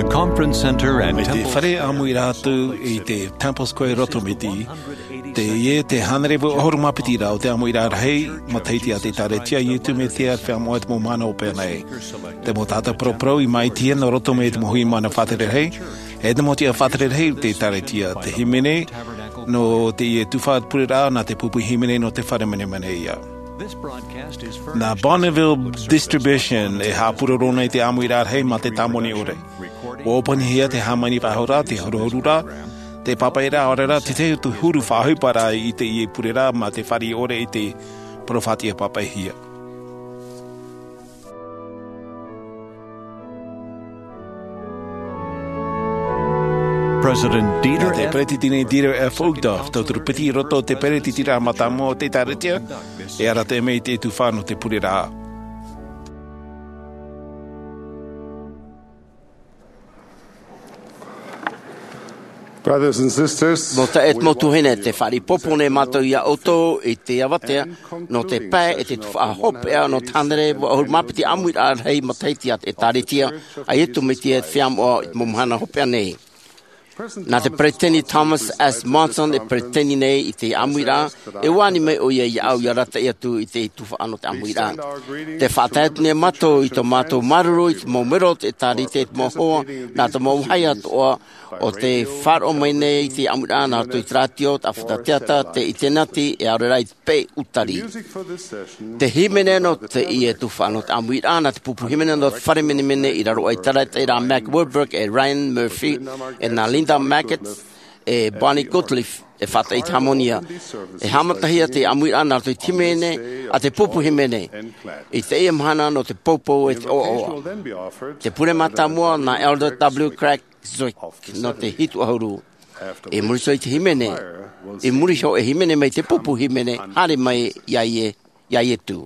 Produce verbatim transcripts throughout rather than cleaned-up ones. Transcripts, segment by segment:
Conference Center and Mai te Temple fare Square ʻāmuiraʻa atu i te Temple Square roto mai te, teie te hānere vaʻu ʻahuru mā piti rā o te ʻāmuiraʻa rahi matahiti a te Ekalesia a Iesu Mesia Fenua i te mau mahana hopeʻa nei. Te mau taʻata paraparau i māʻitihia nō roto mai te mau hui mana faʻatere rahi, e te mau tiʻa faʻatere rahi o te Ekalesia, te hīmene nō teie tuhaʻa pureraʻa, nā te pupu hīmene nō te fare menemene ia. Nā Bonneville Distribution e haʻapūroro nei te ʻāmuiraʻa rahi mā te tāmoni ʻore. ʻUa ʻōpuahia te hāmani faʻahou ra, te huru-, huru-, huru ra, te pāpaʻi ra, ʻaore rā, te tahi atu huru faʻaʻohipa ra i teie pureraʻa mā te fāriʻi ʻore i te parau faʻatiʻa pāpaʻihia. President Dieter Nā te F. Peretiteni Dieter F. Uchtdorf, tauturu piti i roto i te peretitiraʻa mātāmua o te Ekalesia, e arataʻi mai i te tuhaʻa nō te pureraʻa. Brothers and sisters, Mau taeaʻe, mau tuahine, tē fāriʻi pōpō nei mātou ia ʻoutou i te avatea nō te pae e te tuhaʻa hopeʻa nō te hānere vaʻu ʻahuru mā piti ʻāmuiraʻa rahi matahiti a te Ekalesia a Iesu Mesia Fenua i te mau mahana hopeʻa nei. Nā te Peretiteni Thomas S. Monson e peretiteni nei i te ʻāmuiraʻa, e ani mai ʻoia iāʻu ia arataʻi atu i te tuhaʻa nō te ʻāmuiraʻa. Tē faʻatae atu nei mātou i tō mātou māuruuru i te mau melo o te Ekalesia, i te mau hoa, nā te mau vāhi atoʻa o tē faʻaroʻo mai nei i te ʻāmuiraʻa, nā roto i te rātio, te ʻāfata teata, te ʻiniterineti, e ʻaore rā i te peʻe ʻūtari. Te hīmene nō teie tuhaʻa nō te ʻāmuiraʻa, nā te pupu hīmene nō te fare menemene i raro aʻe i te taʻata ra Mac Wilberg e Ryan Murphy, e nā Linda Mackett e Bonnie Gottlieb, e faʻataʻa i te hāmani. E haʻamatahia te ʻāmuiraʻa nā roto i te hīmene a te pupu hīmene i teie mahana nō te poupou e te ʻoaʻoa. Te pure mātāmua nā Elder W. Craig Zwick nō te hitu ʻahuru. I muri iho i te hīmene, i muri iho e hīmene mai te pupu hīmene, haere mai iā Ie-, iā Iesu.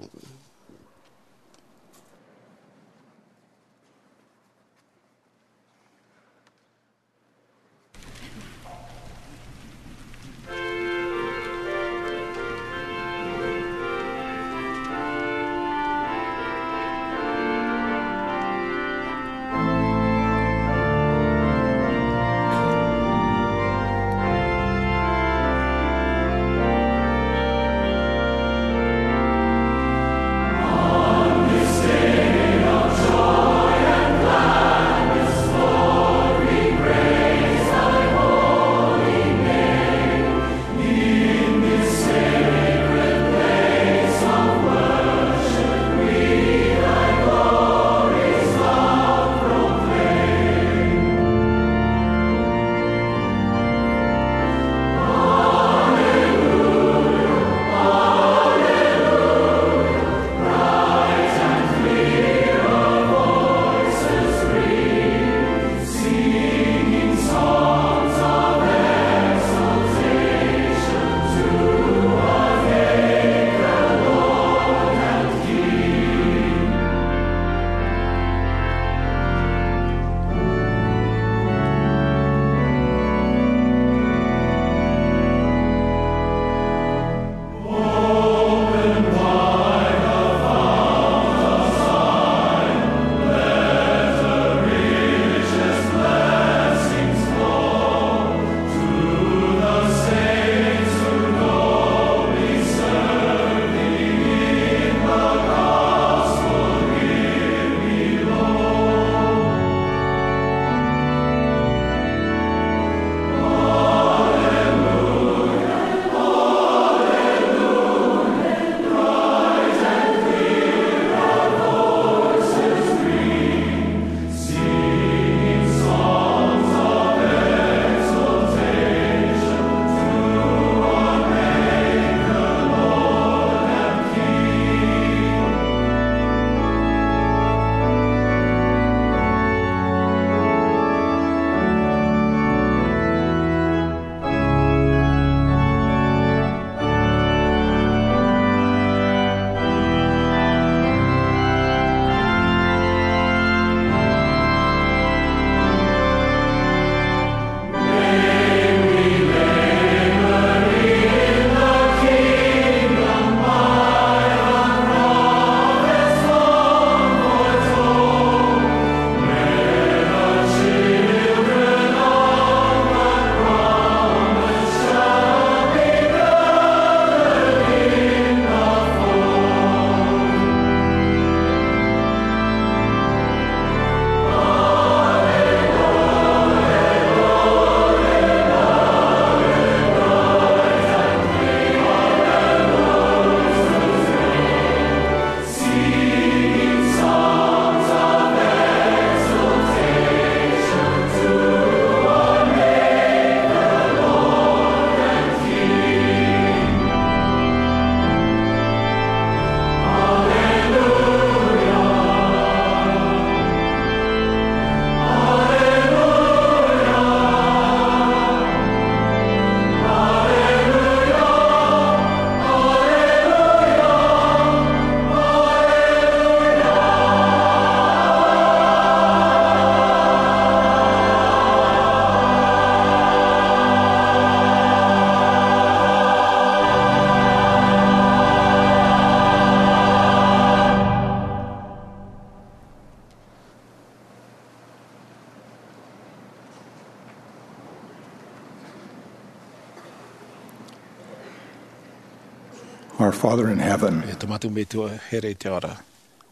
Our Father in heaven, e tō mātou Metua here i te ao ra,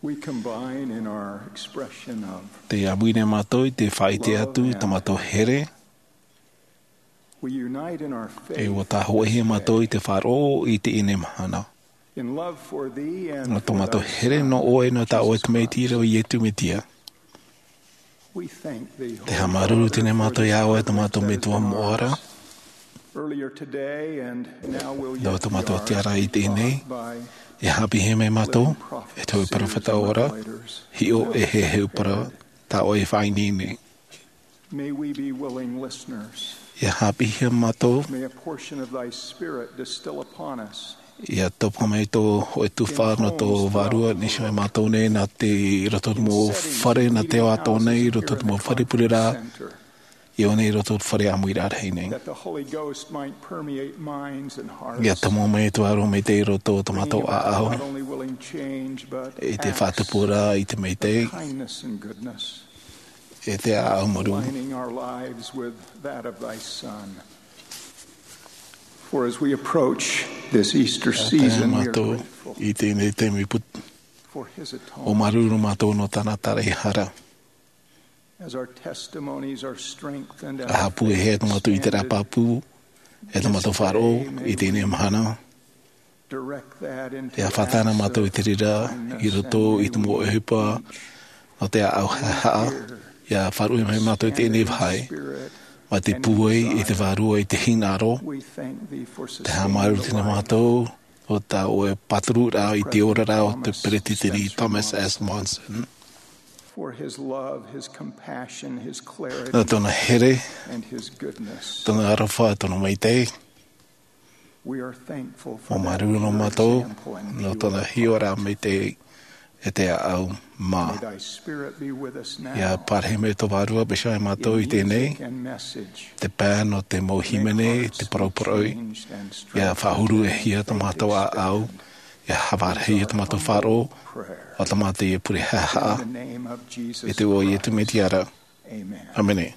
we combine in our expression of te ʻāmuiraʻa mātou i te faʻaʻite atu i tō mātou here, we unite in our faith, e ʻua tāhoʻahia mātou i te faʻaroʻo i teie mahana. In love for thee and nō tō mātou here nō ʻoe, nō tā ʻoe Tamaiti ra, ʻo Iesu Metia. We thank thee, te haʻamāuruuru teie mātou iā ʻoe, tō mātou Metua moʻa ra. Earlier today and now we'll nō tō mātou tiʻaraʻa i teie nei, e haʻapiʻihia mai mātou e te hōʻē peropheta ora, hiʻo e heheu parau tā ʻoe i faʻaineine. May we be willing listeners. ʻIa haʻapiʻihia mātou. May a portion of thy spirit distill upon us. ʻIa topa mai tō hōʻē tuhaʻa nō tō Vārua, nā ʻō mai mātou nei nā te, i roto i te mau fare, nā te ao atoʻa nei, i roto i te mau fare pureraʻa, ʻia ʻō nei i roto i te fare ʻāmuiraʻa rahi nei. That the Holy Ghost might permeate minds and hearts. ʻIa tomo mai te Vārua Maitaʻi i roto i tō mātou ʻāʻau. Bringing about not only willing change, but acts of kindness and goodness. E te faʻatupu ra i te Maitaʻi, e te ʻāʻau mārū. Aligning our lives with that of thy Son. For as we approach this Easter season, we are grateful. ʻIa tae mātou i teie nei taime put-, for his atonement. ʻUa māuruuru mātou nō tāna taraehara. As our testimonies are strengthened and our faith expanded, ʻa haʻapūaihia tō mātou ʻiteraʻa pāpū, e tō mātou faʻaroʻo i teie mahana. ʻIa faʻatae mātou i te reira i roto i te mau ʻohipa nō te ʻāʻau haʻehaʻa. ʻIa faʻaruʻe mai mātou i teie vāhi, mai te pūai i te Vārua i te hinaʻaro. Te haʻamāuruuru teie mātou nō tā ʻoe pāturu ra i te oraraʻa o te Peretiteni Thomas S. Monson. Nō tōna here, tōna aroha, tōna maitaʻi. ʻUa māuruuru mātou nō tōna hiʻoraʻa maitaʻi e te ʻāʻau mā. ʻIa parahi mai tō Vārua Bishop iā mātou i teie nei, te pae nō te mau hīmene, te parauparau, ʻia faʻahuru-ʻē-hia tō mātou ʻāʻau, ʻia haʻavārehia tō mātou faʻaroʻo, ʻo tō mātou ia pure haʻehaʻa, i te iʻoa o Iesu Mesia ra. ʻĀmene.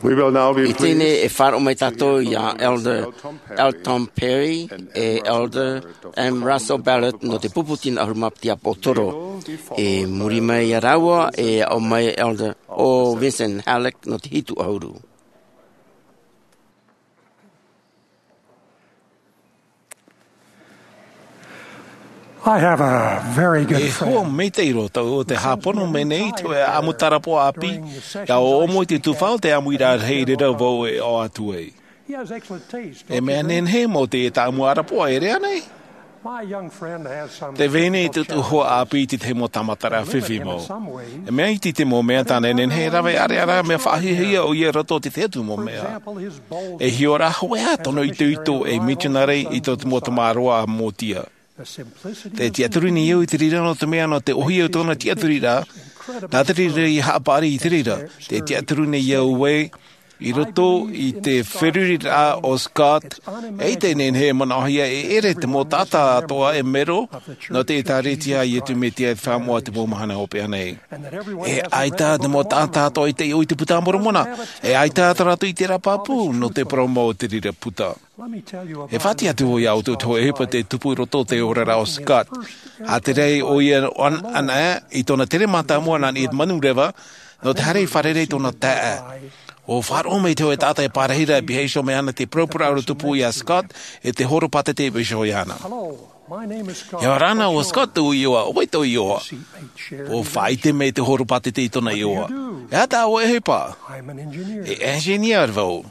I teie nei e faʻaroʻo mai tātou iā Elder L. Tom Perry e Elder M. Russell Ballard nō te pupu tino ʻahuru mā piti ʻāpōsetolo. I muri mai iā rāua e aʻo mai Elder O. Vinson Halleck nō te hitu ʻahuru. I have a very good friend. E hoa maitaʻi roa tātou o te hāpono mai nei i te hōʻē ʻāʻamu tārapoʻa ʻāpī, ʻia ʻōʻomo i te tuhaʻa o te ʻāmuiraʻa rahi i reira vau e ʻoaʻoa atu ai. He excellent taste, don't you think? E mea nehenehe mau teie tāʻamu tārapoʻa, ʻere ānei? My young friend has some special talent. Tē vai nei tōʻu hoa ʻāpī i te tahi mau tāmataraʻa fifi mau. E mea iti te mau mea tāna e nehenehe e rave ʻāreʻa ra, mea faʻahiahia ʻoia i roto i te tahi atu mau mea. E hiʻo ra hoʻi ā tōna itoito ei mitionare i tō te mau tamaroa a Motia. Tē tiʻaturi nei au i te reira nō te mea nō te ʻōhie o tōna tiʻaturiraʻa, nā te reira ia haʻapaʻari i te reira. Tē tiʻaturi nei au ē, i roto i te feruriraʻa o Scott, e ʻaita e nehenehe e manaʻohia e ʻere te mau taʻata atoʻa e mero nō te ʻĒtārētia a Iesu Mesia i te Haʻamoʻa o te mau mahana hopeʻa nei. E ʻaita te mau taʻata atoʻa i taiʻo i te Buka a Moromona, e ʻaita tō rātou ʻiteraʻa pāpū nō te parau mau o te reira puta. E faʻatiʻa atu vau iā ʻoutou te hōʻē ʻohipa tē tupu i roto i te oraraʻa o Scott. ʻA tae ʻoia ʻana, ʻana i tōna tere mātāmua nā niʻa i te manureva, nō te haere i fārerei i tōna taeaʻe. ʻUa faʻaroʻo mai te hōʻē taʻata e pārahi ra e pihaʻi iho mai ana i te paraparauraʻa tupu iā Scott, e te horopātete e pihaʻi iho iāna. Hello, my name is Scott. E ʻore ana, ʻo Scott tōʻu iʻoa, ʻo vai tō iʻoa? ʻUa faʻaʻite mai te horopātete i tōna iʻoa. E aha tā ʻoe e ʻohipa? I'm an engineer. E engineer vau.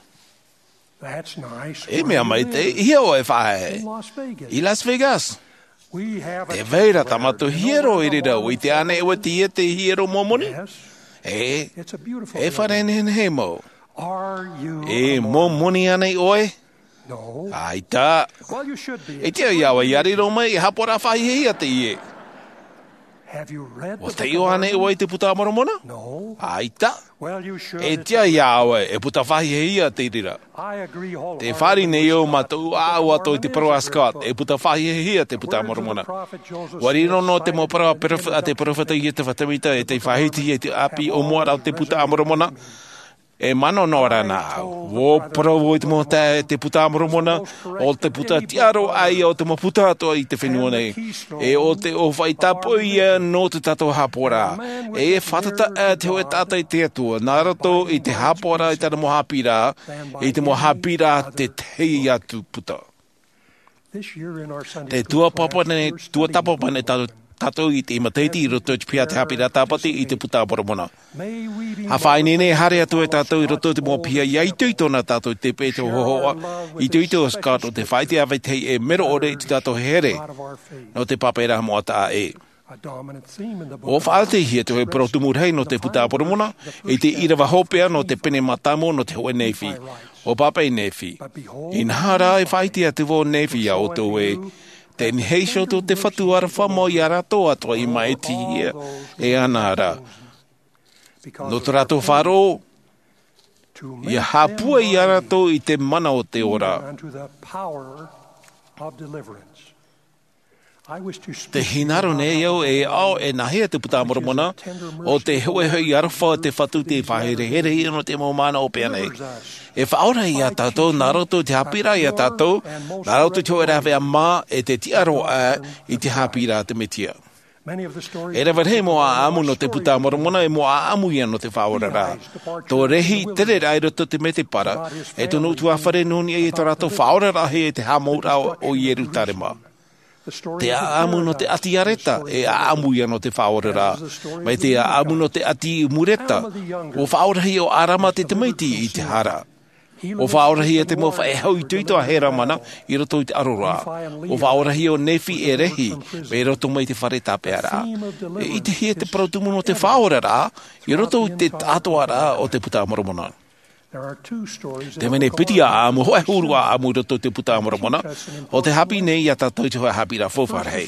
That's nice. E mea maitaʻi, e hea ʻoe e faʻaea? In Las Vegas. I Las Vegas. We have a... Tē vai ra tā mātou hiero i reira, ʻua ʻite ānei ʻoe i teie hiero Momoni? Yes. E, it's a beautiful building. E fare nehenehe mau. Are you a Mormon? E Momoni ānei ʻoe? No. ʻAita. Well, you should be. E tiʻa iā ʻoe ʻia riro mai, e haʻapaʻoraʻa faʻahiahia teie. Have you read the Book of Mormon? ʻUa taiʻo ānei ʻoe i te Buka a Moromona? No. ʻAita. Well, you should. E tiʻa iā ʻoe, e puta faʻahiahia te reira. I agree wholeheartedly with Scott. Tē fāriʻi nei au mātou ʻāʻau atoʻa i te parau a Scott, e puta faʻahiahia te Buka a Moromona. The words of the prophet Joseph Smith. ʻUa riro noa te mau parau a perofeta, a te perofeta Iosefa Sāmita, e tei faʻahiti i te ʻāpī ʻōmuaraʻa o te Buka a Moromona. E manaʻo noa ra na au. ʻUa parau vau i te mau taeaʻe, te Buka a Moromona, ʻo te puta tiʻaroʻa ia o te mau puta atoʻa i te fenua nei. E ʻo te ʻōfaʻi tāpoʻi ia nō tō tātou haʻapaʻoraʻa. E fātata ā te hōʻē taʻata i te Atua, nā roto i te haʻapaʻoraʻa i tāna mau haʻapiʻiraʻa, i te mau haʻapiʻiraʻa tētahi atu puta. Tē tuatāpapa nei, tuatāpapa nei tā-, tātou i teie matahiti i roto i te piha a te haʻapiʻiraʻa Tāpati i te Buka a Moromona. ʻA faʻaineine haere atu ai tātou i roto i te mau piha ʻia itoito na tātou i te peʻe te hōhoʻa, itoito ʻo Scott nō te faʻaʻite ʻāvaitahi e mero ʻore i tō tātou here nō te pāpaʻiraʻa moʻa taʻa ʻē. ʻUa faʻaʻitehia te hōʻē parau tumu rahi nō te Buka a Moromona, i te ʻīrava hopeʻa nō te pene mātāmua nō te hōʻē Nephi. ʻUa pāpaʻi Nephi. Inaha rā, e faʻaʻite atu vau Nephi iā ʻoutou ē, tē nehenehe iho tō te Fatu aroha mau iā rātou atoʻa i māʻitihia e ana ra. Nō tō rātou faʻaroʻo, ʻia haʻapūai iā rātou i te mana o te ora. Tē hinaʻaro nei au e aʻo e nāhea te Buka a Moromona, ʻo te hōʻē hoʻi aroha o te Fatu tei faʻaherehere ia nō te mau mahana hopeʻa nei. E faʻaora ia tātou, nā roto i te haʻapiʻiraʻa ia tātou, nā roto i te hōʻē rāveʻa mā, e te tiʻaroʻa i te haʻapiʻiraʻa a te Mesia. E rave rahi mau ʻāʻamu nō te Buka a Moromona, e mau ʻāʻamu ia nō te faʻaoraraʻa. Tō rehi tereraʻa i roto i te mētēpara, e tōna ʻutuāfare nō niʻa i tō rātou faʻaoraraʻahia i te haʻamouraʻa o Ierutarema. Te ʻāʻamu nō te ʻāti Areta, e ʻāʻamu ia nō te faʻaoraraʻa. Mai te ʻāʻamu nō te ʻāti Mureta, ʻua faʻaorahia ʻo ʻArama te tamaiti i te hara. ʻUa faʻaorahia te mau faʻehau itoito a Heramana i roto i te ʻaroraʻa. ʻUa faʻaorahia ʻo Nephi e Lehi, mai roto mai te fare tāpeʻaraʻa. E ʻitehia te parau tumu nō te faʻaoraraʻa, i roto i te taʻatoʻaraʻa o te Buka a Moromona. Te mea nei piti ʻāʻamu, hōʻē huru ʻāʻamu i roto i te Buka a Moromona, ʻo tē haʻapiʻi nei iā tātou i te hōʻē haʻapiʻiraʻa faufaʻa rahi.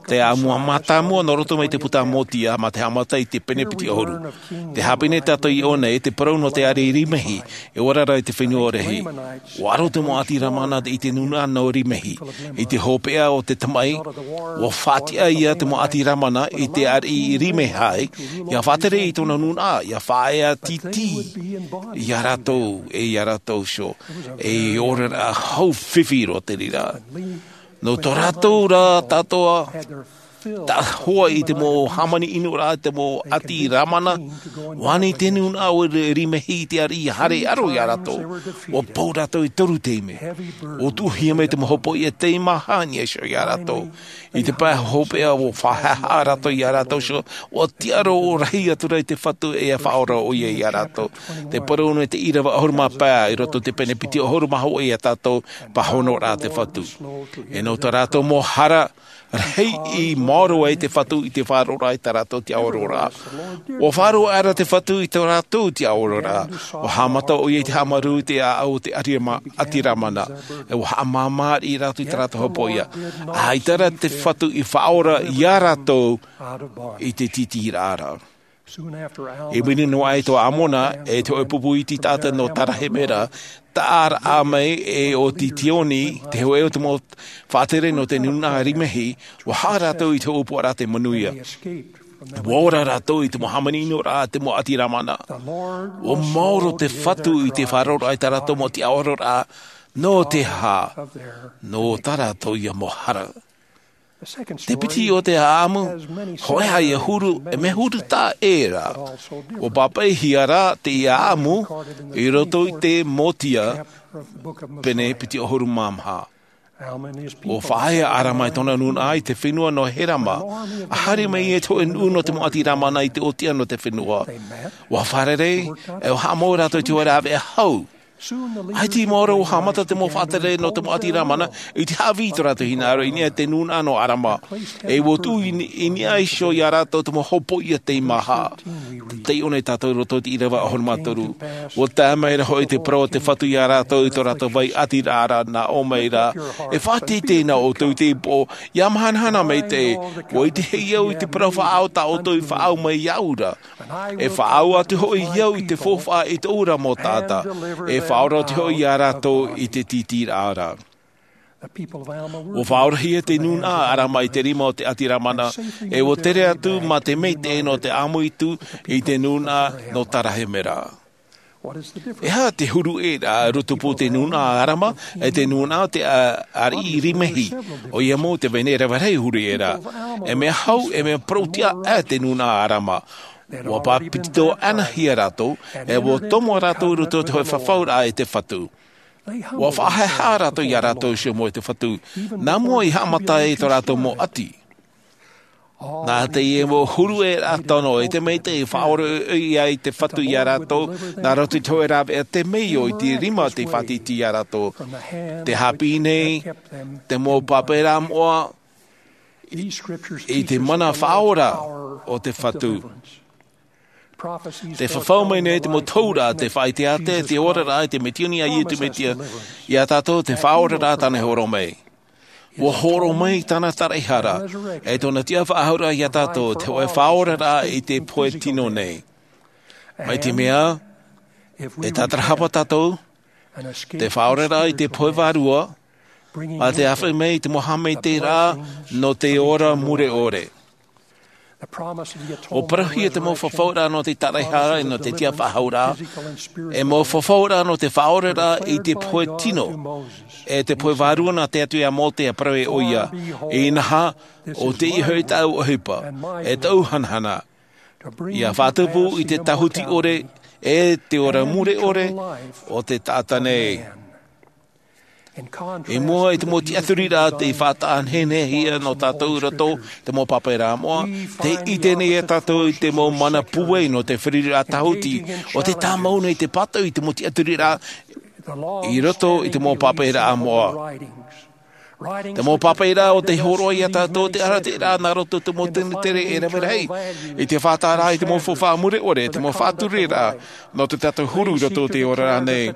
Te ʻāʻamu mātāmua nō roto mai te puta a Motia, mā te haʻamata i te pene piti ʻahuru. Tē haʻapiʻi nei tātou i ʻō nei, te parau nō te ariʻi Rimehi, e ora ra i te fenua o Lehi. ʻUa aro te mau ʻāti Lamana i te nūnaʻa nō Rimehi, i te hopeʻa o te tamaʻi, ʻua faʻatiʻa ia te mau ʻāti Lamana i te ariʻi Rimehai, ʻia faʻatere i tōna nūnaʻa, ʻia faʻaea tītī ia rātou. rātou, e iā rātou iho, e oraraʻa hau fifi roa te reira. Nō tō rātou rā tātou, tā hoa i te mau hāmani ʻino rā, te mau ʻati Rāmana, ʻua ani te nūnaʻa ʻo Rimehi i te ariʻi haere ʻaro iā rātou. ʻUa pau rātou i toru taime. ʻUa tuʻuhia mai te mau hopoiʻa teimaha i niʻa iho iā rātou. I te pae hopeʻa ʻua faʻahaʻehaʻa rātou iā rātou iho, ʻua tiʻa roa rahi atu ra i te Fatu e faʻaora ʻoia iā rātou. Tē parau nei te ʻīrava ʻahuru mā pae i roto i te pene piti ʻahuru mā hōʻē iā tātou, pāhono rā te Fatu. E nō tā rātou mau hara, rahi i maoro ai te Fatu i te faʻaroʻoraʻa i tā rātou tiʻaororaʻa. ʻUa faʻaroʻo ra te Fatu i tō rātou tiʻaororaʻa. ʻUa haʻamata ʻoia i te haʻamarū i te ʻāʻau o te ʻati Rāmana. E ʻua haʻamāmāriʻi rātou i tā rātou hopoiʻa. ʻAita rā te Fatu i faʻaora iā rātou i te tītīraʻa ra. I muri noa aʻe tō Amona, e te hōʻē pupu iti taʻata nō Tarahemera, taʻa ra mai e ʻo Tioni, te hōʻē o te mau faʻatere nō te nūnaʻa Rimehi, ʻua haʻa rātou i te hōʻē upoʻa ra te manuia. ʻUa ora rātou i te mau hāmani ʻino rā, te mau ʻati Rāmana. ʻUa maoro te Fatu i te faʻaroʻoraʻa i tā rātou mau tiʻaororaʻa, nō te aha, nō tā rātou ia mau hara. Te piti o te ʻāʻamu, hōʻē ia huru, e mea huru taʻa ʻē ra. ʻUa pāpaʻihia rā te ʻāʻamu i roto i te Mōtia, pene piti ʻahuru mā maha. ʻUa faʻaea ʻo Arama e tōna nūnaʻa i te fenua nō Herama, ʻa haere mai e te hōʻē nuʻu nō te mau ʻati Rāmana i te ʻōtiʻa nō te fenua. ʻUa fārerei, e ʻua haʻamau rātou i te hōʻē rāveʻa hau. ʻAita i maoro ʻua haʻamata te mau faʻatere nō te mau ʻati Rāmana, i te haʻavī i tō rātou hinaʻaro i niʻa i te nūnaʻa nō Arama. E ʻua tuʻu i ni-, i niʻa iho iā rātou te mau hopoiʻa teimaha. Taiʻo nei tātou i roto i te ʻīrava ʻahuru mā toru. ʻUa tae mai ra hoʻi te parau o te Fatu iā rātou i tō rātou vai ʻatiraʻa ra, nā ʻō mai ra, e faʻateitei na ʻoutou i te ipo, ʻia mahanahana maitaʻi, ʻua ʻitehia au i te parau faʻaau tā ʻoutou i faʻaau mai iāʻu ra. E faʻaau atu hoʻi au i te faufaʻa i tōʻu ra mau taʻata. E faʻaora atu hoʻi iā rātou i te tītīraʻa ra. ʻUa faʻaorahia te nūnaʻa Arama i te rima o te ʻati Rāmana, e ʻua tere atu mā te maitaʻi nō te ʻāmuitū i te nūnaʻa nō Tarahemera. E aha te huru ʻē ra, rotopū te nūnaʻa Arama, e te nūnaʻa o te a-, ariʻi Rimehi, ʻoia mau te vahine rave rahi huru ʻē ra. E mea hau, e mea parau-tiʻa ʻē te nūnaʻa Arama. ʻUa pāpetitohia rātou, e ʻua tomo rātou i roto i te hōʻē fafauraʻa e te Fatu. ʻUa faʻahaʻehaʻa rātou iā rātou iho mau e te Fatu. Nā mua i haʻamata ai tō rātou mau ʻati. Nā teie mau huru ʻē ra tano e te maitaʻi i faʻaoroʻi ai te Fatu iā rātou, nā roto i te hōʻē rāveʻa temeio i te rima tei faʻatītī iā rātou. Tē haʻapiʻi nei te mau pāpaʻiraʻa moʻa i te mana faʻaora o te Fatu. Tē fafau mai nei te mau taura, tē faʻaʻite atu te oraraʻa i te Metua, nā Iesu Mesia, iā tātou te Faʻaoraraʻa tāna i hōroʻa mai. ʻUa hōroʻa mai tāna taraʻehara, e tōna tiʻafaʻahouraʻa iā tātou, te hōʻē faʻaoraraʻa i te pohe tino nei. Mai te mea, e tātarahapa tātou, te faʻaoraraʻa i te pohe vārua, ʻa te āfaʻi mai i te mau haʻamaitaʻiraʻa nō te ora mure ʻore. ʻUa parauhia te mau fafauraʻa nō te taraʻehara, nō te tiʻafaʻahouraʻa, e mau fafauraʻa nō te faʻaoraraʻa i te pohe tino, e te pohe vārua nā te Atua iā Mōse, ʻa parau ʻoia, inaha, ʻo teie hoʻi tāʻu ʻohipa, e tāʻu hanahana, ʻia faʻatupu i te tāhuti ʻore, e te ora mure ʻore, o te taʻata nei. I mua i te mau tiʻaturiraʻa tei faʻataʻa nehenehe iā tātou i roto i te mau pāpaʻiraʻa moʻa, tē ʻite nei iā tātou i te mau mana pūai nō te feruriraʻa tāhuti, ʻo tē tāmau nei te pātoʻi i te mau tiʻaturiraʻa i roto i te mau pāpaʻiraʻa moʻa. Te mau pāpaʻiraʻa ʻo tē hōroʻa iā tātou te arataʻiraʻa nā roto i te mau tino tere e rave rahi, i te faʻataʻaraʻa i te mau faufaʻa mure ʻore, te mau faʻatureraʻa, nō tō tātou huru i roto i te oraraʻa nei.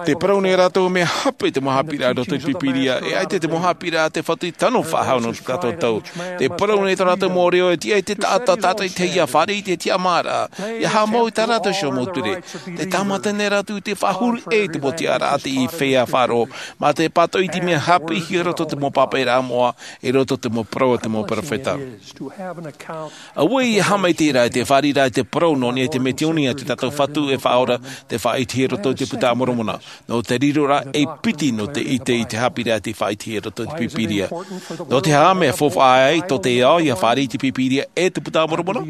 Tē parau nei rātou mea hape te mau haʻapiʻiraʻa i roto i te Pīpīria, e ʻaita te mau haʻapiʻiraʻa a te Fatu i tano faʻahou nō tō tātou tau. Tē parau nei tō rātou mau reo e tiʻa i te taʻata tātaʻitahi ʻia fāriʻi i te tiʻamāraʻa, ʻia haʻamau i tā rātou iho mau ture. Tē tāmata nei rātou i te faʻahuru ʻē i te mau tiʻaraʻa tei feiā faʻaroʻo, mā te pātoʻi i te mea hape i roto te mau pāpaʻiraʻa moʻa, i roto te mau parau a te mau peropheta. Auē ia haʻamaitaʻi ra i te fāriʻiraʻa i te parau nō niʻa i te mea tiʻoni a te tātou Fatu e Faʻaora, tei faʻaʻitehia i roto i te Buka a Moromona. Nō te riro ra e piti nō te ʻite i te haʻapiʻiraʻa tei faʻaʻitehia i roto i te Bibilia. Nō te aha mea faufaʻa ai tō te ao ia fāriʻi i te Bibilia e te Buka a Moromona?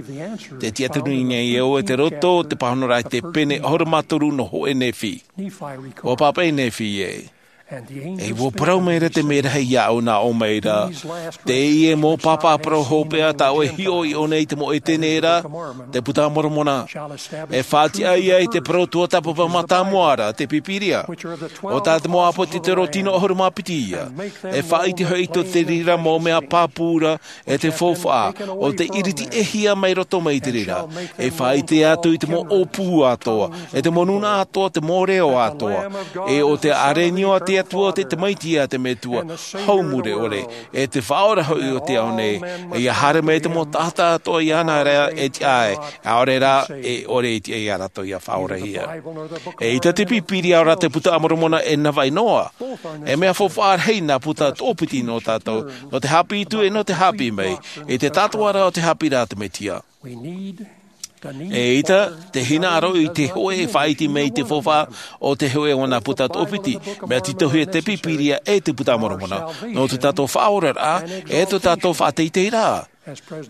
Te tiʻaturi nei au e te roto o te pāhonoraʻa i te pene ʻahuru mā toru nō hōʻē Nephi. ʻUa pāpaʻi Nephi ē. ʻE ʻua parau mai ra te merahi iāʻu nā ʻō mai ra. Teie mau pāpā parau hopeʻa tā ʻoe e hiʻo i ʻō nei i te mau ʻētene ra, te Buka a Moromona. E faʻatiʻa ia i te parau tuatāpapa mātāmua ra, te Bibilia. ʻO tā te mau ʻāpōsetolo tino ʻahuru mā piti ia. E faʻaʻite hoʻi tō te reira mau mea pāpū ra, e te faufaʻa, ʻo te ʻiriti ʻehia mai roto mai te reira. E faʻaʻite atu i te mau ʻōpū atoʻa, e te mau nūnaʻa atoʻa, te mau reo atoʻa. ʻE ʻo te ʻārenio a te Atua, ʻo te tamaiti a te Metua, hau mure ʻore, e te Faʻaora hoʻi o te ao nei, e ia haere mai te mau taʻata atoʻa iāna ra e tiʻa ai, ʻaore rā, e ʻore e tiʻa iā rātou ia faʻaorahia. ʻEita te Bibilia ʻaore rā te Buka a Moromona e navaʻi noa. E mea faufaʻa rahi nā puta toʻopiti nō tātou, nō te haʻapiʻi atu ʻe nō te haʻapiʻi mai, i te tātōʻaraʻa o te haʻapiʻiraʻa a te Mesia. ʻEita, te hinaʻaro i te hōʻē e faʻaʻite mai i te faufaʻa o te hōʻē o nā puta toʻopiti, mea tītauhia te Bibilia ʻe te Buka a Moromona, nō tō tātou faʻaoraraʻa, ʻe tō tātou faʻateiteiraʻa.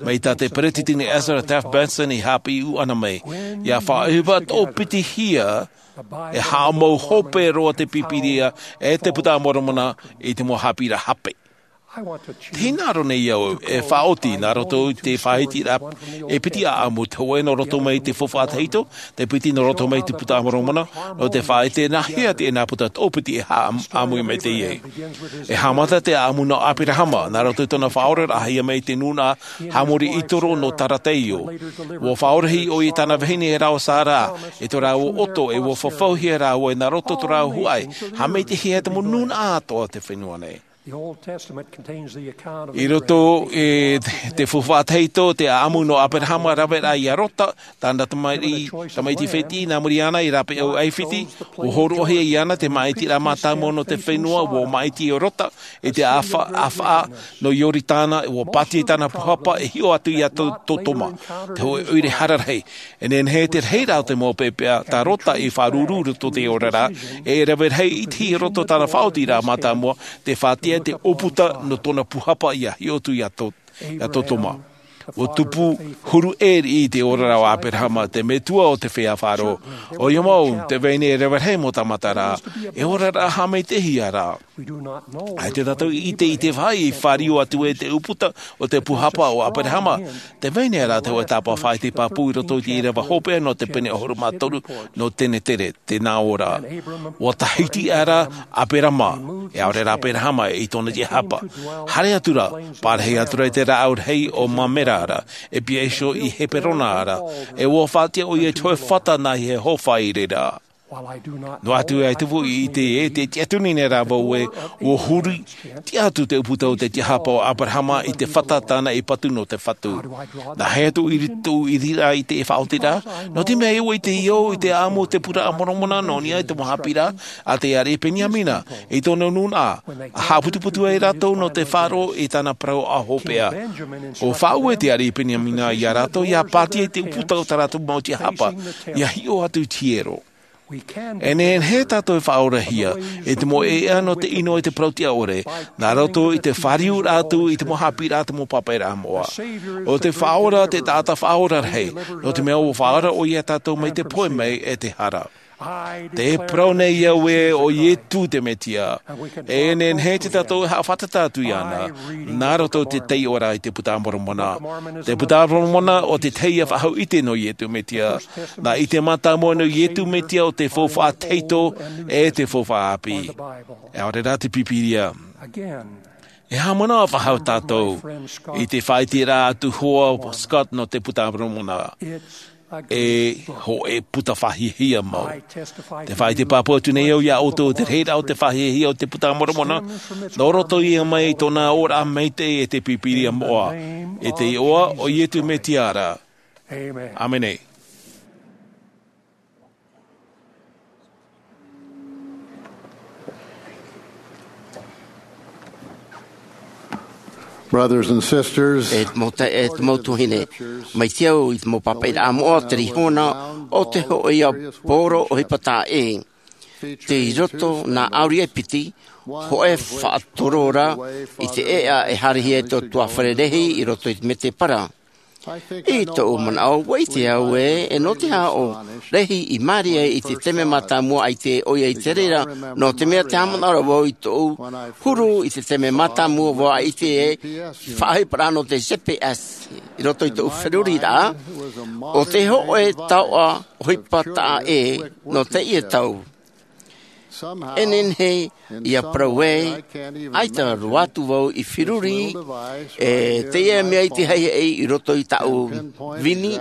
Mai tā te Peresideni Ezra Taft Benson i haʻapiʻi ʻana mai, ia faʻaʻohipa toʻopitihia, e haʻamau hope roa te Bibilia ʻe te Buka a Moromona i te mau haʻapiʻiraʻa hape. Te hinaʻaro nei au e faʻaoti nā roto i te faʻahitiraʻa e piti ʻāʻamu, te hōʻē nō roto mai i te faufaʻa tahito, te piti nō roto mai i te Buka a Moromona, nō te faʻaʻite nāhea te nā puta toʻopiti e haʻamau mai teie. E haʻamata te ʻāʻamu nō ʻĀperahama, nā roto i tōna faʻaoraraʻa e haʻamau mai te nūnaʻa Hamori Itoro nō Tarateio. ʻUa faʻaorahia ʻoia e tāna vahine e rā ʻo Sara, e tō rāua ʻoto, ʻe ʻua fafauhia rāua nā roto tō rāua huaʻai, haʻamaitaʻihia te mau nūnaʻa atoʻa o te fenua nei. I roto i te faufaʻa tahito, te ʻāʻamu nō ʻĀperahama e rave ra iā Lota, tāna tamaiti, tamaiti fētiʻi, nā muri iāna i rāpae ʻo ʻAifiti, ʻua hōroʻahia iāna te māʻitiraʻa mātāmua nō te fenua, ʻua māʻiti ʻo Lota i te ʻāfa-, ʻāfaʻa nō Ioritana, ʻua pātia i tāna puhapa e hiʻo atu iā Sotoma, te hōʻē ʻoire hara rahi. E nehenehe te rahiraʻa o te mau pepeʻa, tā Lota i faʻaruru i roto i te oraraʻa, e rave rahi i te hia roto tāna faʻaotiraʻa mātāmua, te faʻatiʻa i te ʻōputa nō tōna puhapa ia hiʻo atu iā Sotoma. ʻUa tupu huru ʻē riʻi i te oraraʻa o ʻĀperahama, te metua o te feiā Faro. ʻOia mau, te vahine e rave rahi mau tāmata ra, e oraraʻa haʻamaitaʻihia ra. ʻAita tātou i ʻite i te vāhi i fāriu atu ai te ʻōputa o te puhapa o ʻĀperahama, te vahine ra te hōʻē tāpaʻo faʻaʻite pāpū i roto i te ʻīrava hopeʻa nō te pene ʻahuru mā toru nō Tenetere, tē nā ʻō ra. ʻUa tahiti aʻera ʻĀperahama, e ʻaore rā ʻĀperahama i tōna tiʻahapa. Haere atu ra, parahi atu ra i te rāʻau rahi o Mamera ra, e piha iho i Heperona ra, e ʻua faʻatiʻa ʻoia i te hōʻē fata nā Iehova i reira. Noa atu ā i te ʻite ē, tē tiʻaturi nei rā vau ē, ʻua huri tiʻa atu te ʻōputa o te tiʻahapa o ʻĀperahama i te fata tāna i patu nō te Fatu. Nāhea tōʻu ʻiri-, tōʻu ʻiriraʻa i te faʻaotiraʻa? Nō te mea ʻua ʻite au i te ʻāʻamu o te Puka a Moromona nō niʻa i te mau haʻapiʻiraʻa a te ariʻi Beniamina, i tōna nūnaʻa, ʻa haʻaputuputu ai rātou nō te Faro i tāna parau ʻāhopeʻa. ʻUa faʻaue te ariʻi Beniamina iā rātou, ʻia pātia i te ʻōputa o tā rātou mau tiʻahapa, ʻia hiʻo atu i te hiero. E nehenehe tātou e faʻaorahia, e te mau ʻēʻa nō te ʻino i te parau tiʻa ʻore, nā roto i te fāriuraʻa atu i te mau haʻapiʻiraʻa a te mau pāpaʻiraʻa moʻa. ʻO te Faʻaora te taʻata faʻaora rahi, nō te mea ʻua faʻaora ʻoia iā tātou mai te pohe mai e te hara. Tē parau nei au ē, ʻo Ietu te Mesia. E nehenehe tātou e haʻafātata atu iāna, nā roto i te taiʻoraʻa i te Puka a Moromona. Te Puka a Moromona ʻo te tahi faʻahou ʻite nō Ietu Mesia. Nā ʻite mātāmua nō Ietu Mesia ʻo te faufaʻa tahito e te faufaʻa ʻāpī. ʻAore rā te Bibilia. E haʻamanaʻo faʻahou tātou i te faʻaʻiteraʻa a te hoa Scott nō te Puka a Moromona. E hōʻē puta faʻahiahia mau. Tē faʻaʻite pāpū atu nei au iā ʻoutou te rahiraʻa o te faʻahiahia o te Puka a Moromona, nō roto ia mai i tōna oraraʻa maitaʻi e te Bibilia moʻa. I te iʻoa o Ietu Mesia ra. ʻĀmene. Brothers and sisters, e te mau taeaʻe, e te mau tuahine, mai te au i te mau pāpaʻiraʻa moʻa, te rihona o te hōʻē ʻāpōro ʻohipa taʻa ʻē. Tei roto nā ʻauri e piti, hōʻē faʻatorora i te ʻēʻa e haerehia e tō tuāfare rahi i roto i te mētēpara. I tōʻu manaʻo, ʻua ʻite au ē, e nō te aha ʻo Lehi i mārie ai i te taime mātāmua ʻaita ʻoia i te reira, nō te mea tē haʻamanaʻo ra vau i tōʻu huru i te taime mātāmua vau ʻaita e faʻaʻohiparaʻa nō te G P S i roto i tōʻu feruriraʻa, ʻo te hōʻē taoʻa ʻohipa taʻa ʻē nō teie tau. E nehenehe ʻia parau ē, ʻaita roa atu vau i feruri, e teie mea i te haʻehaʻa i roto i tāʻu vini,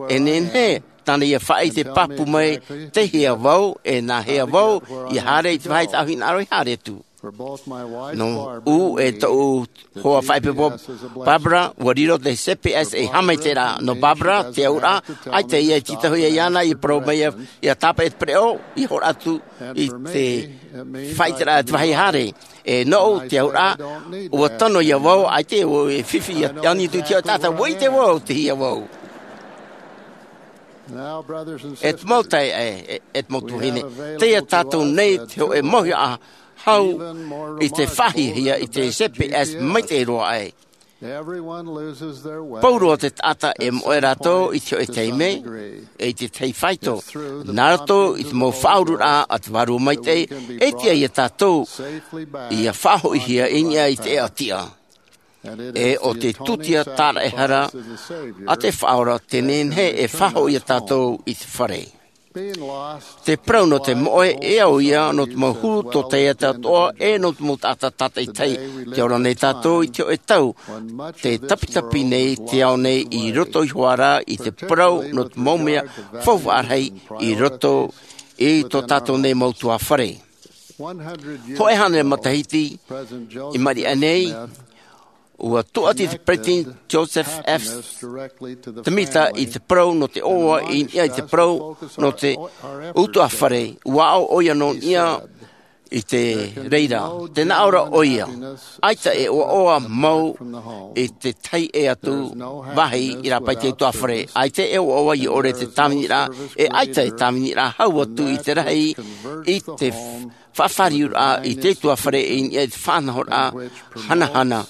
e nehenehe tāna ʻia faʻaʻite pāpū mai, tei hea vau, e nā hea vau ʻia haere i te vāhi tāʻu hinaʻaro i haere atu. Nō ʻu e tōʻu hoa faʻaipoipo Barbara, ʻua riro te G P S ei haʻamaitaʻiraʻa. Nō Barbara, te auraʻa, ʻaita ʻoia e tītauhia iāna, ʻia parau mai ʻia, ʻia tāpaʻo i te pereʻoʻo, ʻia hōroʻa atu i te faʻaʻiteraʻa te vāhi haere. E nōʻu, te auraʻa, ʻua tono ia vau, ʻaita e fifi ʻia ani atu i te taʻata, ʻua ʻite vau, tei hea vau. E te mau taeaʻe, e, e te mau tuahine, tei ia tātou nei te hōʻē mauhaʻa hau i te faʻahiahia i te G P S maitaʻi roa aʻe. Pauroa te taʻata e moʻe rātou i te hōʻē taime, e i te tahi faito. Nā roto i te mau faʻaururaʻa a te Vārua Maitaʻi, e tiʻa ia tātou ʻia faʻahoʻihia i niʻa i te ʻēʻa tiʻa. E ʻo te tūtia tāraʻehara a te Faʻaora tē nehenehe e faʻahoʻi ia tātou i te fare. Te parau nō te moʻe, e au ia nō te mau huru tōtaiete atoʻa, e nō te mau taʻata tātaʻitahi. Tē ora nei tātou i te hōʻē tau, tē tapitapi nei te ao nei i roto iho ā rā i te parau nō te mau mea faufaʻa rahi i roto i tō tātou nei mau tuāfare. Hōʻē hānere matahiti i maʻiri aʻe nei, ʻua tūʻati te Peresideni Joseph F. Smith i te parau nō te ʻoaʻoa i niʻa i te parau nō te ʻutuāfare, ʻua aʻo ʻoia nō niʻa i te reira. Tē nā ʻō ra ʻoia, ʻaita e ʻoaʻoa mau i te tahi ʻē atu vāhi i rāpae i te ʻutuāfare. ʻAita e ʻoaʻoa ʻia ʻore te tāviniraʻa, e ʻaita e tāviniraʻa hau atu i te rahi i te faʻafāriuraʻa i te ʻutuāfare i niʻa i te faʻanahoraʻa hanahana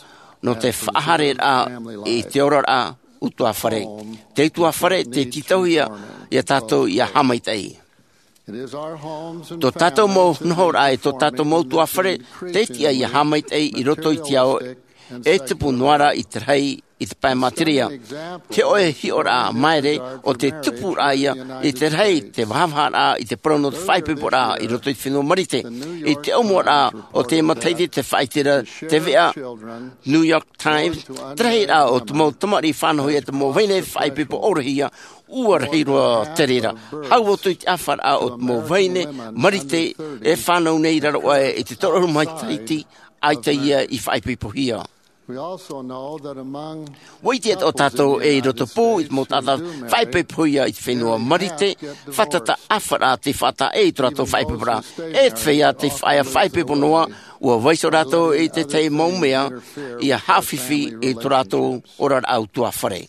nō te faʻahaereraʻa i te oraraʻa ʻutuāfare. Te ʻutuāfare, tē tītauhia ia tātou ʻia haʻamaitaʻi. Tō tātou mau nohoraʻa e tō tātou mau ʻutuāfare, tē tiʻa ʻia haʻamaitaʻi i roto i te ao e tupu noa ra i te rahi i te pae materia. Te hōʻē hiʻoraʻa māere ʻo te tupuraʻa ia i te rahi te vahavaharaʻa i te parau nō te faʻaipoiporaʻa i roto i te fenua Marite. I te ʻōmuaraʻa o te matahiti tē faʻaʻite ra te veʻa New York Times, te rahiraʻa o te mau tamariʻi fānauhia e te mau vahine faʻaipoipo ʻōrohia, ʻua rahi roa te reira. Hau atu i te ʻāfaraʻa o te mau vahine Marite e fānau nei i raro aʻe i te toru ʻahuru matahiti, ʻaita ia i faʻaipoipohia. ʻUa ʻite atoʻa tātou ē i roto pū i te mau taʻata faʻaipoipohia i te fenua Marite, fātata ʻāfaraʻa tei faʻataʻa i tō rātou faʻaipoiporaʻa. E te feiā tei faʻaea faʻaipoipo noa, ʻua vaiiho rātou i te tahi mau mea ʻia haʻafifi i tō rātou oraraʻa ʻutuāfare.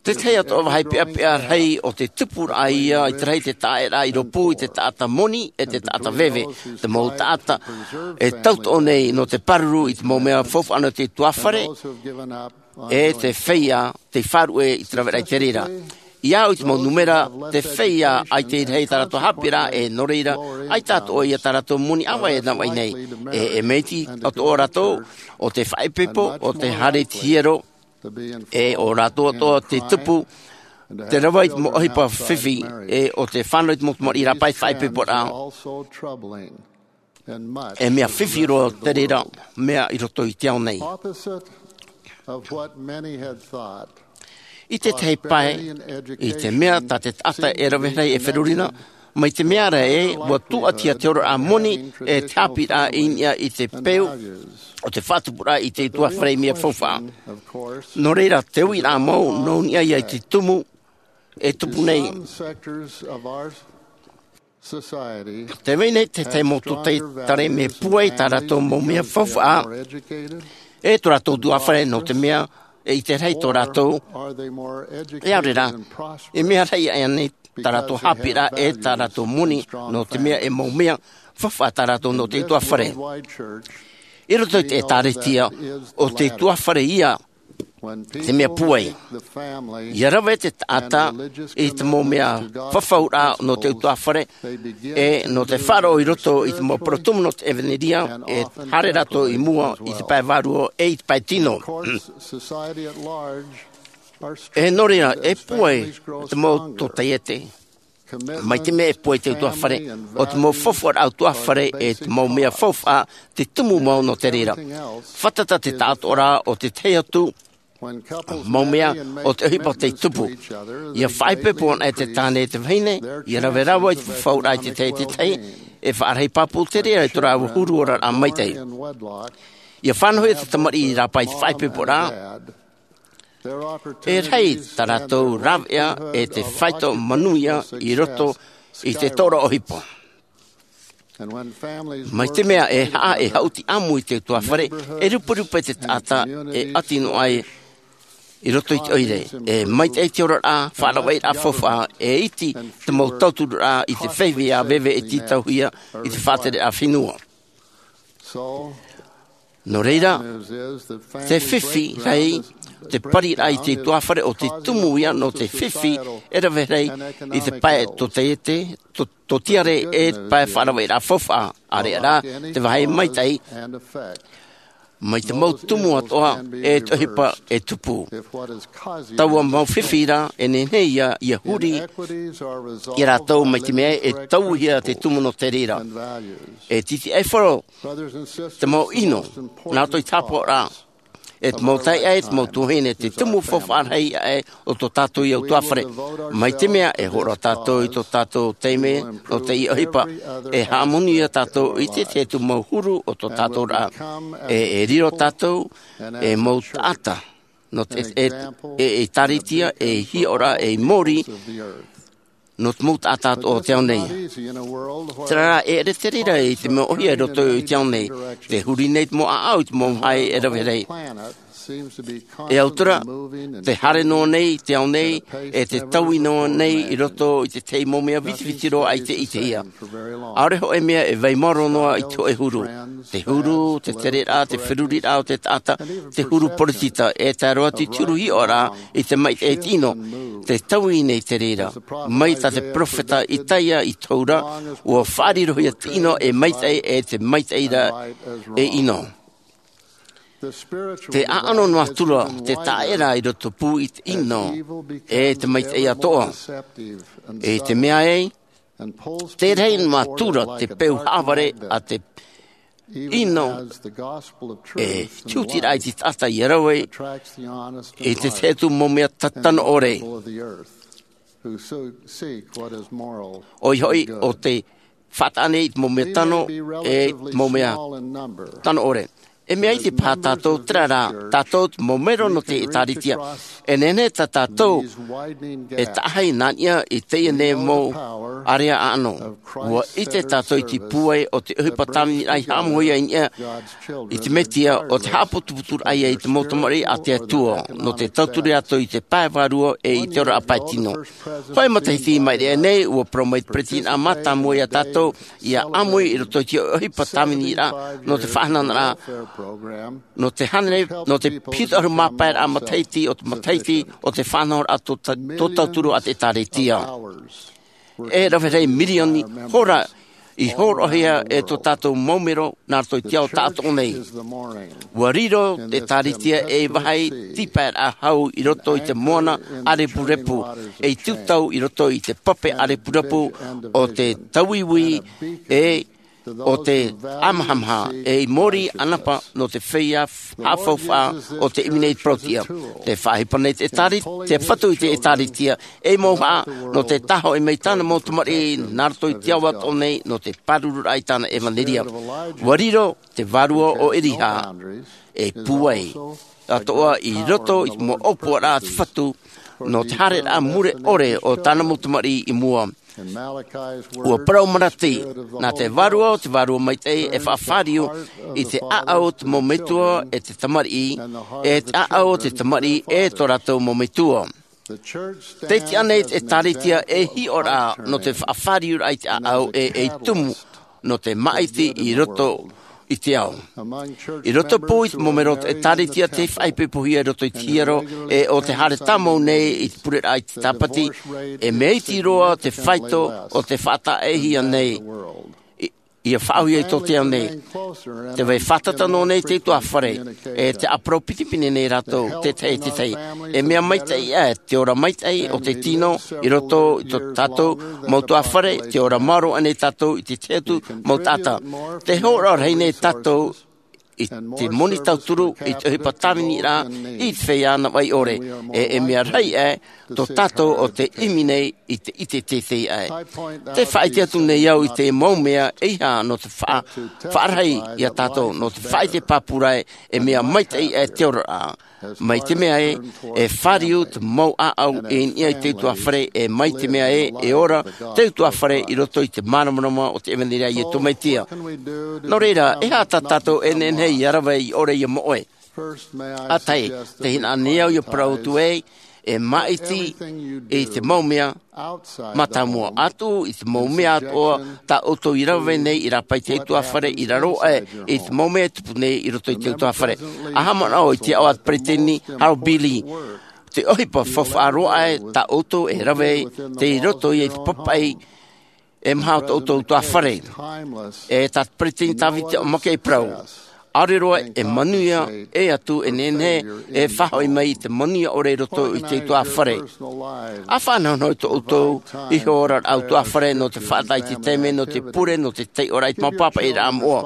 Te tahi atoʻa vāhi peʻapeʻa rahi o te tupuraʻa ia i te rahi te taʻaʻēraʻa i rōpū i te taʻata moni e te taʻata veve, te mau taʻata e tauturu nei nō te pāruru i te mau mea faufaʻa nō te ʻutuāfare, e te feiā tei faʻaruʻe i te raveraʻa i te reira. I au i te mau nūmera, te feiā ʻaita i rahi tā rātou haʻapiʻiraʻa, e nō reira, ʻaita atoʻa ia tā rātou moni ʻāvaʻe e navaʻi nei. E, e mea iti atoʻa rātou, ʻo te faʻaipoipo, ʻo te haere i te hiero, e ʻo rātou atoʻa te tupu, te rava i te mau ʻohipa fifi, e ʻo te fānau i te mau tamariʻi rāpae faʻaipoiporaʻa. E mea fifi roa te reira mea i roto i te ao nei. I te tahi pae, i te mea tā te taʻata e rave rahi e feruri na, mai te mea ra ē, ʻua tūʻatihia te oraraʻa moni e te haʻapiʻiraʻa i niʻa i te peu o te faʻatupuraʻa i te ʻutuāfare i mea faufaʻa. Nō reira, te uiraʻa mau, nō niʻa ia i te tumu, e tupu nei. Te vai nei te tahi mau tōtaiete mea pūai tā rātou mau mea faufaʻa e tō rātou tuafare, nō te mea e ʻite rahi tō rātou, e ʻaore rā, e mea rahi aʻe nei tā rātou haʻapiʻiraʻa e tā rātou moni, nō te mea e mau mea faufaʻa tā rātou nō te tuafare. I roto i te ʻēkālesia, ʻo te tuafare ia te mea pūai. ʻIa rave te taʻata i te mau mea fafauraʻa nō te tuafare, e nō te faʻaroʻo i roto i te mau parau tumu nō te ʻevanelia, e haere rātou i mua i te pae vārua e i te pae tino. E nō reira, e pūai te mau tōtaiete. Mai te mea e pūai te tuafare, ʻo te mau fafauraʻa tuafare e te mau mea faufaʻa te tumu mau nō te reira. Fātata te taʻatoʻaraʻa o te tahi atu mau mea o te ʻohipa tei tupu. ʻIa faʻaipoipo anaʻe te tāne e te vahine, ʻia rave rāua i te fafauraʻa i te tahi e te tahi, e faʻarahi pāpū te reira i tō rāua huru oraraʻa maitaʻi. ʻIa fānauhia te tamariʻi i rāpae i te faʻaipoiporaʻa. E rahi tā rātou rāveʻa e te faito manuia i roto i te tōroʻa ʻohipa. Mai te mea e haʻa e haʻuti ʻāmui te tuafare, e ruperupe te taʻata e ʻati noa ai i roto i te ʻoire. E maitaʻi te oraraʻa, faʻaravaʻiraʻa faufaʻa, e iti te mau tauturuʻraʻa i te feiveia veve e tītauhia i te faʻatereraʻa fenua. Nō reira, te fifi rahi, te pariraʻa i te tuafare ʻo te tumu ia nō te fifi e rave rahi i te pae tōtaiete, tō, tōtiare e te pae faʻaravaʻiraʻa faufaʻa, ʻāreʻa rā te vāhi maitaʻi, mai te mau tumu atoʻa e te ʻohipa e tupu. Taua mau fifi rā, e nehenehe ia, ʻia huri ia rātou mai te mea e tauihia te tumu nō te reira. E tītiʻaifaro te mau ʻino, nā roto i te haʻapaʻoraʻa, e te mau taeaʻe, e te mau tuahine, te tumu faufaʻa rahi aʻe o tō tātou ia tuafare. Mai te mea e hōroʻa tātou i tō tātou taime nō teie ʻohipa, e haʻamanuia tātou i te tahi atu mau huru o tō tātou raʻa, e, e riro tātou e mau taʻata nō te, e, e, e ʻēkālesia, e hiʻoraʻa, e mōrī nō te mau taʻata o te ao nei. Terā rā, e ʻere te reira i te mea ʻōhie i roto i te ao nei, te huri nei te mau ʻāʻau i te mau vāhi e rave rahi. E atura, tē haere noa nei te ao nei, e tē taui noa nei i roto i te tahi mau mea vitiviti roa ʻaita e ʻitehia. ʻAore hōʻē mea e vai maoro noa i te hōʻē huru. Te huru, te tereraʻa, te feruriraʻa o te taʻata, te huru poritita, e tae roa atu i te huru hiʻoraʻa i te maitaʻi e te ʻino, tē taui nei te reira. Mai tā te peropheta Isaia i tohu ra, ʻua faʻarirohia te ʻino e maitaʻi, e te maitaʻi ra e ʻino. Te ʻāʻano nā tura, te taʻera i rotopū i te ʻino, e te maitaʻi atoʻa. E te mea ē, te rahi nā tura te peu haʻavare a te ʻino, e te hutiraʻa i te taʻata ʻia rave i te tahi atu mau mea ta-, tano ʻore. ʻOia hoʻi, ʻo te faʻataʻa nei i te mau mea tano, e te mau mea tano ʻore. E mea iti paha tātou, terā rā, tātou te mau mero nō te ʻēkālesia. E nehenehe tā tātou e taʻahi nā niʻa i teie nei mau area ʻāʻano. ʻUa ʻite tātou i te pūai o te ʻohipa tāviniraʻa i haʻamauhia i niʻa i te Mesia, ʻo te haʻaputuputuraʻa ia i te mau tamariʻi a te Atua, nō te tauturu atu i te pae vārua e i te oraraʻa pae tino. Hōʻē matahiti i maʻiri aʻe nei, ʻua parau mai te peretiteni mātāmua ia tātou, ʻia ʻāmui i roto i te ʻohipa tāviniraʻa, nō te faʻahanahanaʻa, nō te hānere, nō te piti ʻahuru mā pae raʻa matahiti o te matahiti o te faʻanahoraʻa tō ta-, tō tauturu a te ʻēkālesia. E rave rahi mirioni hora i hōroʻahia e tō tātou mau mero nā roto i te ao taʻatoʻa nei. ʻUa riro te ʻēkālesia ei vāhi tīpaeraʻa hau i roto i te moana ʻārepurepu, ei tūtau i roto i te pape ʻārepurepu o te tauiui, e ʻo te ʻamahamaha, ei mōrī ʻanapa nō te feiā haʻafaufaʻa o te ʻimi nei i te parauʻtiʻa. Tē faʻaʻohipa nei te ʻēkāle-, te Fatu i te ʻēkālesia, ei mauhaʻa nō te tāhoʻi mai tāna mau tamariʻi nā roto i te ao atoʻa nei nō te pārururaʻa i tāna ʻevanelia. ʻUa riro te vārua o ʻEliha, e pūai atoʻa i roto i te mau ʻōpuaraʻa a te Fatu, nō te haereraʻa mure ʻore o tāna mau tamariʻi i mua. Ua parau Malaki, nā te Vārua o te Vārua Maitaʻi e faʻafāriu i te ʻāʻau o te mau metua e te tamariʻi, e te ʻāʻau o te tamariʻi e tō rātou mau metua. Tē tiʻa nei te ʻĒtārētia ei hiʻoraʻa nō te faʻafāriuraʻa i te ʻāʻau e ei tumu nō te māʻiti i roto i te ao. I roto pū i te mau mero o te ʻĒtārētia tei faʻaipoipohia i roto i te hiero, e ʻo te haere tāmau nei i te pureraʻa i te Tāpati, e mea iti roa te faito o te faʻataʻehia nei. I, ia faʻaauhia i tō te ao nei. Tē vai fātata noa nei te utuāfare, e tē ʻāparau pinepine nei rātou, te tahi, te tahi. E mea maitaʻi ʻē te ora maitaʻi o te tino i roto i tō tātou mau utuāfare, te ora maoro aʻe nei tātou i te tahi atu mau taʻata. Tē hōroʻa rahi nei tātou i te moni tauturu, i te ʻohipa tāviniraʻa, i te feiā navaʻi ʻore. E, e mea rahi ʻē tō tātou o te ʻimi nei i te, i te teitei ʻē. Tē faʻaʻite atu nei au i te mau mea ʻeiaha nō te faʻa-, faʻarahi ia tātou, nō te faʻaʻite pāpū ra ē, e mea maitaʻi ʻē te oraraʻa. Mai te mea ē, e fāriu te mau ʻāʻau i niʻa i te utuāfare, e mai te mea ē, e ora te utuāfare i roto i te māramarama o te ʻevaneria a Iesu Mesia. Nō reira, e aha tā tātou e nehenehe ia rave i ʻore ia moʻe? ʻA tahi, tē hinaʻaro nei au ia parau atu ē, e māʻiti i te mau mea mātāmua atu, i te mau mea atoʻa tā ʻoutou i rave nei i rāpae i te utuāfare i raro aʻe i te mau mea e tupu nei i roto i te utuāfare. ʻA haʻamanaʻo i te aʻo a te peresideni Harold B. Lee, te ʻohipa faufaʻa roa aʻe tā ʻoutou e rave ai, tei roto ia i te papaʻi e maha o tō ʻoutou utuāfare. E tā te peresideni Tavita Mackay e parau, ʻaore roa e manuia ʻē atu e nehenehe e faʻahoʻi mai i te manuia ʻore i roto i te utuāfare. ʻA faʻanahonaho i tō ʻoutou iho oraraʻa utuāfare nō te faʻataʻa i te taime, nō te pure, nō te taiʻoraʻa i te mau pāpaʻiraʻa moʻa.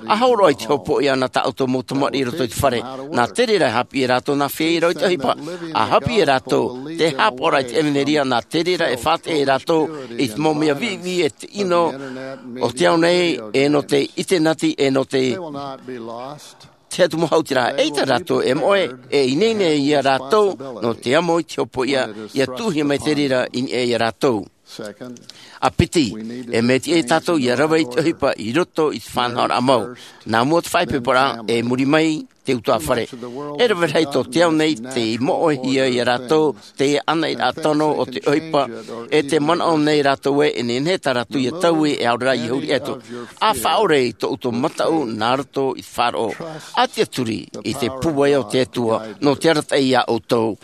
ʻA hōroʻa i te hopoiʻa nā tā ʻoutou mau tamariʻi i roto i te fare. Nā te reira e haʻapiʻi ia rātou nā feiā i rave i te ʻohipa. ʻA haʻapiʻi ia rātou te haʻapaʻoraʻa i te ʻevaneria, nā te reira e faʻataʻa ia rātou i te mau mea viʻiviʻi e te ʻino o te ao nei, e nō te ʻitenati, e nō te, te atu mau hautiraʻa. ʻEita rātou e moʻe, e ineine ia rātou nō te amo i te hopoiʻa, ia tuʻuhia mai te reira i niʻa ia rātou. ʻA piti, e mea tiʻa ia tātou ia rave i te ʻohipa i roto i te faʻanahoraʻa mau. Nā mua te faʻaipoiporaʻa, e muri mai te utuāfare. E rave rahi tō te ao nei tei moʻehia ia rātou, te ʻanaʻanaraʻa tano o te ʻohipa, e tē manaʻo nei rātou ē, e nehenehe tā rātou ia taui, e ʻaore rā ia huri atu. ʻA faʻaʻore i tō ʻoutou mataʻu nā roto i te faʻaroʻo. ʻA tiʻaturi i te pūai o te Atua, nō te arataʻi ia ʻoutou.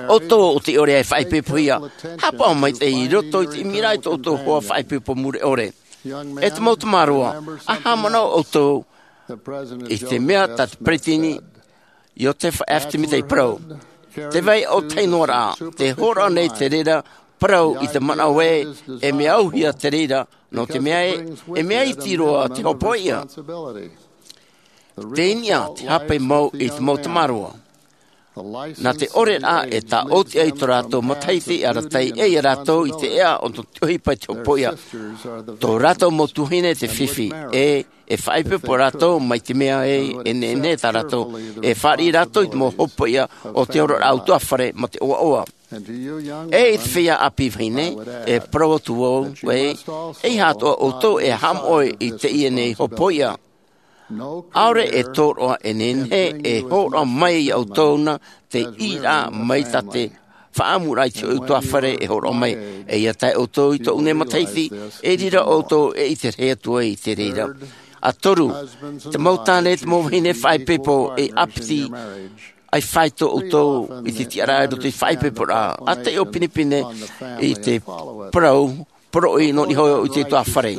ʻOutou ʻo tei ʻore e faʻaipoipohia, haʻapaʻo maitaʻi i roto i te ʻimiraʻa i tō ʻoutou hoa faʻaipoipo mure ʻore. E te mau tamaroa, ʻa haʻamanaʻo ʻoutou i te mea tā te peresideni Iosepha F. Smith i parau. Tē vai ʻo tahi noa rā, tē hōroʻa nei te reira parau i te manaʻo ē, e mea auhia te reira, nō te mea ē, e mea iti roa te hopoiʻa. Tei niʻa te hape mau i te mau tamaroa. Nā te ʻoreraʻa e tāʻoti ai tō rātou matahiti e arataʻi ai ia rātou i te ʻēʻa o te ʻohipa i te hopoiʻa. Tō rātou mau tuahine te fifi, e, e faʻaipoipo rātou mai te mea ē, e nehenehe tā rātou, e fāriʻi rātou i te mau hopoiʻa o te oraraʻa utuāfare mā te ʻoaʻoa. E i te feiā ʻāpī vahine, e parau atu vau ē, ʻeiaha atoʻa ʻoutou e haʻamoʻe i teie nei hopoiʻa. ʻAore e tōroʻa e nehenehe e hōroʻa mai ia ʻoutou na te ʻīraʻa mai tā te faʻaʻamuraʻa i te hoʻi utuāfare e hōroʻa mai. E ʻia tae ʻoutou i tōʻu nei matahiti, e riro ʻoutou e ʻite rahi atu ai i te reira. ʻA toru, te mau tāne, te mau vahine faʻaipoipo e ʻāpiti, ʻa fāito ʻoutou i te tiʻaraʻa i roto i te faʻaipoiporaʻa. ʻA taiʻo pinepine i te parau, poroʻi nō niʻa iho i te utuāfare.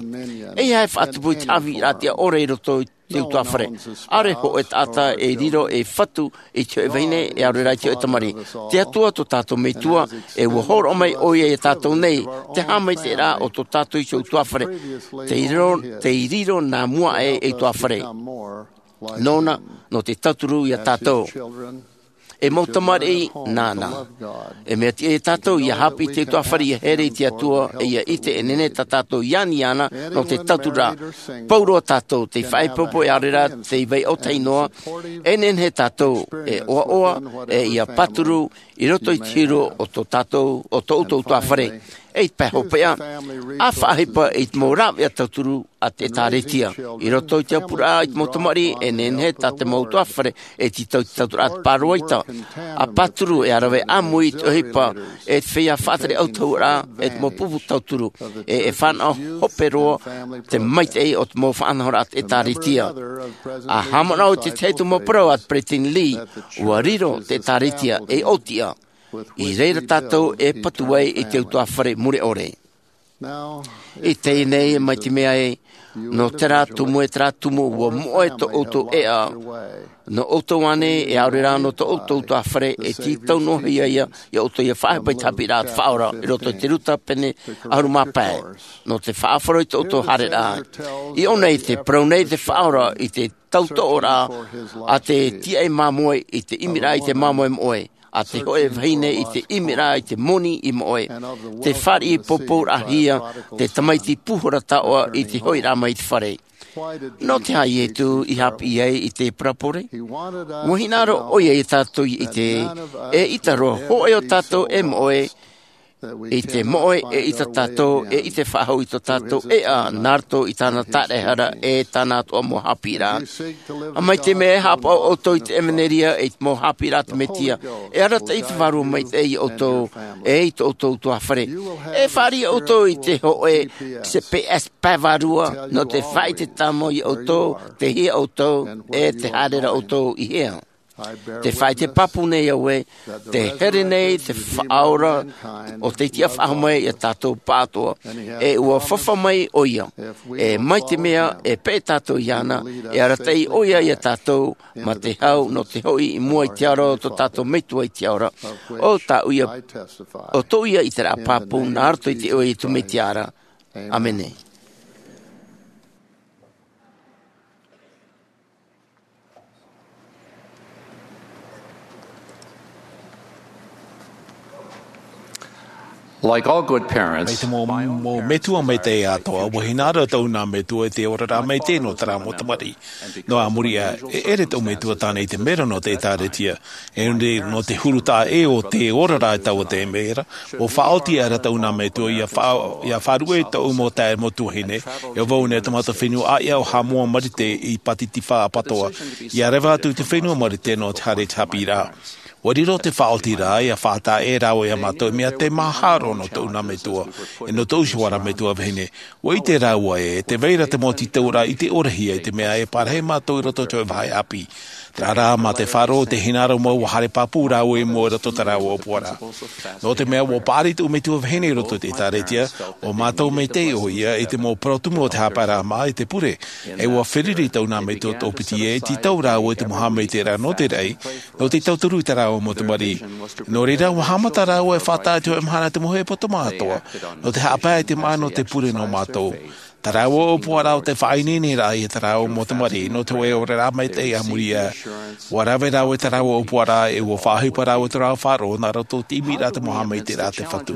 ʻEiaha e faʻatupu i te haʻavīraʻa tiʻa ʻore i roto i te utuāfare. ʻAore hōʻē taʻata e riro ei fatu i te hoʻi vahine, e ʻaore rā i te hoʻi tamariʻi. Te Atua tō tātou Metua, e ʻua hōroʻa mai ʻoia ia tātou nei, te haʻamaitaʻiraʻa o tō tātou iho utuāfare. Tei riro, tei riro nā mua aʻe ei utuāfare. Nōna, nō te tauturu ia tātou. E mau tamariʻi nāna. E mea tiʻa ia tātou ia haʻapiʻi i te utuafare, ia here i te Atua, e ia ʻite e nehenehe tā tātou i ani iāna nō te tauturu ra. Pauroa tātou tei faʻaipoipo, e aore rā tei vai ʻōtahi noa. E nehenehe tātou e ʻoaʻoa, e ia pāturu i roto i te huru o tō tātou, o tō ʻoutou utuafare. E i te pae hopeʻa, a faʻaʻohipa i te mau rāveʻa tauturu a te ʻĒtārētia. I roto i te aupuraʻa i te mau tamariʻi, e nehenehe tā te mau utuafare e tītau i te tauturu a te pāroita, a pāturu, e a rave ʻāmui i te ʻohipa, e te feiā faʻatere ʻautahuʻaraʻa, e te mau pupu tauturu, e e fānaʻo hope roa te maitaʻi o te mau faʻanahoraʻa a te ʻĒtārētia. A haʻamanaʻo i te tahi atu mau parau a te Peresideni Lee, ʻua riro te ʻĒtārētia ei ʻōtiʻa. I reira tātou e patu ai i te utuafare mure ʻore. I teie nei, mai te mea ē, nō terā tumu e terā tumu ʻua moʻe tō ʻoutou ʻēʻa, nō ʻoutou ānei, e aore rā nō tō ʻoutou utuafare, e tītau noa hia ia, ia ʻoutou ia faʻaʻohipa i te haʻapiʻiraʻa a te Faʻaora, i roto i te Ruta pene ʻahuru mā pae, nō te faʻaʻohipa i tō ʻoutou haereraʻa. I ʻō nei, tē parau nei te Faʻaora i te tautoʻoraʻa a te tīaʻi māmoe i te ʻimiraʻa i te māmoe moʻe, a te hōʻē vahine i te ʻimiraʻa i te moni i moʻe. Tē fāriʻi pōpouraʻahia te tamaiti pūhora taoʻa i te hoʻiraʻa mai i te fare. Nō te aha Iesu i haʻapiʻi ai i te parabole? ʻUa hinaʻaro ʻoia ia tātou i ʻite, eʻita roa hōʻē o tātou e moʻe, i te moʻe eʻita tātou, e ʻite faʻahou i tō tātou ʻēʻa, nā roto i tāna taraehara, e tāna atoʻa mau haʻapiʻiraʻa. A mai te mea e haʻapaʻo ʻoutou i te ʻevanelia, i te mau haʻapiʻiraʻa a te Mesia, e arataʻi te Vārua Maitaʻi ia ʻoutou, e i tō ʻoutou utuafare. E fāriʻi ʻoutou i te hōʻē C P S pae vārua, nō te faʻaʻite tāmau ia ʻoutou, tei hea ʻoutou, e tē haere ra ʻoutou i hea. Te faʻaʻite pāpū nei au ē, tē here nei te Faʻaora ʻo tei tiʻa faʻahou mai ia tātou pāʻatoʻa, e ʻua fāfa mai ʻoia. E mai te mea e peʻe tātou iāna, e arataʻi ʻoia ia tātou mā te hau nō te hoʻi i mua i te ora o tō tātou Metua i te ora. ʻO tāʻu ia, ʻo tōʻu ia ʻiteraʻa pāpū nā roto i te iʻoa o Iesu Mesia ra. ʻĀmene. Like all good parents, mai te mau, mau metua maitaʻi atoʻa, ʻua hinaʻaro tōʻu nā metua i te oraraʻa maitaʻi nō terā mau tamariʻi. Nō, a muri aʻe, e ʻere tōʻu metua tāna i te mero nō te ʻĒtārētia. E ʻore nō te huru taʻa ʻē o te oraraʻa i taua mero, ʻua faʻaoti aʻera tōʻu nā metua ia fa-, ia faʻaruʻe i tōʻu mau taeaʻe mau tuahine, ʻia vau nei i te mau fenua ʻāiʻa o Haʻamoa Marite i Pātitifā Apatoʻa, ʻia reva atu i te fenua Marite nō te haere i te haʻapiʻiraʻa. ʻUa riro te faʻaotiraʻa, ʻia faʻataʻa rāua ia mātou, mea tē maha roa nō tōʻu nā metua, e nō tōʻu iho ā rā metua vahine. ʻUa ʻite rāua ē, tē vai ra te mau tītauraʻa i te orahia, i te mea e parahi mātou i roto i te vāhi ʻāpī. Terā rā, mā te faʻaroʻo i te hinaʻaro mau, ʻua haere pāpū rāua i mua i roto i tā rāua ʻōpuaraʻa. Nō te mea ʻua paʻari tōʻu metua vahine i roto i te ʻĒtārētia, ʻua mātau maitaʻi ʻoia i te mau parau tumu o te haʻapaeraʻa māʻa i te pure, e ʻua feruri tōʻu nā metua tōpiti ē, tītau rāua i te mau haʻamaitaʻiraʻa nō te raʻi, nō te tauturu i tā rāua mau tamariʻi. Nō reira, ʻua haʻamata rāua e faʻataʻa i te hōʻē mahana i te mau hōʻē poto māʻa atoʻa, nō te haʻapae i te māʻa nō te pure nō mātou. Tā rāua ʻōpuaraʻa ʻo te faʻaineineraʻa ia tā rāua mau tamariʻi, nō te hōʻē oraraʻa maitaʻi a muri aʻe. ʻUa rave rāua i tā rāua ʻōpuaraʻa, e ʻua faʻaʻohipa rāua i tō rāua faʻaroʻo, nā roto i te ʻimiraʻa a te mau haʻamaitaʻiraʻa a te Fatu.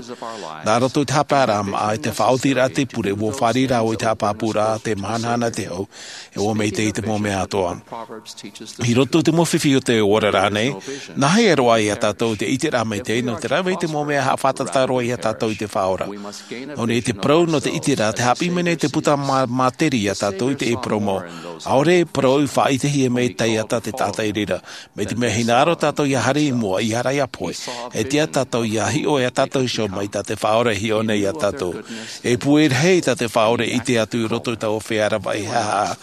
Nā roto i te haʻapaeraʻa māʻa, i te faʻaotiraʻa a te pure, ʻua fāriʻi rāua i te haʻapāpūraʻa, te mahanahana i te hau, e ʻua maitaʻi i te mau mea atoʻa. I roto i te mau fifi o te oraraʻa nei, nā hea roa ia tātou te ʻiteraʻa maitaʻi, nō te rave i te mau mea haʻafātata roa ia tātou i te Faʻaora. Nō reira, te parau nō te ʻiteraʻa, tē haʻapiʻi mai nei te puta mā-, māteri ia tātou i te ʻīporo mau. ʻAore e parau i faʻaʻitehia mai e taiata te taʻata i reira. Mai te mea hinaʻaro tātou ʻia haere i mua, ʻia ara ʻia pohe. E tiʻa tātou ʻia hiʻo ia tātou iho mai tā te Faʻaora e hiʻo nei ia tātou. E pūai rahi tā te Faʻaora e ʻite atu i roto i taua feiā ravaʻi haʻahaʻa.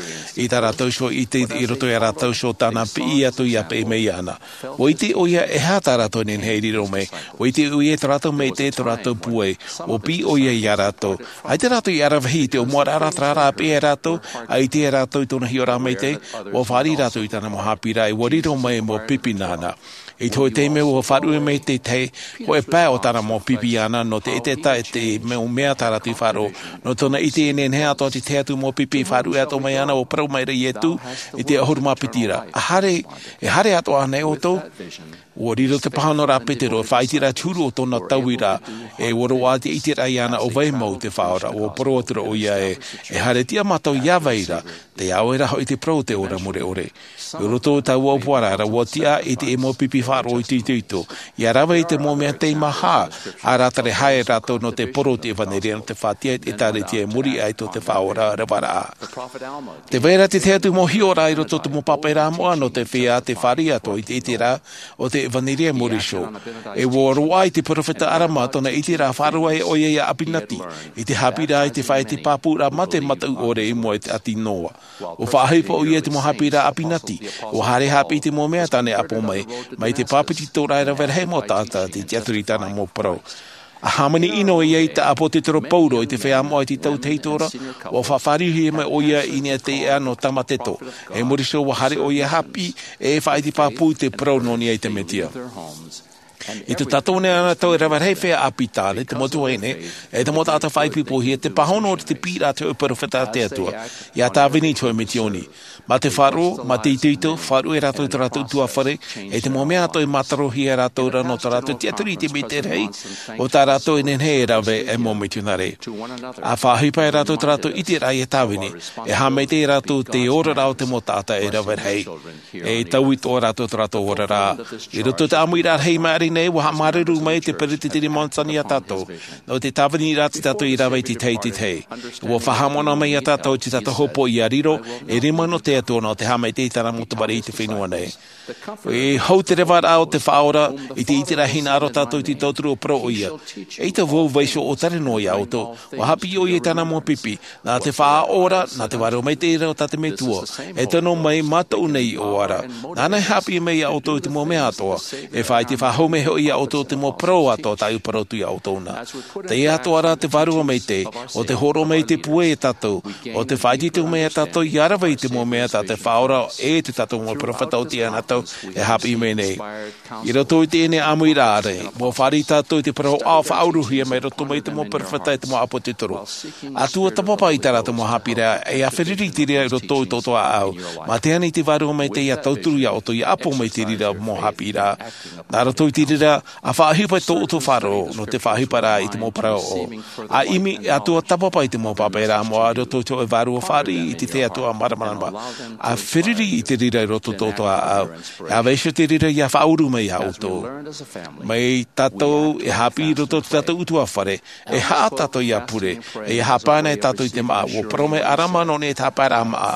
I tā rātou iho ʻite i roto ia rātou iho tāna piʻi atu ʻia peʻe mai iāna. ʻUa ʻite ʻoia e aha tā rātou nehenehe e riro mai. ʻUa ʻite ʻoia tō rātou maitaʻi, tō rātou pūai. ʻUa piʻi ʻoia ia rātou. ʻAita rātou i aravihi i te ʻōmuaraʻa, terā rā e peʻe ia rātou, ʻaita rātou i tōna hiʻoraʻa maitaʻi, ʻua fāriʻi rātou i tāna mau haʻapiʻiraʻa, ʻua riro mai mau pipi nāna. I te hōʻē taime ʻua faʻaruʻe mai te tahi hōʻē pae o tāna mau pipi iāna, nō te ʻetaʻeta i te mau mea tā rātou i faʻaroʻo. Nō tōna ʻite e nehenehe atoʻa te tahi atu mau pipi e faʻaruʻe atoʻa mai iāna, ʻua parau maira Iesu i te ʻahuru mā piti ra. E haere, e haere atoʻa ānei ʻoutou? Ua riro te pāhono ra a Petero e faʻaʻite ra te huru o tōna tauiraʻa, e ua roaʻa te ʻiteraʻa iāna ʻo vai mau te Faʻaora. Ua parau atu ra ʻoia ē, e haere tiʻa mātou iā vai ra, tē au ra hoʻi te parau o te ora mure ʻore. I roto i taua ʻōpuaraʻa ra, ua tiʻa i te mau pipi faʻaroʻo itoito, ʻia rave i te mau mea tei maha, ʻa rātou e haere rātou nō te parau o te ʻevanelia, nō te faʻatiʻa i te ʻĒkālesia i muri aʻe tō te Faʻaora ravaraʻa. Tē vai ra te tahi atu mau hiʻoraʻa i roto i te mau pāpaʻiraʻa moʻa nō te feiā tei fāriʻi atoʻa i te ʻiteraʻa o te ʻevanelia a Mōriso. E ua roaʻa i te peropheta ʻAlama tōna ʻiteraʻa faʻaroʻo ai ʻoia iā ʻApinati, i te haʻapiʻiraʻa i te faʻaʻite pāpūraʻa mā te mataʻu ʻore i mua i te ʻāti Noa. Ua faʻaʻohipa ʻoia i te mau haʻapiʻiraʻa a ʻApinati, ua haere haʻapiʻi i te mau mea tāna e ʻapo mai, mai te bāpetizoraʻa e rave rahi mau taʻata tei tiʻaturi i tāna mau parau. ʻA hāmani ʻino ʻoia i te ʻāpōsetolo Paulo i te feiā moʻa i te tau tahito ra, ua faʻafāriuhia mai ʻoia i niʻa i te iʻa nō Tamateto. E muri iho ua haere ʻoia haʻapiʻi e faʻaʻite pāpū i te parau nō niʻa i te Mesia. I tō tātou nei anaʻe e rave rahi feiā ʻāpī tāne, te mau tuahine, e te mau taʻata faʻaipoipohia, te pāhono ra te piʻiraʻa a te hōʻē peropheta a te Atua, iā Tāvini i te hōʻē Midioni. Mā te faʻaroʻo, mā te itoito, faʻaruʻe rātou i tō rātou ʻutuāfare, e te mau mea atoʻa e mātarohia rātou ra nō tō rātou tiʻaturi i te mea rahi, ʻo tā rātou e nehenehe e rave ei mau mitionare. ʻA faʻaʻohipa rātou i tō rātou ʻiteraʻa iā Tāvini, e haʻamaitaʻi rātou i te oraraʻa o te mau taʻata e rave rahi. E taui atoʻa rātou i tō rātou oraraʻa. I roto i te ʻāmuiraʻa rahi i maʻiri nei, ua haʻamāuruuru mai te Peresideni Monson iā tātou. Nō te tāviniraʻa tō tātou i rave i te tahi i te tahi. Ua faʻahaʻamanaʻo mai iā tātou tō tātou hopoiʻa riro, e rima nō te Atua nō te haʻamaitaʻi i tāna mau tamariʻi i te fenua nei. E hau te ravaraʻa o te Faʻaora, i te ʻiteraʻa hinaʻaro tātou i te tauturu ʻo parau ʻoia. ʻEita vau vaiiho ʻōtare noa iā ʻoutou, ua haʻapiʻi ʻoia i tāna mau pipi, nā te Faʻaora, nā te Vārua Maitaʻi ra o tā te Metua, e tono mai mātou nei iʻoa ra. Nāna e haʻapiʻi mai iā ʻoutou i te mau mea atoʻa, e faʻaʻite faʻahou mai hoʻi iā ʻoutou te mau parau atoʻa tāʻu e parau atu iā ʻoutou na. Teie atoʻa rā te Vārua Maitaʻi, ʻo tē hōroʻa mai i te pūai iā tātou, ʻo tē faʻaitoito mai iā tātou ʻia rave i te mau mea tā te Faʻaora e tō tātou mau peropheta oti iā natou e haʻapiʻi mai nei. I roto i teie nei ʻāmuiraʻa ra, ua fāriʻi tātou i te parau ʻāʻau faʻauruhia mai roto mai i te mau peropheta e te mau ʻāpōsetolo. ʻA tuatāpapa i tā rātou mau haʻapiʻiraʻa, e ʻa feruri i te reira i roto i tō ʻoutou ʻāʻau. Mā te ani i te Vārua Maitaʻi ʻia tauturu iā ʻoutou ʻia ʻapo mai i te reira mau haʻapiʻiraʻa. Nā roto i te reira, ʻa faʻaʻohipa i tō ʻoutou faʻaroʻo, nō te faʻaʻohiparaʻa i te mau parau ʻō. ʻA ʻimi, ʻa tuatāpapa i te mau pāpaʻiraʻa moʻa i roto i te hōʻē vārua fāriʻi i te tahi atu ʻa māramarama. ʻA feruri i te reira i roto i tō ʻoutou ʻāʻau. ʻA vaiiho te reira ʻia faʻauru mai iā ʻoutou. Mai tātou e haʻapiʻi i roto i tō tātou ʻutuāfare, e haʻa tātou ʻia pure, e ʻia haʻapae ana e tātou i te māʻa, ua parau mai ʻĀlama nō niʻa i te haʻapaeraʻa māʻa.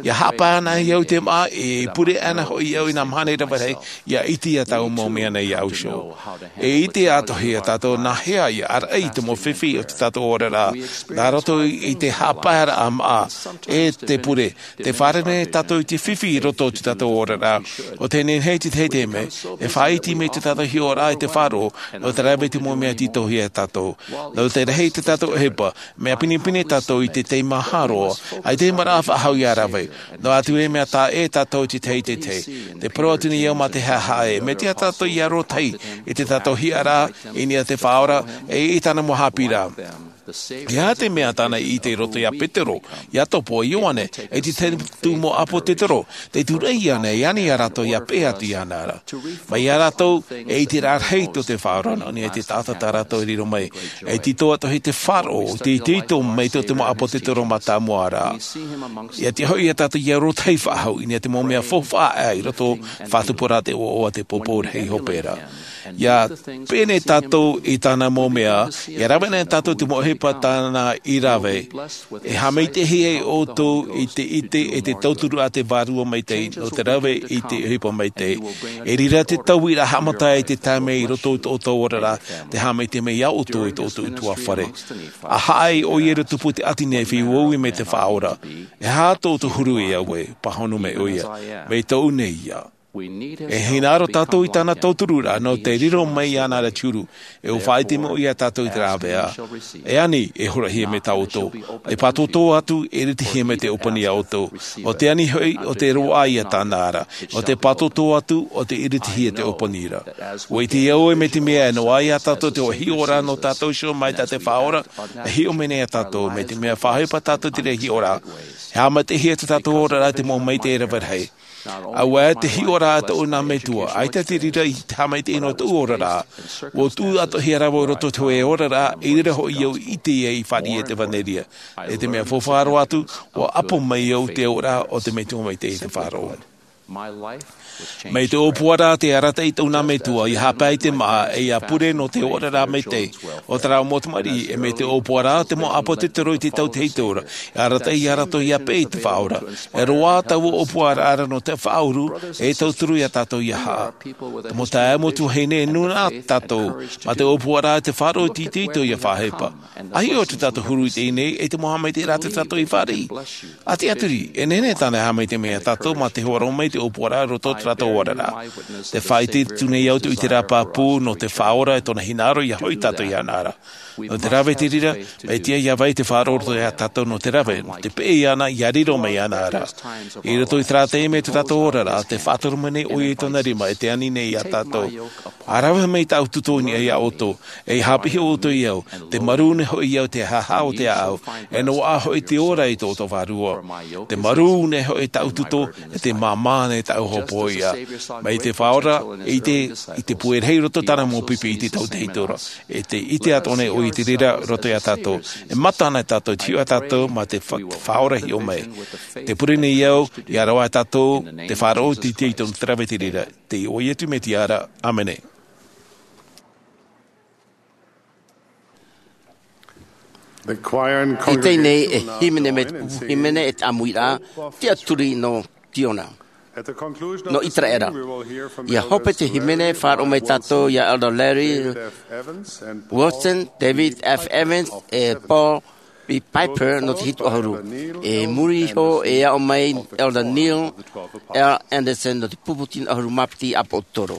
ʻIa haʻapae ana au i te māʻa, e pure ana hoʻi au i nā mahana e rave rahi, ʻia ʻite i tāʻu mau mea nei iāʻu iho. E ʻite atoʻa hia tātou nā hea ʻia ʻāraʻi i te mau fifi o tō tātou oraraʻa, nā roto i te haʻapaeraʻa māʻa, e te pure, tē fārerei nei tātou i te fifi i roto i tō tātou oraraʻa, ʻo tē nehenehe te tahi taime, e faʻaiti mai tō tātou hiʻoraʻa i te faʻaroʻo, nō te rave i te mau mea tītauhia e tātou. Nō te rahi tō tātou ʻohipa, mea pinepine tātou i te tei maha roa, ʻaita e mea faʻahou ʻia rave. Noa atu e mea taʻa ʻē tātou i te tahi i te tahi. Tē parau atu nei au mā te haʻehaʻa ē, mea tiʻa tātou ʻia rōtahi, i tō tātou hiʻoraʻa, i niʻa i te Faʻaora, e i tāna mau haʻapiʻiraʻa. E aha te mea tāna i ʻite i roto iā Petero, Iakobo, Ioane, e te tahi atu mau ʻāpōsetolo, tē tūraʻi ana e ani iā rātou ʻia peʻe atu iāna ra. Mai iā rātou, e ʻiteraʻa rahi tō te Faʻaora nō niʻa i te taʻata tā rātou e riro mai. E tītau atoʻa te faʻaroʻo, te itoito mai tō te mau ʻāpōsetolo mātāmua ra. ʻIa tiʻa hoʻi iā tātou ʻia rōtahi faʻahou, i niʻa i te mau mea faufaʻa i roto i te faʻatupu ra te ʻoaʻoa te pōpou rahi hope ra. ʻIa pene tātou i tāna mau mea, ʻia rave nei tātou i te mau ʻohipa tāna i rave. E haʻamaitaʻihia ʻoutou i te ʻite e te tauturu a te Vārua Maitaʻi, nō te rave i te ʻohipa maitaʻi. E riro te tauiraʻa haʻamata i te taime i roto i tō ʻoutou oraraʻa, tē haʻamaitaʻi mai iā ʻoutou i tō ʻoutou ʻutuāfare. ʻA haʻa ʻoia i te tupu o te ʻāti nei e feiā uaua mai te Faʻaora. E aha tō ʻoutou huru e au ē, pāhono mai ʻoia. Mai tōʻu nei ia. E hinaʻaro tātou i tāna tautururaʻa, nō te riro mai iāna ra te huru, e ʻua faʻaʻite mai ʻoia iā tātou i te rāveʻa. E ani, e horahia mai tā ʻoutou. E pātōtō atu, e iritihia mai te ʻōpani iā ʻoutou. ʻO te ani hoʻi, ʻo te roaʻa ia tāna ra. ʻO te pātōtō atu, ʻo te iritihia te ʻōpani ra. ʻUa ʻite au ē mai te mea e noaʻa iā tātou te hōʻē hiʻoraʻa nō tātou iho mai tā te Faʻaora, e hiʻo mai nei iā tātou, mai te mea faʻaʻohipa tātou i te reira hiʻoraʻa. E haʻamaitaʻihia tō tātou oraraʻa i te mau maitaʻi e rave rahi. Auē te hiʻoraʻa a tōʻu nā metua, ʻaita te reira i te haʻamaitaʻi nō tōʻu oraraʻa. ʻUa tuʻu atoʻa hia rā vau i roto i te hōʻē oraraʻa, i reira hoʻi au i ʻite ia i fāriʻi i te ʻevanelia. E te mea faufaʻa roa atu, ʻua ʻapo mai au te auraʻa o te metua maitaʻi i te faʻaroʻo. Mai te ʻōpuaraʻa te arataʻi i tōʻu nā metua, ʻia haʻapae i te māʻa, ʻe ʻia pure nō te oraraʻa maitaʻi o terā mau tamariʻi, ʻe mai te ʻōpuaraʻa te mau ʻāpōsetolo i te tautehitora, ʻia arataʻi ia rātou ʻia peʻe i te Faʻaora. E roaʻa taua ʻōpuaraʻa nō te faʻauru, e tauturu ia tātou ʻia haʻa. Te mau taeaʻe, mau tuahine, e nūnaʻa tātou, mā te ʻōpuaraʻa te faʻaroʻo tītauhia ʻia faʻahepo. ʻA hiʻo atu tātou huru i teie nei, e te mau haʻamaitaʻi rātou tātou i fāriʻi. ʻA tiʻaturi, e nehenehe tāna e haʻamaitaʻi mai ia tātou mā te hōroʻa mai te ʻōpuaraʻa i roto i tō tātou oraraʻa. Tē faʻaʻite atu nei au i te reira pāpū nō te Faʻaora e tōna hinaʻaro ʻia hoʻi tātou iāna ra. Nō te rave i te reira, mai te ʻia vai te faʻaroʻo i roto ia tātou nō te rave, nō te peʻe iāna ʻia riro mai iāna ra. I roto i terā taime tō tātou oraraʻa, tē faʻatoro mai nei ʻoia i tōna rima, e tē ani nei ia tātou. ʻA rave mai tāʻu tuto i niʻa ia ʻoutou, ʻe ʻia haʻapiʻi ʻoutou ia au, tē marū nei hoʻi au i te haʻahaʻa o te ʻāʻau, e noaʻa hoʻi te ora i tō ʻoutou vārua. Tē marū nei hoʻi tāʻu tuto, ʻe tē māmā nei tāʻu hopoiʻa. Mai te Faʻaora, i te, i te pūai rahi i roto i tāna mau pipi i te tautehitora. E tē ʻite atoʻa nei ʻoia i te reira i roto ia tātou. E mata ana tātou, te hiʻo ia tātou, mā te fa-, Faʻaora hiʻo mai. Tē pure nei au, ʻia rave tātou, te faʻaroʻo tītauhia i te rave i te reira. Te iʻoa o Iesu Mesia ra. ʻĀmene. The choir in I teie nei e congregation now hīmene mai te joins the pupu hīmene e te ʻāmuiraʻa, Tiʻaturi nō Ziona, nō Iseraela. ʻIa hope te hīmene, faʻaroʻo mai tātou ia Elder Larry Wilson, David F. Evans, ʻe Paul B. Piper nō te hitu ʻahuru. E muri iho e aʻo mai Elder Neil L. Andersen nō te pupu tino ʻahuru mā piti ʻāpōsetolo.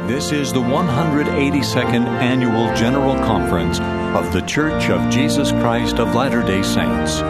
This is the one hundred eighty-second Annual General Conference of The Church of Jesus Christ of Latter-day Saints.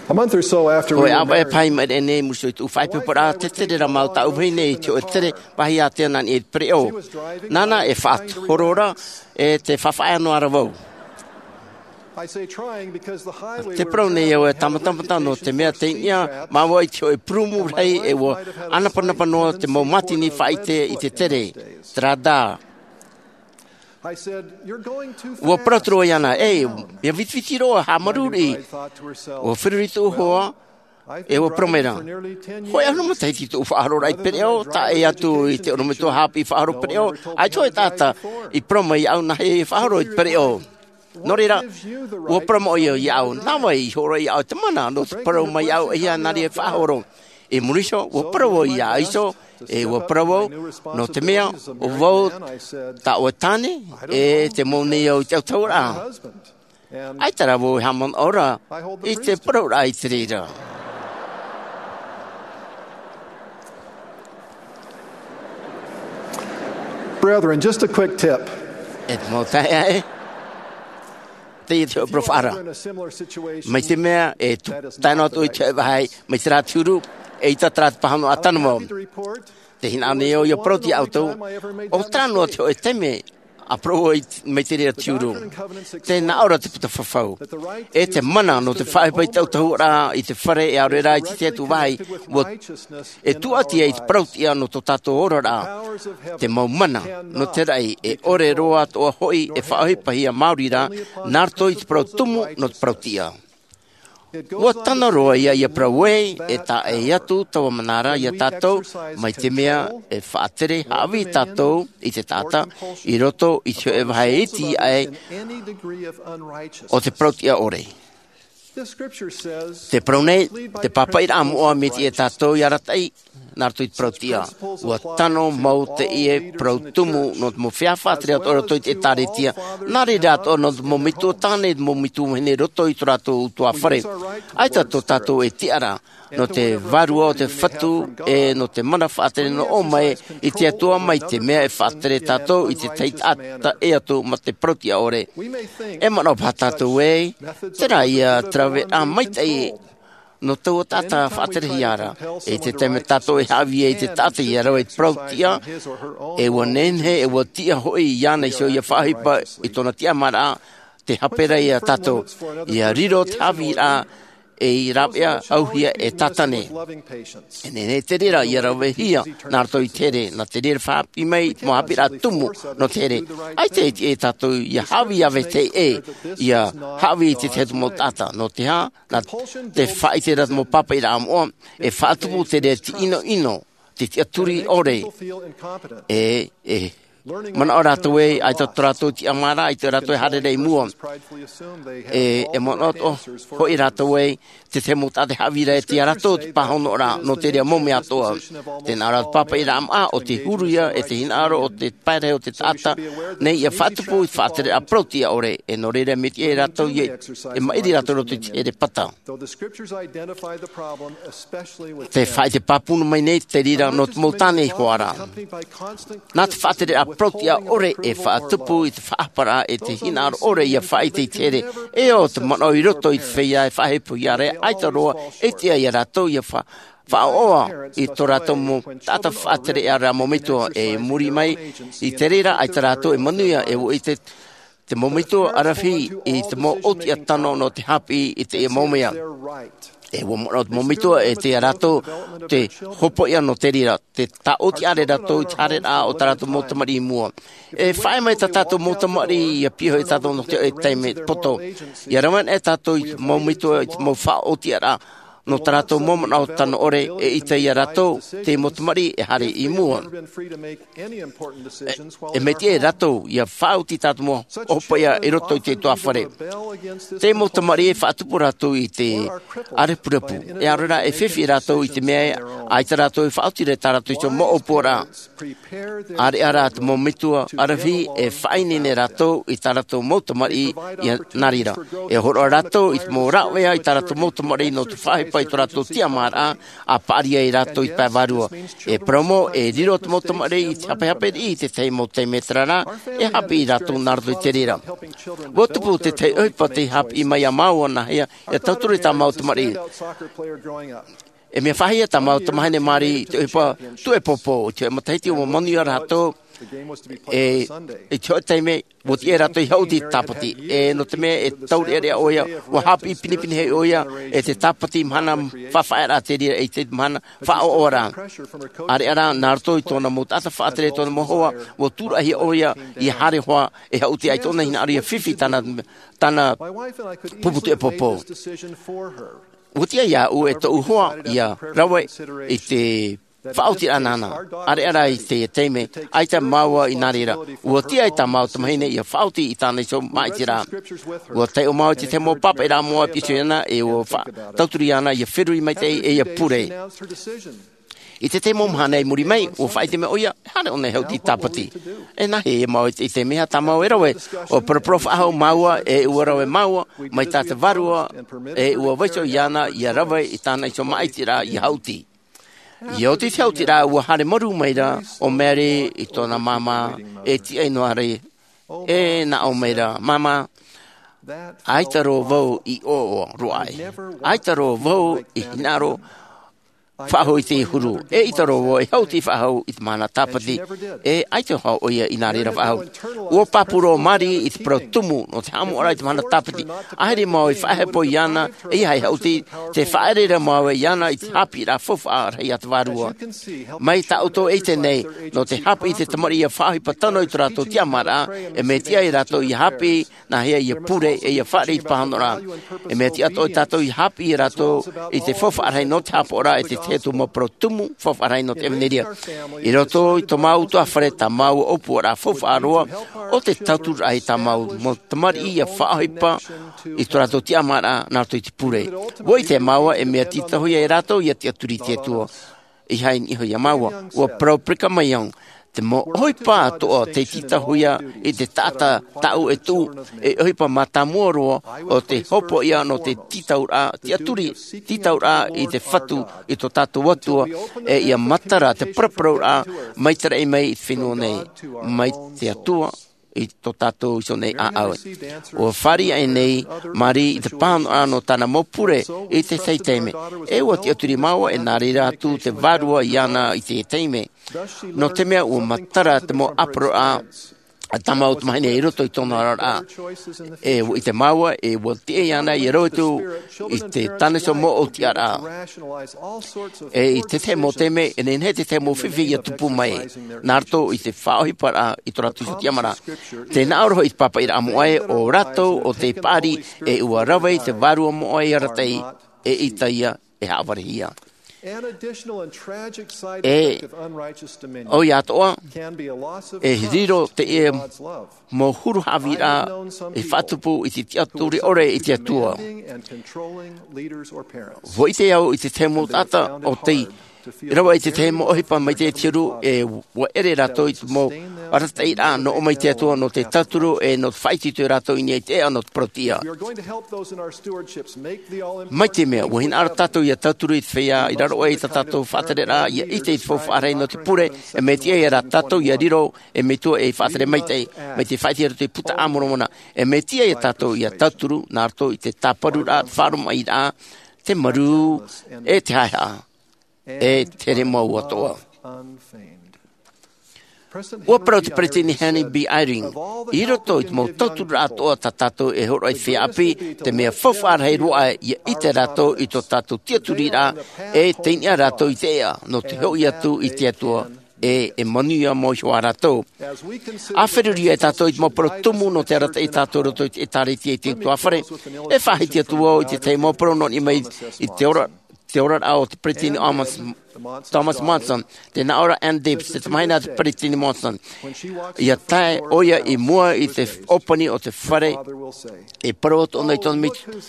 A month or so after we were married, e pahi mai nei, i muri iho i tōʻu faʻaipoiporaʻa, tē tere ra māua tāʻu vahine i te hōʻē tere, vāhi ātea nā niʻa i te pereʻoʻo. Nāna e faʻahoro ra, e tē faʻafaʻaea noa ra vau. I say trying because the highway Tē parau nei au e tāmatamata nō te mea tei niʻa māua i te hōʻē purumu rahi e ʻua ʻanapanapa noa te mau mātini faʻaʻite i te tere, terā rā. I said, "You're going too fast." ʻUa parau atu ra vau iāna, "E, mea vitiviti roa, haʻamāuruuru." ʻUa feruri tōʻu hoa, e ʻua parau mai ra, "Hōʻē ʻahuru matahiti tōʻu faʻahororaʻa i te pereʻoʻo, tae atu i te ʻorometua haʻapiʻi faʻahoro pereʻoʻo, ʻaita hōʻē taʻata i parau mai iāʻu nāhea e faʻahoro i te pereʻoʻo." Nō reira, ʻua parau mai ʻoia iāʻu, "Nā vai i hōroʻa iāʻu te mana nō te parau mai iāʻu e hia nā reira e faʻahoro?" I muri iho, ʻua parau vau iā ʻAiso, e ʻua parau vau, "Nō te mea, ʻo vau tā ʻoe tāne, e tē mau nei au i te autahuʻaraʻa." ʻAita rā vau e haʻamanaʻo ra i te parauraʻa i te reira. Brethren, just a quick tip. E te mau taeaʻe, teie te hōʻē parau faʻaara. Mai te mea, e tū, tae noa atu i te hōʻē vāhi, mai terā te huru, eʻita terā te pāhonoraʻa tano mau. Tē hinaʻaro nei au ʻia parau atu iā ʻoutou, ʻo terā noa te hōʻē taime, ʻa parau ai mai te reira te huru. Tē nā ʻō ra te puta fafau. E te mana nō te faʻaʻohipa i te autahuʻaraʻa, i te fare, e ʻaore rā i te tahi atu vāhi, ʻua, e tūʻati ai te parautiʻa nō tō tātou oraraʻa. Te mau mana nō te raʻi, e ʻore roa atoʻa hoʻi e faʻaʻohipahia maori ra, nā roto i te parau tumu nō te parautiʻa. ʻUa tano roa ïa ʻia parau ē, e taʻa ʻē atu taua mana ra iā tātou, mai te mea e faʻatere haʻavī tātou i te taʻata, i roto i te hōʻē vāhi iti aʻe o te parautiʻa ʻore. Tē parau nei te pāpaʻiraʻa moʻa, mea tiʻa iā tātou ʻia arataʻi, nā roto i te parautiʻa. ʻUa tano mau teie parau tumu nō te mau feiā faʻatere atoʻa i roto i te ʻĒtārētia. Nā reira atoʻa nō te mau metua tāne, te mau metua vahine i roto i tō rātou ʻutuāfare. ʻAita tō tātou e tiʻa ra, nō te vārua o te Fatu, e nō te mana faʻatere nō ʻō mai i te Atua, mai te mea e faʻatere tātou i te tahi taʻata ʻē atu mā te parautiʻa ʻore. E manaʻo paha tātou ē, terā ïa te raveraʻa maitaʻi nō taua taʻata faʻaterehia ra. I te taime tātou e haʻavī ai i te taʻata ʻia rave i te parautiʻa, e ʻua nehenehe, e ʻua tiʻa hoʻi iāna iho ʻia faʻaʻohipa i tōna tiʻamāraʻa, tē hape ra iā tātou, ʻia riro te haʻavīraʻa ei rāveʻa ʻauhia e tātane. E nehenehe te reira ʻia ravehia nā roto i te here, nā te reira faʻaʻite mai i te mau haʻapiʻiraʻa tumu nō te here. ʻAita e tiʻa iā tātou ʻia haʻavī ʻāvae teie, ʻia haʻavī i te tahi atu mau taʻata, nō te aha? Nā te faʻaʻite ra te mau pāpaʻiraʻa moʻa, e faʻatupu te reira te ʻinoʻino, te tiʻaturi ʻore. E, e manaʻo rātou ē, ʻaita tō rātou tiʻamāraʻa, ʻaita rātou e haere ra i mua. E, e manaʻo atoʻa hoʻi rātou ē, te tahi mau taʻata e haʻavī ra e tiʻa iā rātou te pāhonoraʻa nō te reira mau mea atoʻa. Tē nā ʻō ra te pāpaʻiraʻa moʻa, ʻo te huru ïa, e te hinaʻaro, ʻo te pae rahi o te taʻata nei ʻia faʻatupu i te faʻatereraʻa parautiʻa ʻore, e nō reira mea tiʻa iā rātou ē, e maʻiri rātou i roto i te here pata. Tē faʻaʻite pāpū mai nei te reira nō te mau tāne i hoʻi ra. Nā te faʻatereraʻa parautiʻa ʻore e faʻatupu i te faʻahaparaʻa e te hinaʻaro ʻore ʻia faʻaʻite i te here. E ʻo te manaʻo i roto i te feiā e faʻahepohia ra, ʻaita roa e tiʻa iā rātou ʻia fa-, faʻaʻoʻoa i tō rātou mau taʻata faʻatere ra mau metua. E muri mai i te reira, ʻaita rātou e manuia, e ʻua ʻite te mau metua ʻaravihi i te mau ʻōtiʻa tano nō te haʻapiʻi i teie mau mea. E ʻua manaʻo te mau metua e tiʻa iā rātou te hopoiʻa nō te reira, te tāʻōtiʻa ra rātou i te haereraʻa o tā rātou mau tamariʻi i mua. E faʻaea mai tā tātou mau tamariʻi ʻia pihaʻi iā tātou nō te hōʻē taime poto. ʻIa rave anaʻe tātou i te mau metua i te mau faʻaʻōtiʻaraʻa nō tā rātou mau manaʻo tano ʻore, e ʻite iā rātou te mau tamariʻi e haere i mua. E, e mea tiʻa iā rātou ʻia faʻaoti tā rātou mau hopoiʻa i roto i te ʻutuāfare. Te mau tamariʻi e faʻatupu rātou i te ʻārepurepu. E ʻaore rā e fifi rātou i te mea ē, ʻaita rātou e faʻaoti ra i tā rātou iho mau ʻōpuaraʻa. ʻAreʻa rā te mau metua ʻaravihi e faʻaineine rātou i tā rātou mau tamariʻi, ʻia, nā reira. E hōroʻa rātou i te mau rāveʻa i tā rātou mau tamariʻi nō te faʻahi faʻaʻohipa i tō rātou tiʻamāraʻa, a paʻari ai rātou i te pae vārua. E parau mau, e riro te mau tamariʻi i te hapehape riʻi i te tahi mau taime terā rā, e haʻapiʻi rātou nā roto i te reira. Ua tupu te tahi ʻohipa tei haʻapiʻi mai iā māua nāhea, e tauturu i tā māua tamariʻi. E mea faʻahia tā māua tamahine Mari i te ʻohipa tuʻepopo, i te hoʻe matahiti ua manuia rātou, e, i te hoʻe taime, ua tiʻa rātou i haʻuti i te tāpati. E, nō te mea e taureʻareʻa ʻoia, ua haʻapiʻi pinepine hoʻi ʻoia, e te tāpati mahana faʻafaʻaearaʻa te reira, e te mahana faʻaʻoʻoraʻa. ʻĀreʻa rā, nā roto i tōna mau taʻata faʻatere, tōna mau hoa, ua tūraʻihia ʻoia, ʻia haere hoʻi, e haʻuti ai tōna hinaʻaro ʻia fifi tāna, tāna pupu tuʻepopo. Ua tiʻa iāʻu e tōʻu hoa ʻia rave i te faʻaotiraʻa nāna. ʻĀreʻa rā i te taime, ʻaita māua i nā reira. Ua tiʻa ai tā māua tamahine ʻia faʻaoti i tāna iho māʻitiraʻa. Ua taiʻo māua i te tahi mau pāpaʻiraʻa moʻa e pīhaʻi iāna, e ua fa-, tauturu iāna ʻia feruri maitaʻi, e ʻia pure. I te tahi mau mahana i muri mai, ua faʻaʻite mai ʻoia, e haere ʻōna e haʻuti i te tāpati. E nāhea māua i te, i te mea tā māua e rave, ʻua paraparau faʻahou māua, e ʻua rave māua, mai tā te vārua, e ʻua vaiiho iāna, ʻia rave i tāna iho māʻitiraʻa ʻia haʻuti. ʻIa oti te haʻutiraʻa, ua haere marū maira ʻo Mary i tōna māmā, e tiʻa noa ra, e nā ʻō maira, Māmā, ʻaita roa vau i ʻoaʻoa roa ai. ʻAita roa vau i hinaʻaro faʻahou i te huru. E ʻaita roa vau e haʻuti faʻahou i te mahana tāpati. E ʻaita hoʻi ʻoia i nā reira faʻahou. Ua pāpū roa Mary i te parau tumu nō te haʻamoʻaraʻa i te mahana tāpati. ʻAhiri māua i faʻahepo iāna, e ʻeiaha e haʻuti, tē faʻaʻere ra māua iāna i te haʻapiʻiraʻa faufaʻa rahi a te vārua. Mai tā ʻoutou e ʻite nei, nō te haʻapiʻi i te tamariʻi ʻia faʻaʻohipa tano i tō rātou tiʻamāraʻa, e mea tiʻa ia rātou ʻia haʻapiʻi, nāhea ʻia pure, e ʻia fāriʻi i te pāhonoraʻa. E mea tiʻa atoʻa ia tātou ʻia haʻapiʻi ia rātou i te faufaʻa rahi nō te haʻapaʻoraʻa, e te tahi atu mau parau tumu faufaʻa rahi nō te ʻevanelia. I roto i tō māua ʻutuāfare, tā māua ʻōpuaraʻa faufaʻa roa, ʻo te tautururaʻa i tā māua mau tamariʻi ʻia faʻaʻohipa i tō rātou tiʻamāraʻa nā roto i te pure. Ua ʻite māua e mea tītauhia ia rātou ʻia tiʻaturi i te Atua. ʻEiaha i niʻa iho iā māua. Ua parau Brigham Young, te mau ʻohipa atoʻa tei tītauhia i te taʻata tāʻu e tuʻu, e ʻohipa mātāmua roa, ʻo te hopoiʻa nō te tītauraʻa, tiʻaturi, tītauraʻa i te Fatu, i tō tātou Atua, e ʻia matara te paraparauraʻa mai te raʻi mai i te fenua nei, mai te Atua, i tō tātou iho nei ʻāʻau. Ua fāriʻi aʻe nei Mary i te pāhonoraʻa nō tāna mau pure i te tahi taime. E ua tiʻaturi māua, e nā reira atu te vārua iāna i te taime. Nō te mea ua matara te mau ʻāparauraʻa a tā māua tamahine i roto i tōna oraraʻa. E ua ʻite māua, e ua tiʻa iāna ʻia rave atu i te tāna iho mau ʻōtiʻaraʻa. E i te tahi mau taime, e nehenehe te tahi mau fifi ʻia tupu mai, nā roto i te faʻaʻohiparaʻa i tō rātou iho tiʻamāraʻa. Tē nā ʻō ra hoʻi i te pāpaʻiraʻa moʻa ē, ʻo rātou ʻo tē paʻari, e ʻua rave i te vārua moʻa ʻia arataʻi, e ʻaita ia e haʻavarehia. E ʻoia atoʻa, e riro teie mau huru haʻavīraʻa e faʻatupu i te tiʻaturi ʻore i te Atua. Ua ʻite au i te tahi mau taʻata ʻo tei rave i te tahi mau ʻohipa mai te huru, e ua ʻere rātou i te mau arataʻiraʻa nō ʻō mai te Atua nō te tauturu e nō te faʻaitoito ia rātou i niʻa i te ʻēʻa nō te parau tiʻa. Mai te mea, ua hinaʻaro tātou ʻia tauturu i te feiā i raro aʻe i tā tātou faʻatereraʻa, ʻia ʻite i te faufaʻa rahi nō te pure, e mea tiʻa ia rā tātou ʻia riro ei metua e faʻatere maitaʻi, mai te faʻaʻite i roto i te Buka a Moromona, e mea tiʻa ia tātou ʻia tauturu, nā roto i te tāparuraʻa, te faʻaromaʻiraʻa, te marū, e te haʻehaʻa, e te here mau atoʻa. Ua parau te Peresideni Henry B. Eyring, i roto i te mau tauturu atoʻa tā tātou e hōroʻa i te feiā ʻāpī, te mea faufaʻa rahi roa aʻe ʻia ʻite rātou i tō tātou tiʻaturiraʻa, e tei niʻa rātou i te ʻēʻa, nō te hoʻi atu i te Atua, e, e manuia mau iho ā rātou. ʻA feruri ai tātou i te mau parau tumu nō te arataʻi ia tātou i roto i te ʻĒtārētia i te ʻutuāfare, e faʻahiti atu vau i te tahi mau parau nō niʻa mai i te ora, te oraraʻa o te Peresideni Thomas, Thomas Monson, tē nā ʻō ra Ann Dibs, te tamahine a te Peresideni Monson. ʻIa tae ʻoia i mua i te ʻōpani o te fare, e parau atu ʻōna i tōna metua,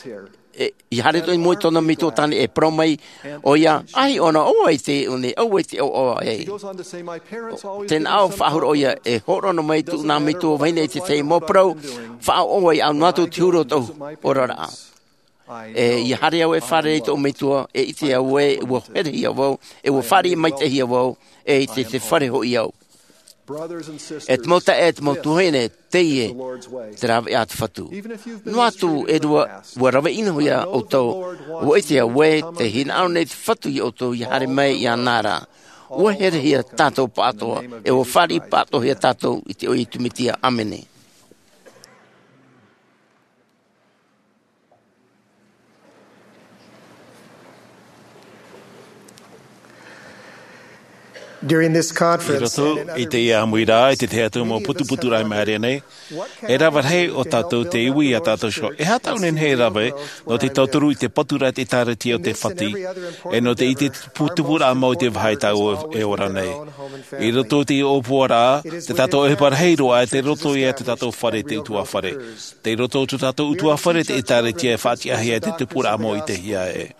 e, ʻia haere atu i mua i tōna metua tāne, e parau mai ʻoia, ʻaita ʻōna ʻo vai te, ʻo nei, ʻo vai te ʻoaʻoa ē. Tē nā ʻō faʻahou ra ʻoia, e hōroʻa noa mai tōʻu nā metua vahine i te tahi mau parau, faʻaʻoaʻoa ʻia au noa atu te huru o tōʻu oraraʻa. E ia haere au e fārerei i tōʻu metua, e ʻite au ē ua herehia vau, e ua fāriʻi maitaʻihia vau, e i te, te fare hoʻi au. E te mau taeaʻe, te mau tuahine, teie te rāveʻa a te Fatu. Noa atu e rua, ua rave ʻino ia ʻoutou, ua ʻite au ē tē hinaʻaro nei te Fatu ia ʻoutou ia haere mai iāna ra. Ua herehia tātou pāʻatoʻa, e ua fāriʻi pāʻatoʻahia tātou i te iʻoa o Iesu Mesia. ʻĀmene. During this conference, I roto i teie ʻāmuiraʻa, i te tahi atu mau putuputuraʻa i maʻiri nei, e rave rahi ō tātou te iwi ia tātou iho. E aha tāʻu e nehenehe e rave, nō te tauturu i te patu ra te ʻĒkālesia o te Fatu, e nō te ʻite i te putuputuraʻa mau i te vāhi tāʻu e ora nei. I roto i te ʻōpuaraʻa, tā tātou ʻohipa rahi roa, e tei roto ia tā tātou fare, te ʻutuāfare. Tei roto i tā tātou ʻutuāfare te ʻĒkālesia e faʻatiʻahia e te tupuraʻa mau i te hiaʻai.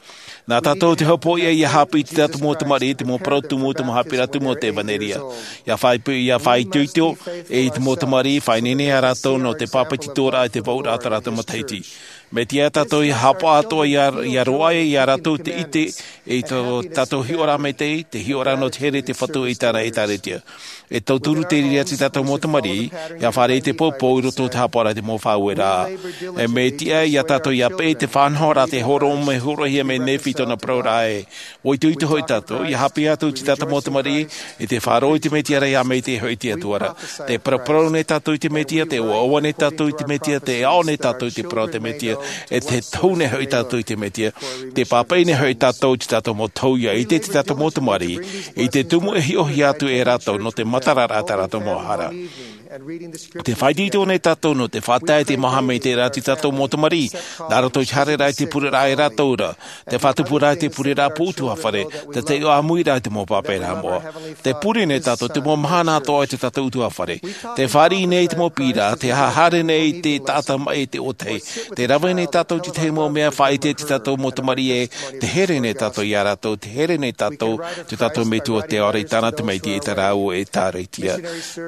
Nā tātou te hopoiʻa ia haʻapiʻi i tā tātou mau tamariʻi, te mau parau tumu, te mau haʻapiʻiraʻa tumu o te ʻevanelia. Ia faʻaitoito, ia faʻaitoito, e i te mau tamariʻi, faʻaineine ia rātou nō te pāpetitoraʻa i te vāuʻuraʻa o tā rātou matahiti. Mai te tahi tātou ia haʻapaʻo atoʻa ia, ia roaʻa ia rātou te ʻite, e i tō tātou hiʻoraʻa maitaʻi, te hiʻoraʻa nō te here te Fatu i tāna ʻĒkālesia. E tauturu te reira i tā tātou mau tamariʻi, ia fāriʻi i te poupou i roto i te haʻapaʻoraʻa i te mau faʻaueraʻa. E mea tiʻa ia tātou ia peʻe te faʻanahoraʻa tē hōroʻa mai, hōroʻahia mai e Nephi i tōna parauraʻa ē. ʻUa itoito hoʻi tātou, ia haʻapiʻi atu i tā tātou mau tamariʻi, i te faʻaroʻo i te Mesia ra ia maitaʻi hoʻi te Atua ra. Tē paraparau nei tātou i te Mesia, tē ʻoaʻoa nei tātou i te Mesia, tē aʻo nei tātou i te parau o te Mesia, e tē tohu nei hoʻi tātou i te Mesia. Tē pāpaʻi nei hoʻi tātou i tā tātou mau tauihaʻa, i te, tā tātou mau tamariʻi, i te tumu e hiʻohia atu e rātou nō te matararaʻa tā rātou mau hara. Tē faʻaitoito nei tātou nō te faʻatae i te mau haʻamaitaʻiraʻa i tā tātou mau tamariʻi, nā roto i te haereraʻa i te pureraʻa e rātou ra, te faʻatupuraʻa i te pureraʻa pū ʻutuāfare, te taiʻo ʻāmuiraʻa i te mau pāpaʻiraʻa moʻa. Tē pure nei tātou te mau mahana atoʻa i tā tātou ʻutuāfare. Tē fāriʻi nei i te mau piʻiraʻa, tē haere nei i te taʻata maʻi i te ʻōtahi. Tē rave nei tātou i te tahi mau mea faʻaʻite i tā tātou mau tamariʻi ē, tē here nei tātou ia rātou, tē here nei tātou i tā tātou Metua te Ao ra, i tāna tamaiti, i tā rāua ʻĒkālesia.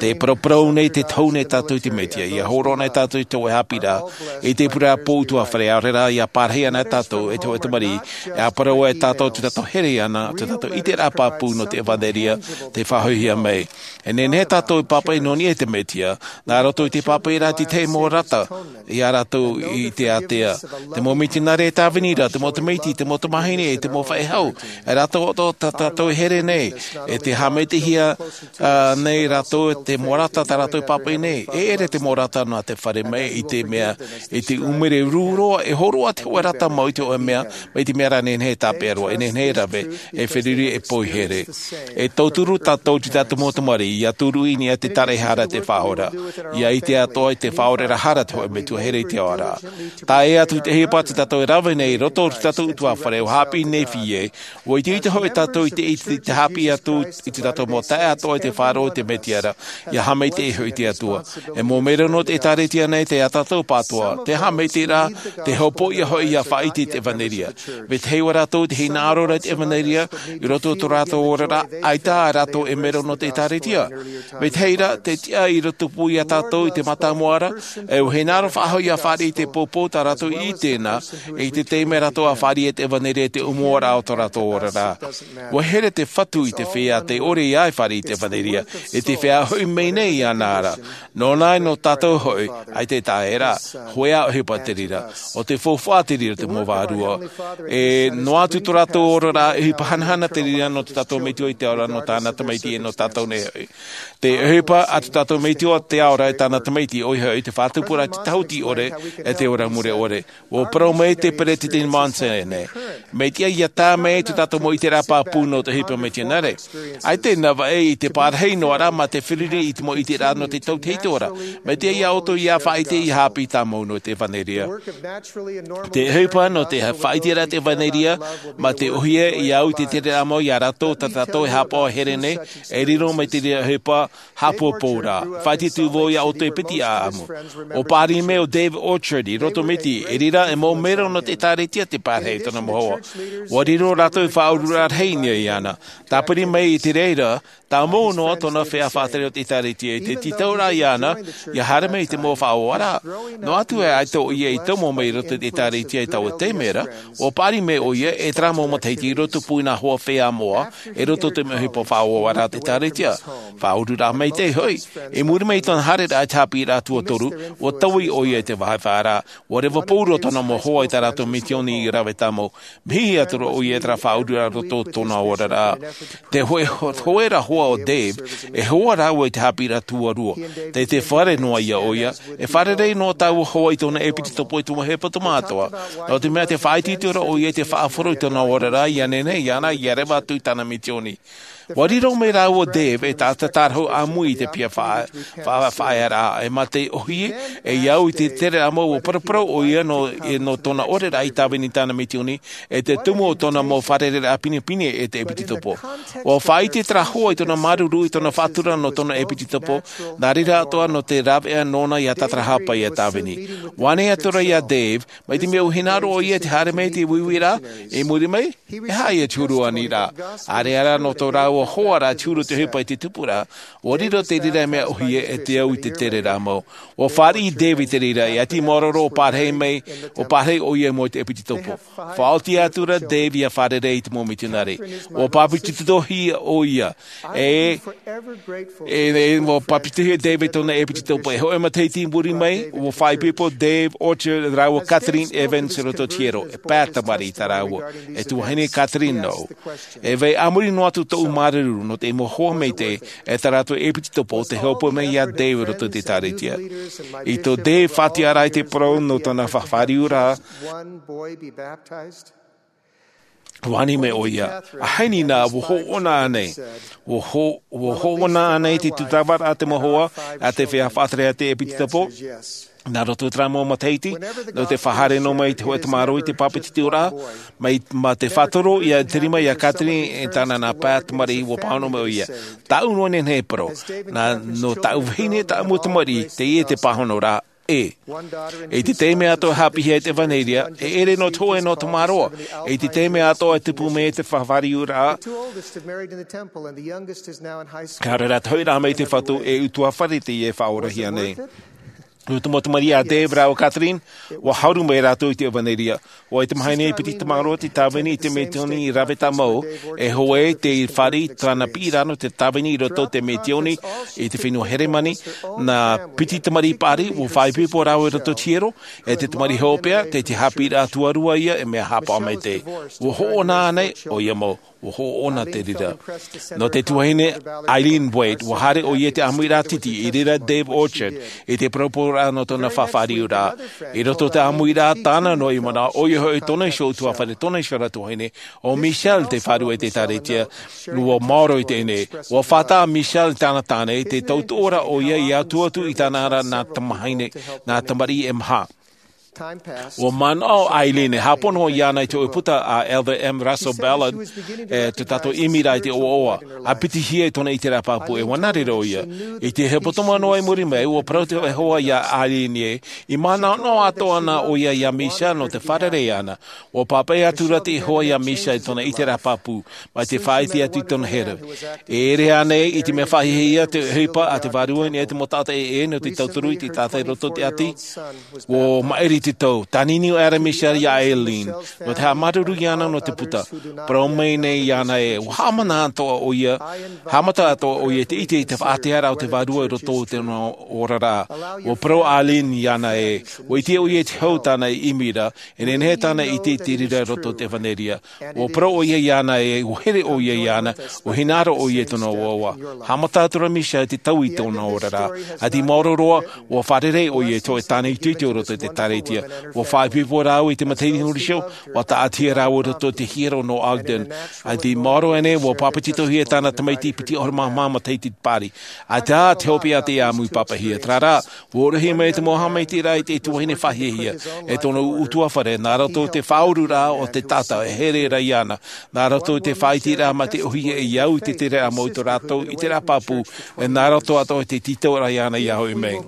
Tē paraparau nei, tē tohu nei tātou i te Mesia, ia hōroʻa nei tātou i te hōʻē haʻapiʻiraʻa, i te pureraʻa pū ʻutuāfare, ʻaore rā ia pārahi ana tātou e te hōʻē tamariʻi, e ʻāparau ai tātou i tā tātou here iāna, tā tātou ʻiteraʻa pāpū nō te ʻevanelia, tē faʻahoʻihia mai. E nehenehe tātou e pāpaʻi nō niʻa i te Mesia, nā roto i te pāpaʻiraʻa i te mau rata, ia rātou i te ātea. Te mau mitionare e tāvini ra, te mau tamaiti, te mau tamāhine, te mau faʻehau, e rātou atoʻa tā tātou e here nei, e tē haʻamaitaʻihia, ā, nei rātou, te mau rata tā rātou e pāpaʻi nei. E ʻere te mau rata nā te fare mai i te mea, i te ʻumere rū roa, e hōroʻa te hōʻē rata mau i te hōʻē mea, mai te mea rā nehenehe e tāpeʻa roa, e nehenehe e rave, e feruri, e poihere. E tauturu tātou i tā tātou mau tamariʻi, ia turu i niʻa i te taraehara, te faʻaora. Ia ʻite atoʻa i te faʻaoraraʻa hara te hōʻē Metua here i te ao ra. Tae atu i te ʻohipa tā tātou e rave nei i roto i tā tātou ʻutuāfare, ʻua haʻapiʻi Nephi ē, ʻua itoito hoʻi tātou i te, i te, te haʻapiʻi atu i tā tātou mau taeaʻe atoʻa i te faʻaroʻo i te Mesia ra, ia haʻamaitaʻi hoʻi te Atua. E mau melo nō te ʻĒkālesia nei, tā tātou pāʻatoʻa, te haʻamaitaʻiraʻa, te hopoiʻa hoʻi ia faʻaʻite i te ʻevanelia. Vetahi o rātou tē hinaʻaro ra i te ʻevanelia, i roto i tō rātou oraraʻa, ʻaita rātou e melo nō te ʻĒkālesia. Vetahi ra, tē tiʻa i rotopū ia tātou i te mātāmua ra, e ʻua hinaʻaro faʻahou ia fāriʻi i te poupou tā rātou i ʻite na, e i te taime rātou ʻa fāriʻi i te ʻevanelia i te ʻōmuaraʻa o tō rātou oraraʻa. ʻUa here te Fatu i te feiā tē ʻore ia e fāriʻi i te ʻevanelia, e te feiā hoʻi mai nei iāna ra. Nōna, nō tātou hoʻi, ʻaita e taʻa ʻē ra, hōʻē ʻohipa te reira, ʻo te faufaʻa te reira te mau vārua. E noa atu tō rātou oraraʻa, ʻohipa hanahana te reira nō tō tātou Metua i te Ao ra, nō tāna tamaiti e nō tātou nei hoʻi. Te ʻohipa a tō tātou Metua i te Ao ra e tāna tamaiti, ʻoia hoʻi te faʻatupuraʻa i te tahuti ʻore, e te ora mure ʻore. ʻUa parau mai te Peresideni Monson ē, mea tiʻa ia tae mai tō tātou mau ʻiteraʻa pāpū nō te ʻohipa mitionare. ʻAita e navaʻi i te parahi noa ra mā te feruri i te mau ʻiteraʻa nō te tauturu i te ora. Mea tiʻa ia ʻoutou ia faʻaʻite ia haʻapiʻi tāmau nō te ʻevanelia. Te ʻohipa nō te faʻaʻiteraʻa i te ʻevanelia, mā te ʻōhie ia au i te tereraʻa mau ia rātou tā tātou e haʻapaʻo e here nei, e riro mai te reira ʻohipa, haʻapōpōraʻa. Faʻaʻite atu vau ia ʻoutou e piti ʻāʻamu. ʻUa pāʻari mai ʻo David Orchard i roto mai te, e reira e mau melo nō te ʻĒkālesia te parahi i tōna mau hoa. ʻUa riro rātou i faʻaururaʻa rahi i niʻa iāna. Tāpiri mai i te reira, tāmau noa tōna feiā faʻatere o te ʻĒkālesia i te tauraʻa iāna ia haere mai i te mau faʻaoaraʻa. Noa atu e ʻaita ʻoia i tomo mai i roto i te ʻēkālesia i taua taime ra, ua paʻari mai ʻoia e terā mau matahiti i roto pū i nā hoa feiā moʻa i roto i te mau ʻohipa faʻaoaraʻa o te ʻēkālesia. Faʻaururaʻa maitaʻi hoʻi, i muri mai i tōna haereraʻa i te haʻapiʻiraʻa tuatoru, ua taui ʻoia i te vāhi faʻaara. Ua reva pauroa tōna mau hoa i tā rātou misioni i rave tāmau. Mihi atu ra ʻoia i terā faʻaururaʻa i roto i tōna oraraʻa. Te hoe, hoera hoa o Dave, e hoa rāua i te haʻapiʻiraʻa tuarua. Tei te fare noa ia ʻoia, e fārerei noa tāua hoa i tōna ʻepitopo i te mau hepetoma atoʻa. Nō te mea tē faʻaitoito ra ʻoia i te faʻahoro i tōna oraraʻa ia nehenehe iāna ia reva atu i tāna misioni. Ua riro mai rāua o Dave e taʻata tārahu ʻāmui i te piha faʻa-, faʻa-, faʻaearaʻa, e mā te ʻōhie, e au i te tereraʻa mau ua paraparau ʻoia nō, e nō tōna oraraʻa i tāvini i tāna misioni, e te tumu o tōna mau fārereiraʻa pinepine e te ʻepitopo. Ua faʻaʻite terā hoa i tōna māuruuru i tōna faʻatura nō tōna ʻepitopo, nā reira atoʻa nō te rāveʻa nōna ia tātarahapa ia tāvini. Ua ʻite atu ra ia Dave, mai te mea ʻua hinaʻaro ʻoia i te haere mai i te uiuiraʻa, i muri mai, e aha ia te huru aniraʻa. ʻAreʻa rā nō tō rāua hoa ra te huru te ʻohipa i te tupuraʻa, ua riro te reira mea ʻōhie e te au i te tereraʻa mau. Ua fāriʻi Dave i te reira, e ʻati maoro roa ʻo pārahi mai, ʻo pārahi ʻoia i mua i te ʻepitopo. Faʻaoti atu ra Dave ia fārerei i te mau mitionare. Ua bāpetizohia ʻoia. E, e, e, ua bāpetizohia Dave i tōna ʻepitopo. E hōʻē matahiti i muri mai, ua faʻaipoipo Dave Orchard rāua Kathleen Evans i roto i te hiero. E pae tamariʻi tā rāua. E tuahine Kathleen nō. E vai a muri noa atu tōʻu māuruuru nō te mau hoa maitaʻi, e tā rātou ʻepitopo te hopoiʻa mai ia Dave i roto i te ʻēkālesia. I tō Dave faʻatiʻaraʻa i te parau nō tōna faʻafāriuraʻa, ua ani mai ʻoia, ʻaita nā, ua hoʻona ānei? Ua ho-, ua hoʻona ānei te tūtava a te mau hoa, a te feiā faʻatere a te ʻepitopo? Nā roto i terā mau matahiti, nō te faʻahaere noa mai te hōʻē tamaroa i te bāpetizoraʻa, mai, mā te faʻatoro ia te rima ia Kathleen e tāna nā pae tamariʻi ua pāhono mai ʻoia. Tāʻu noa nei e parau, nā, nō tāʻu vahine, tāʻu mau tamariʻi, teie te pāhonoraʻa, ʻē. I te taime atoʻa e haʻapiʻihia ai te ʻevanelia, e ʻere noa te hōʻē noa tamaroa. I te taime atoʻa e tupu mai ai te faʻafāriuraʻa, ka rere atu hoʻi rā mai te Fatu e ʻutuāfare teie e faʻaorahia nei. Nō te mau tamariʻi a Dave rāua Kathleen, ua haru mai rātou i te ʻevanelia. ʻOia, te mahana i piti tamaroa te tāvini i te misioni i rave tāmau, e hoe te fāriʻi tāna piʻiraʻa nō te tāvini i roto i te misioni i te fenua Heremani, nā piti tamariʻi paʻari, ua faʻaipoipo rāua i roto i te hiero, e te tamariʻi hopeʻa, tei te haʻapiʻiraʻa tuarua ia, e mea haʻapaʻo maitaʻi. Ua hoʻona ānei? ʻOia mau. Ua hoʻona te reira. Nō te tuahine Eileen Waite, ua haere ʻoia i te ʻāmuiraʻa titi i reira Dave Orchard, i te paraparau nō tōna faʻafāriuraʻa. I roto i te ʻāmuiraʻa tāna noa i manaʻo, ʻoia hoʻi tōna iho ʻutuāfare, tōna iho ra tuahine, ʻo Michelle te fārerei i te ʻēkālesia, ua maoro i teie nei. Ua fātata Michelle i tāna tāne, i te tautoʻoraʻa ʻoia i atu atu i tāna ra nā tamahine, nā tamariʻi e maha. Ua manaʻo Eileen e hāpono iāna i te hōʻē puta a Elder M. Russell Ballard, e, tō tātou ʻimiraʻa i te ʻoaʻoa, a pitihia i tōna ʻiteraʻa pāpū, e ua nā reira ʻoia. I te hepetoma noa i muri mai, ua parau te hōʻē hoa ia Eileen ē, i manaʻo atoʻa na ʻoia ia Michelle nō te fārerei iāna. Ua pāpaʻi atu ra te hōʻē hoa ia Michelle i tōna ʻiteraʻa pāpū, mai te faʻaʻite atu i tōna here. E ʻere ānei i te mea faʻahiahia te ʻohipa a te Vārua i niʻa i te mau taʻata ʻē nō te tauturu i te taʻata i roto i te ʻati? Ua maʻiri te tau, tānini ʻo Adam Michelle ia Eileen, nō te haʻamāuruuru iāna nō te puta. Parau mai nei iāna ē, ua haʻamata atoʻa ʻoia, haʻamata atoʻa ʻoia i te ʻite i te faʻatearaʻa o te Vārua i roto i tōna oraraʻa. Ua parau Eileen iāna ē, ua ʻite ʻoia i te hau tāna i ʻimi ra, e nehenehe tāna e ʻite i te reira i roto i te ʻevanelia. Ua parau ʻoia iāna ē, ua here ʻoia iāna, ua hinaʻaro ʻoia i tōna ʻoaʻoa. Haʻamata atu ra Michelle i te taui i tōna oraraʻa. ʻAita i maoro roa, ua fārerei ʻoia i te hōʻē tāne itoito i roto i te ʻēkālesia. Ua faʻaipoipo rāua i te matahiti huriso, ua tāʻatihia rāua i roto i te hiero nō Ogden. ʻAita i maoro ānei, ua bāpetizohia tāna tamaiti piti ʻahuru mā maha matahiti paʻari. ʻAita te hopeʻa tei ʻāmui pāpaʻihia, terā rā, ua ʻōroʻahia mai te mau haʻamaitaʻiraʻa i te tuahine faʻahiahia, e tōna ʻutuāfare, nā roto i te faʻaururaʻa o te taʻata e here ra iāna, nā roto i te faʻaʻiteraʻa mā te ʻōhie e au i te tere mau i tō rātou ʻiteraʻa pāpū, e nā roto atoʻa i te tītauraʻa iāna ia hoʻi mai.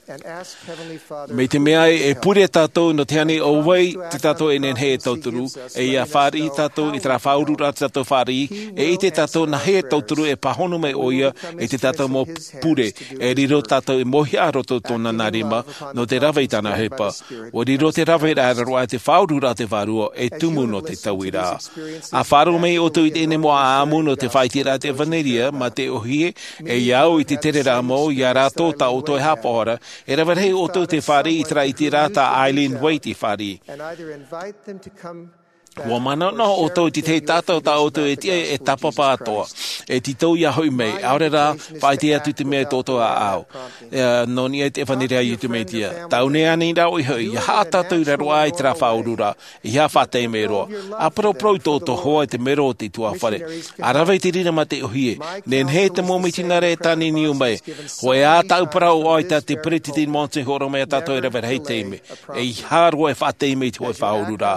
Mai te mea e pure tātou nō te ani o vai te tātou e nehenehe e tauturu, e ia fāriʻi tātou i terā faʻaururaʻa te tātou fāriʻi, e ʻite tātou nā hea e tauturu e pāhono mai ʻoia i te tātou mau pure, e riro tātou e mōhia roto tōna nā rima, nō te rave i tāna ʻohipa. ʻUa riro te rave rā roa te faʻaururaʻa te vārua e tumu nō te tauiraʻa. A faʻaroʻo mai ʻoutou i teie mau ʻāʻamu nō te faʻaiteraʻa te evanelia, mā te ʻohie, e ia au i te tere rā mau, ia rātou tā ʻoutou e haʻapaʻo ra, e rave rahi ʻoutou te fāriʻi i terā ʻiteraʻa tā Eileen Waite i fāriʻi. ʻUa manaʻo ʻoutou i te tahi tātou tā ʻoutou e tiʻa e tāpapa atoʻa, e tītau ia hoʻi mai, ʻaore rā, faʻaʻite atu te mea tō ʻoutou ʻāʻau. E, nō niʻa i te evanelia a Iesu Mesia. Tau nei anei rā ʻoe hoʻi, ia haʻa tātou i raro aʻe i terā faʻaururaʻa, ia faʻataime roa. A paraparau i tō ʻoutou hoa i te mero o te ʻutuāfare. A rave i te reira mā te ʻohie. Nehenehe te mau mitionare e tāniniu mai. Hōʻē ā tāʻu parau ʻoia tā te peresideni Monson i hōroʻa mai ia tātou e rave rahi taime. E ʻeiaha roa e faʻataime i te hōʻē faʻaururaʻa.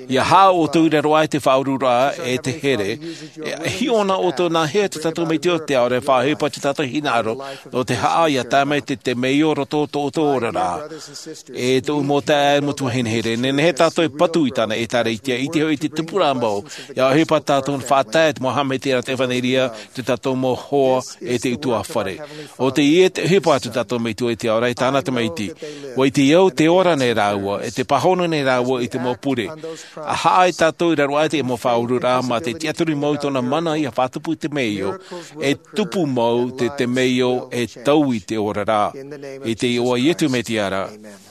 Ia haʻa ʻoutou i raro aʻe i te faʻaururaʻa e te here. E hiʻo na ʻoutou nā hea te tātou metua te ʻaore faʻaʻohipa te tātou hinaʻaro. Nō te haʻa ia tae mai te, te temeio roto tō ʻoutou oraraʻa. E tōʻu mau taeaʻe mau tuahine here, nehenehe tātou e patu i tāna ʻĒtārētia, ʻite hoʻi te tupuraʻa mau, ia ʻohipa tātou faʻatae te mau haʻamaitaʻiraʻa te evanelia, te tātou mau hoa e te ʻutuāfare. ʻO teie te ʻohipa a te tātou metua i te ao ra i tāna tamaiti. ʻUa ʻite au te ora nei rāua, e te pāhono nei rāua i te mau pure. A haʻa tātou i raro aʻe i te mau faʻaururaʻa mā te tiʻaturi mau i tōna mana ia faʻatupu i te temeio, e tupu mau te temeio e taui te oraraʻa. I te iʻoa o Iesu Mesia ra.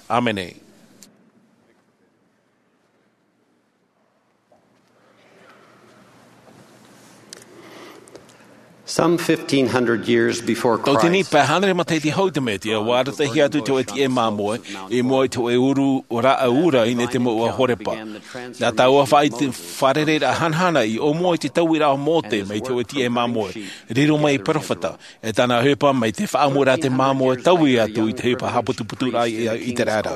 ʻĀmene. Some fifteen hundred years before Christ, Tauatini pae hānere matahiti hau i te Mesia, ʻua arataʻihia atu te hōʻē tiʻa māmoe, i mua i te hōʻē uru rāʻau ura i niʻa i te mouʻa Horepa. Nā taua faʻaite fārereiraʻa hanahana i ʻōmua i te tauiraʻa o Mōse mai te hōʻē tiʻa māmoe, riro mai e perofeta, e tāna ʻohipa mai te faʻaʻamuraʻa te māmoe taui atu i te ʻohipa haʻaputuputuraʻa i, i te reira.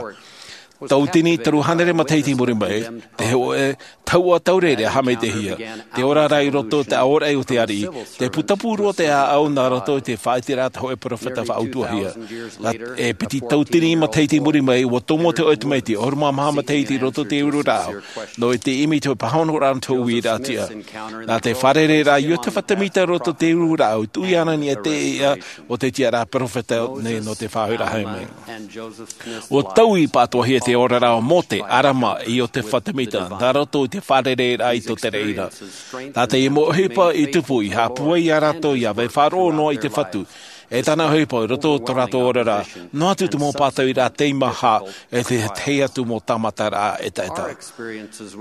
Tauatini toru hānere matahiti i muri mai, te hōʻē tahuʻa taureʻareʻa haʻamaitaʻihia, te ora ra i roto i te aoraʻi o te ariʻi, te putapū roa te ʻāʻau nā roto i te faʻaiteraʻa te hōʻē perofeta faʻautuahia. Nā, e piti tauatini matahiti i muri mai, ʻua tomo te hōʻē tamaiti, ʻahuru mā maha matahiti i roto i te uru rāʻau, nō te ʻimi i te pāhonoraʻa nō te uiraʻa tiʻa. Nā te fārereiraʻa a Iosefa Semita i roto i te uru rāʻau, tuʻu iāna i niʻa i te iʻa o te tiʻaraʻa perofeta nei nō te faʻahoʻiraʻa mai. ʻUa taui pātoʻahia te oraraʻa o Mōse, ʻArama, e Iosefa Semita, nā roto i te fārereiraʻa i tō te reira. Nā te mau ʻohipa i tupu i haʻapūai ia rātou ia vai faʻaroʻo noa i te Fatu, e tāna ʻohipa i roto i tō rātou oraraʻa, noa atu te mau pātoʻiraʻa teimaha, e te tahi atu mau tāmataraʻa ʻetaʻeta.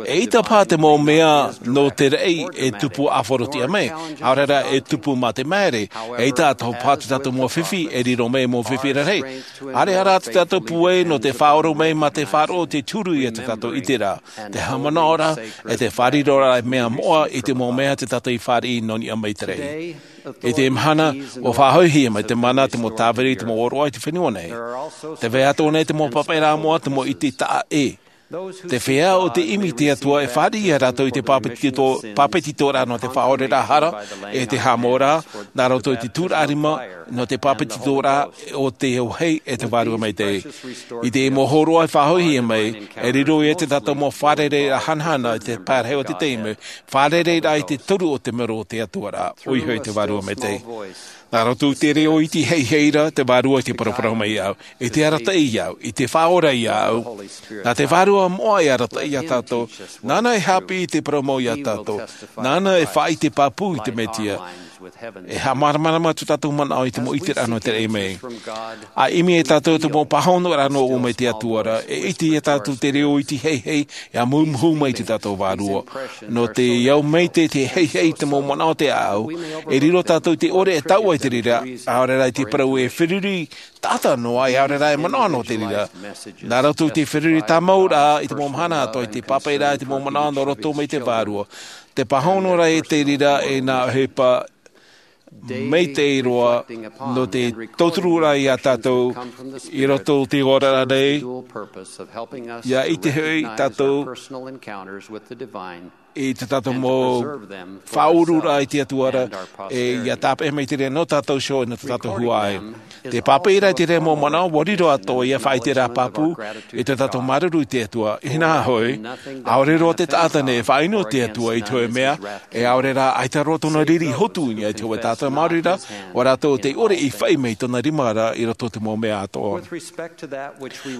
E ʻaita paha te mau mea nō te raʻi e tupu ʻāfaro tiʻa mai, ʻaore rā e tupu mā te māere, e ʻaita atoʻa paha te tātou mau fifi e riro mai mau fifi rarahi. ʻAreʻa rā te tātou pūai nō te faʻaora mai mā te faʻaroʻo te turu ia te tātou ʻiteraʻa, te haʻamanaʻoraʻa, e te fāriroraʻa mea moʻa i te mau mea te tātou i fāriʻi nō niʻa mai te raʻi. I teie mahana, ʻua faʻahoʻihia mai te mana te mau tāviri te mau ʻōroʻa i te fenua nei. Tē vai atoʻa nei te mau papaʻiraʻa moʻa te mau ʻite taʻa ʻē. Te feiā o te ʻimi i te Atua e fāriʻi ia rātou i te pāpetito-, pāpetitoraʻa nō te faʻaoreraʻa hara, e te haʻamoʻaraʻa, nā roto i te tūraʻa rima, nō te pāpetitoraʻa o te auahi e te Vārua Maitaʻi. I te mau hōroʻa e faʻahoʻihia mai, e riro ia te tātou mau fārereiraʻa hanahana i te pae rahi o te taime, fārereiraʻa i te toru o te mero o te Atua ra, ʻoia hoʻi te Vārua Maitaʻi. Nā roto i te reo iti heihei ra, te Vārua i te paraparau mai iāʻu, i te arataʻi iāʻu, i te faʻaora iāʻu. Nā te Vārua moʻa e arataʻi ia tātou, nāna e haʻapiʻi i te parau mau ia tātou, nāna e faʻaʻite pāpū i te Mesia. E haʻamāramarama atu tātou manaʻo i te mau ʻiteraʻa nō te raʻi mai. A ʻimi e tātou te mau pāhonoraʻa nō ʻō mai te Atua ra, e ʻite ia tātou te reo iti heihei, e ʻāmuimuhu mai te tātou Vārua. Nō te au mai te, te heihei te mau manaʻo te ʻāʻau, e riro tātou te ʻore e taua i te reira, ʻaore rā i te parau e feruri, taʻata noa, e ʻaore rā e manaʻo nō te reira. Nā roto i te feruri tāmau ra, i te mau mahana atoʻa i te pāpaʻi ra, i te mau manaʻo nō roto mai te Vārua. Te pāhonoraʻa i te reira, e nā ʻohipa maitaʻi roa nō te tautururaʻa ia tātou i roto i te oraraʻa nei, ia ʻite hoʻi tātou I tā tātou mau faʻaururaʻa i te Atua ra, e ia tāpeʻa mai te reira nō tātou iho e nō tā tātou huaʻai. Te pāpaʻiraʻa i te reira mau manaʻo, ʻua riro atoʻa ia faʻaʻite ra pāpū i tā tātou māuruuru i te Atua. Inaha hoʻi, ʻaore roa te taʻata nei e faʻaʻino i te Atua i te hōʻē mea, e ʻaore rā, ʻaita roa tōna riri hotu i niʻa i te hōʻē taʻata maori ra, ʻo rātou tei ʻore i fai mai tōna rima ra i roto i te mau mea atoʻa.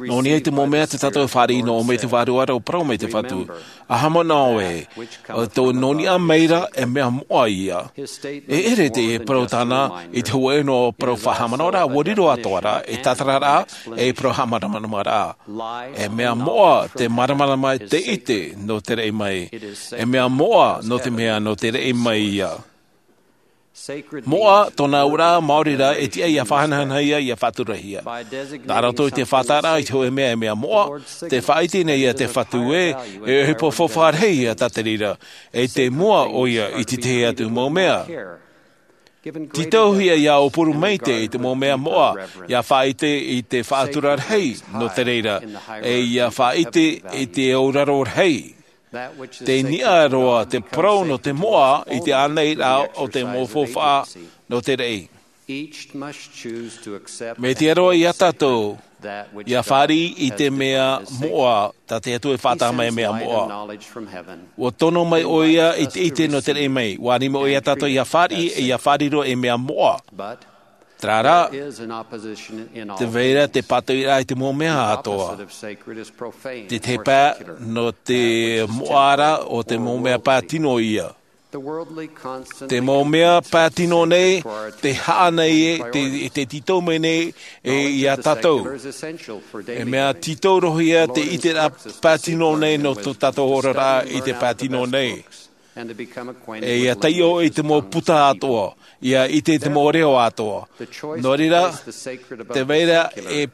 Nō niʻa i te mau mea tā tātou e fāriʻi nō ʻō mai te Vārua ra ʻo parau mai te Fatu. ʻA haʻamanaʻo ē, ʻo tō nō niʻa mai ra e mea moʻa ia. E ʻere te parau tāna i te hōʻē noa parau faʻahaʻamanaʻoraʻa, ʻua riro atoʻa ra, e tātararaʻa, e parau haʻamāramaramaraʻa. E mea moʻa te māramarama, te ʻite nō te raʻi mai. E mea moʻa nō te mea nō te raʻi mai ia. Moʻa, tōna auraʻa maori ra, e tiʻa ia faʻahanahanahia, ia faʻaturahia. Nā roto i te faʻataʻaraʻa i te hōʻē mea e mea moʻa, tē faʻaʻite nei ia te Fatu ē, e ʻohipa faufaʻa rahi ia tā te reira, e tei mua ʻoia i te tahi atu mau mea. Tītauhia ia ʻōpuru maitaʻi i te mau mea moʻa, ia faʻaʻite i te faʻatura rahi nō te reira, e ia faʻaʻite i te auraro rahi. Tei niʻa roa te parau nō te moʻa i te ānaʻiraʻa o te mau faufaʻa nō te raʻi. Mea tiʻa roa ia tātou ia fāriʻi i te mea moʻa tā te Atua e faʻataʻa mai e mea moʻa. ʻUa tono mai ʻoia i te ʻite nō te raʻi mai. ʻUa ani mai ʻoia ia tātou ia fāriʻi, e ia fāriro e mea moʻa. Terā rā, tē vai ra te pātoʻiraʻa i te mau mea atoʻa. Te tahi pae nō te moʻa ra, ʻo te mau mea pae tino ia. Te mau mea pae tino nei, tē haʻa nei e, tē, tē tītau mai nei e ia tātou. E mea tītau roa ia te ʻiteraʻa pae tino nei nō tō tātou oraraʻa i te pae tino nei. E ia taiʻo i te mau puta atoʻa, ia ʻite i te mau reo atoʻa. Nō reira, tē vai ra e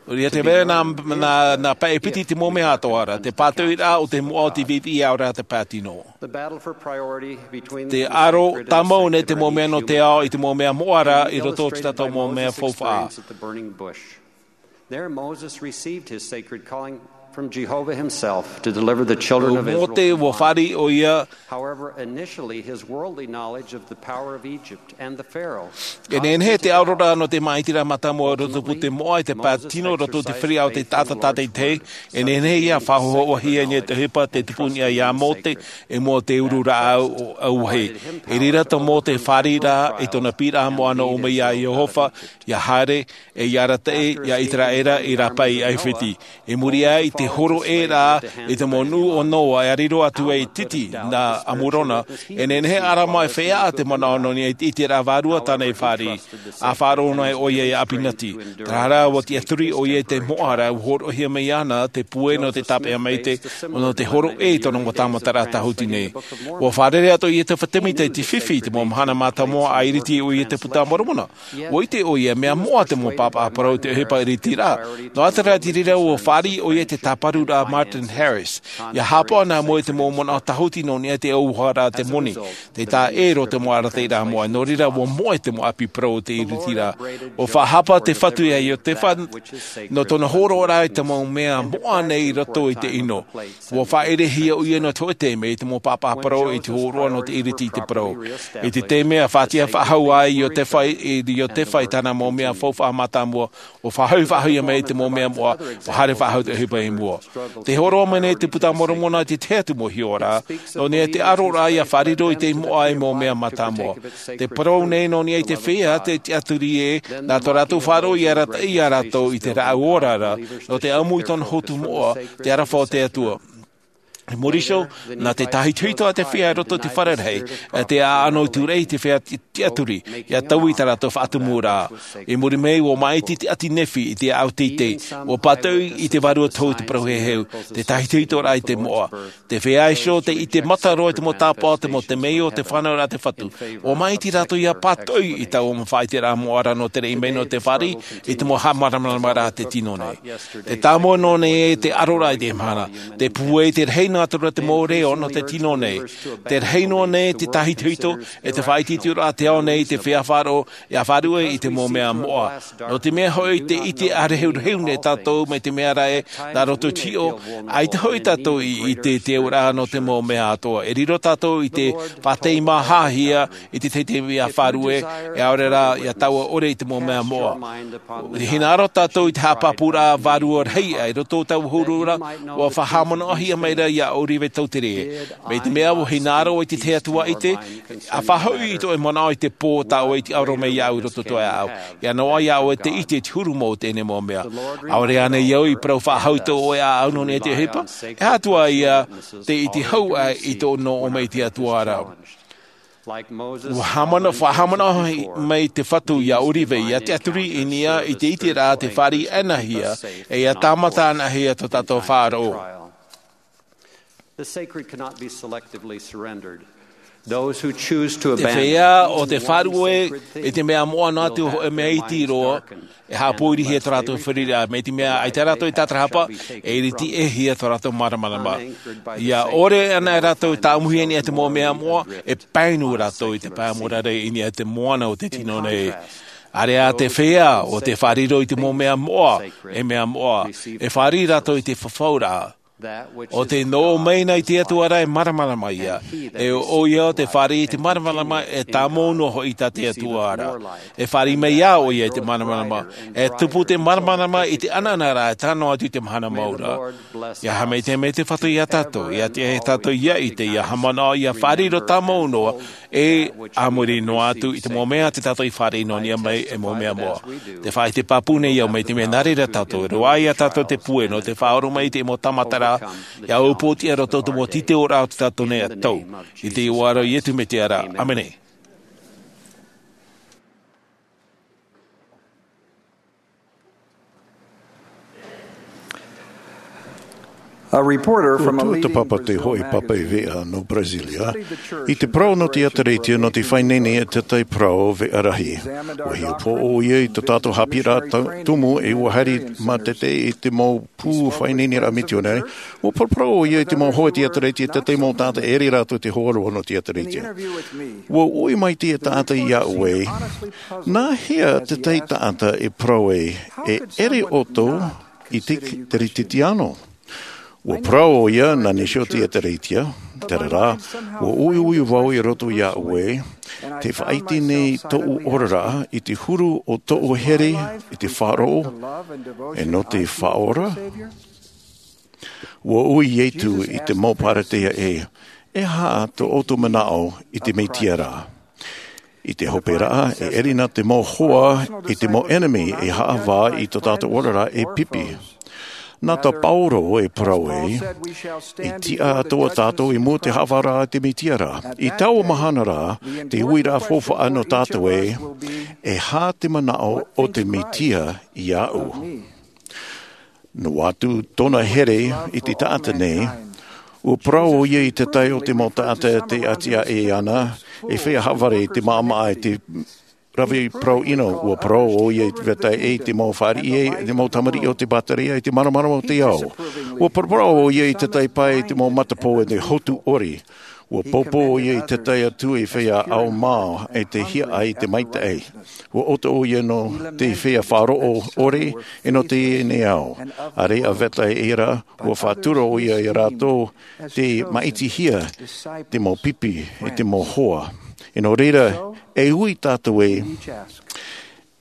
ʻO ia tē vai ra nā, nā, nā pae piti i te mau mea atoʻa ra, te pātoʻiraʻa o te moʻa, ʻo te viʻiviʻi ʻaore rā te pae tino. Te aro tāmau nei te mau mea nō te ao i te mau mea moʻa ra i roto i tā tātou mau mea faufaʻa. There Moses received his sacred calling from Jehovah himself to deliver the children of Israel. ʻO Mōte, ʻua fāriʻi ʻoia. However, initially, his worldly knowledge of the power of Egypt and the Pharaoh E nehenehe te aroraʻa nō te māʻitiraʻa mātāmua i roto i te moʻa, i te pae tino, i roto i te feiā o te taʻata tātaʻitahi. E nehenehe ia faʻahoʻohia i niʻa i te ʻohipa tei tupu i niʻa ia Mōte, i mua i te uru rāʻau ʻauahi. I reira tā Mōte i fāriʻi ra i tōna piʻiraʻa moʻa nō ʻō mai ia Iehova, ia haere, e ia arataʻi ia Iteraʻera i rāpae i ʻAifiti. I muri aʻe i te hōroʻa ra i te mau nuʻu o Noa e riro atu ai i te iti nā Amurona, e nehenehe ʻo ʻArama e feiā te manaʻo nō niʻa i te ʻiteraʻa vārua tāna i fāriʻi, ʻa faʻaroʻo noa ai ʻoia ia ʻApinati. Terā rā, ʻua tiʻaturi ʻoia i te moʻa ra, ʻua hōroʻahia mai iāna te puai nō te tāpeʻa maitaʻi, nō te hōroʻa i tōna mau tāmataraʻa tāhuti nei. ʻUa fārerei atoʻa ia Iotefa Tēmita i te fifi i te mau mahana mātāmua, ʻa iriti ʻoia i te Puta a Moromona. ʻUa ʻite ʻoia, mea moʻa te mau pāpaʻi parau i te ʻohipa iritiraʻa. Nō ʻātaʻata i reira, ʻua fāriʻi ʻoia i te tāparuraʻa Martin Harris. ʻIa haʻapaʻo nā mua i te mau manaʻo tāhuti nō niʻa i te ʻauaha ra te moni. Tē taʻa ʻē roa te mau arataʻiraʻa moʻa, nō reira ʻua moʻe te mau ʻapi parau o te iritiraʻa. ʻUa faʻahapa te Fatu ia Iotefa nō tōna hōroʻaraʻa i te mau mea moʻa nei i roto i te ʻino. ʻUa faʻaʻerehia ʻoia nō te hōʻē taime i te mau pāpaʻi parau i te hōroʻa nō te iriti i te parau. I te taime ʻa faʻatiʻa faʻahou ai Iotefa i, i Iotefa i tāna mau mea faufaʻa mātāmua, ʻua faʻahoʻi, faʻahoʻihia mai te mau mea moʻa, ʻua haere faʻahou te ʻohipa i mua. Tē hōroʻa mai nei te Puta a Moromona i te tahi atu mau hiʻoraʻa nō niʻa i te aroraʻa ʻia fāriro i te moʻa ei mau mea mātāmua. Tē parau nei nō niʻa i te feiā tei tiʻaturi ē, nā tō rātou faʻaroʻo ʻia arataʻi ia rātou i te rāʻau ora ra, nō te ʻamu i tōna hotu moʻa, te aroha o te Atua. I muri iho, nā te tāhitohito a te feiā i roto i te fare rahi, ʻe te ʻāʻano i tūraʻi i te feiā ti-, tiʻaturi, ʻia taui i tā rātou faʻatumuraʻa. I muri mai, ʻua māʻiti te ʻāti Nephi i te ʻāʻau teitei, ʻua pātoʻi i te vārua tohu te parau heheu, te tāhitohitoraʻa i te moʻa. Te feiā iho, tei ʻite mata roa i te mau tāpaʻo, te mau temeio, te fānauraʻa a te Fatu. ʻUa māʻiti rātou ʻia pātoʻi i taua mau faʻaʻiteraʻa moʻa ra nō te raʻi mai nō te fāriʻi, i te mau haʻamāramaramaraʻa a te tino nei. Tē tāmau noa nei te aroraʻa i teie mahana. Te pūai, te rahi Atu ra te mau reo nō te tino nei. Te rahi noa nei te tāhitohito, e te faʻaitoitoraʻa te ao nei i te feiā faʻaroʻo, ʻia faʻaruʻe i te mau mea moʻa. Nō te mea hoʻi te ʻite ʻārehurehu nei tātou mai te mea ra ē, nā roto i te hiʻo, ʻaita hoʻi tātou i ʻite i te auraʻa nō te mau mea atoʻa. E riro tātou i te faʻateimahahia, i te teitei mea faʻaruʻe, e ʻaore rā, ʻia taua ʻore i te mau mea moʻa. Hinaʻaro tātou i te haʻapāpūraʻa vārua rahi i roto i taua huru ra, ʻua faʻahaʻamanaʻohia mai ra iā ʻŌrive Tautere. Mai te mea ʻua hinaʻaro i te Atua i te, ʻa faʻahoʻi i tō ʻoe manaʻo i te pō tā ʻoe i te ʻaro mai iāʻu i roto i tō ʻoe ʻāʻau. ʻIa noaʻa iā ʻoe te ʻite i te huru mau o teie nei mau mea. ʻAore ānei au i parau faʻahou i tō ʻoe ʻāʻau nō niʻa i te ʻohipa? E aha atu ā ia te ʻite hau aʻe i tō ʻoe nō ʻō mai i te Atua ra. ʻUa haʻamanaʻo, faʻahaʻamanaʻo mai te Fatu iā ʻŌrive, ʻia tiʻaturi i niʻa i te ʻiteraʻa tē fāriʻi ana hia, e ʻia tāmata ana hia tō tātou faʻaroʻo. The sacred cannot be selectively surrendered. Those who choose to abandon even what is sacred things will be darkened and the eyes of the Lord. Te feiā ʻo te faʻaruʻe i te mea moʻa noa atu hōʻē mea iti roa, e haʻapōirihia tō rātou fāriʻiraʻa, mai te mea ʻaita rātou e tātarahapa, e ʻiritiʻihia tō rātou māramarama. ʻIa ʻore ana rātou e tāʻamuhia i niʻa i te mau mea moʻa, e pae noa rātou i te pae mōrare i niʻa i te moana o te tino nei. ʻĀreʻa te feiā ʻo tē faʻariro i te mau mea moʻa, e mea moʻa, e fāriʻi rātou i te fafauraʻa. ʻO tē nō ʻō mai na i te Atua ra e māramarama ïa, e ʻo ʻoia ʻo tē fāriʻi i te māramarama e tāmau noa hoʻi tā te Atua ra. E fāriʻi mai ā ʻoia i te māramarama, e tupu te māramarama i te ʻanaʻanaraʻa e tae noa atu i te mahana mau ra. ʻIa haʻamaitaʻi mai te Fatu iā tātou, ʻia tiʻa iā tātou ʻia ʻite, ʻia haʻamanaʻo, ʻia faʻariro tāmau noa, e a muri noa atu i te mau mea tē tātou i fāriʻi noa i niʻa mai, e mau mea moʻa. Tē faʻaʻite pāpū nei au mai te mea nā reira tātou e roaʻa iā tātou te pūai nō te faʻaora mai i te mau tāmataraʻa, ʻia ʻōpū atu i roto i te mau tītauraʻa o tō tātou nei ʻātau. I te iʻoa ra o Iesu Mesia ra. ʻĀmene. A reporter from a leading Brazilian newspaper studied the church in the Rio de Janeiro area. ʻUa tuatāpapa te hōʻē pāpaʻi veʻa nō Brasilia i te parau nō te ʻĒtārētia nō te faʻaineine e te tahi parau veʻa rahi. ʻUa hiʻopoʻa ʻoia i tō tātou haʻapiʻiraʻa tumu, e ʻua haere mātete i te mau pū faʻaineineraʻa mitionare. ʻUa paraparau ʻoia i te mau hoa i te ʻĒtārētia, te tahi mau taʻata e ʻere rātou i te hōroʻa nō te ʻĒtārētia. ʻUa ui mai te taʻata iāʻu ē, nā hea te tahi taʻata e parau ē, e ʻere ʻoutou i te Kerisetiano? ʻUa parau ʻoia, nā niʻa i te ʻĒtārētia, terā rā, ʻua uiui vau i roto iāʻu ē, tē faʻaʻite nei tōʻu oraraʻa i te huru o tōʻu here i te faʻaroʻo, e nō te Faʻaora? ʻUa ui Iesu i te mau Pharisea ē, e aha tō ʻoutou manaʻo i te Mesia ra? I te hoperaʻa, e ʻere na te mau hoa i te mau ʻenemi e haʻavā i tō tātou oraraʻa e pipi. Nā tā Paulo e parau ē, e tiʻa atoʻa tātou i mua i te haʻavāraʻa a te Mesia ra. I taua mahana rā, te uiraʻa faufaʻa nō tātou ē, e aha te manaʻo o te Mesia iāʻu? Noa atu tōna here i te taʻata nei, ʻua parau ʻoia i te tahi o te mau taʻata tē ʻati aʻe ana, e feiā haʻavare i te maʻamaʻa i te rave parau ʻino, ʻua parau ʻoia i te vetahi i te mau fāriʻi, i te mau tamariʻi o te Pharisea, i te māramarama o te ao. ʻUa paraparau ʻoia i te tahi pae i te mau matapō e te hotu ʻori. ʻUa pōpō ʻoia i te tahi atu i feiā ʻaumā e te hiaʻai i te maitaʻi. ʻUa ʻoto ʻoia nō te feiā faʻaroʻo ʻore, e nō teie nei ao. ʻĀreʻa vetahi ʻē rā, ʻua faʻatura ʻoia iā rātou te māʻitihia te mau pipi e te mau hoa. E nō reira, e ui tātou ē,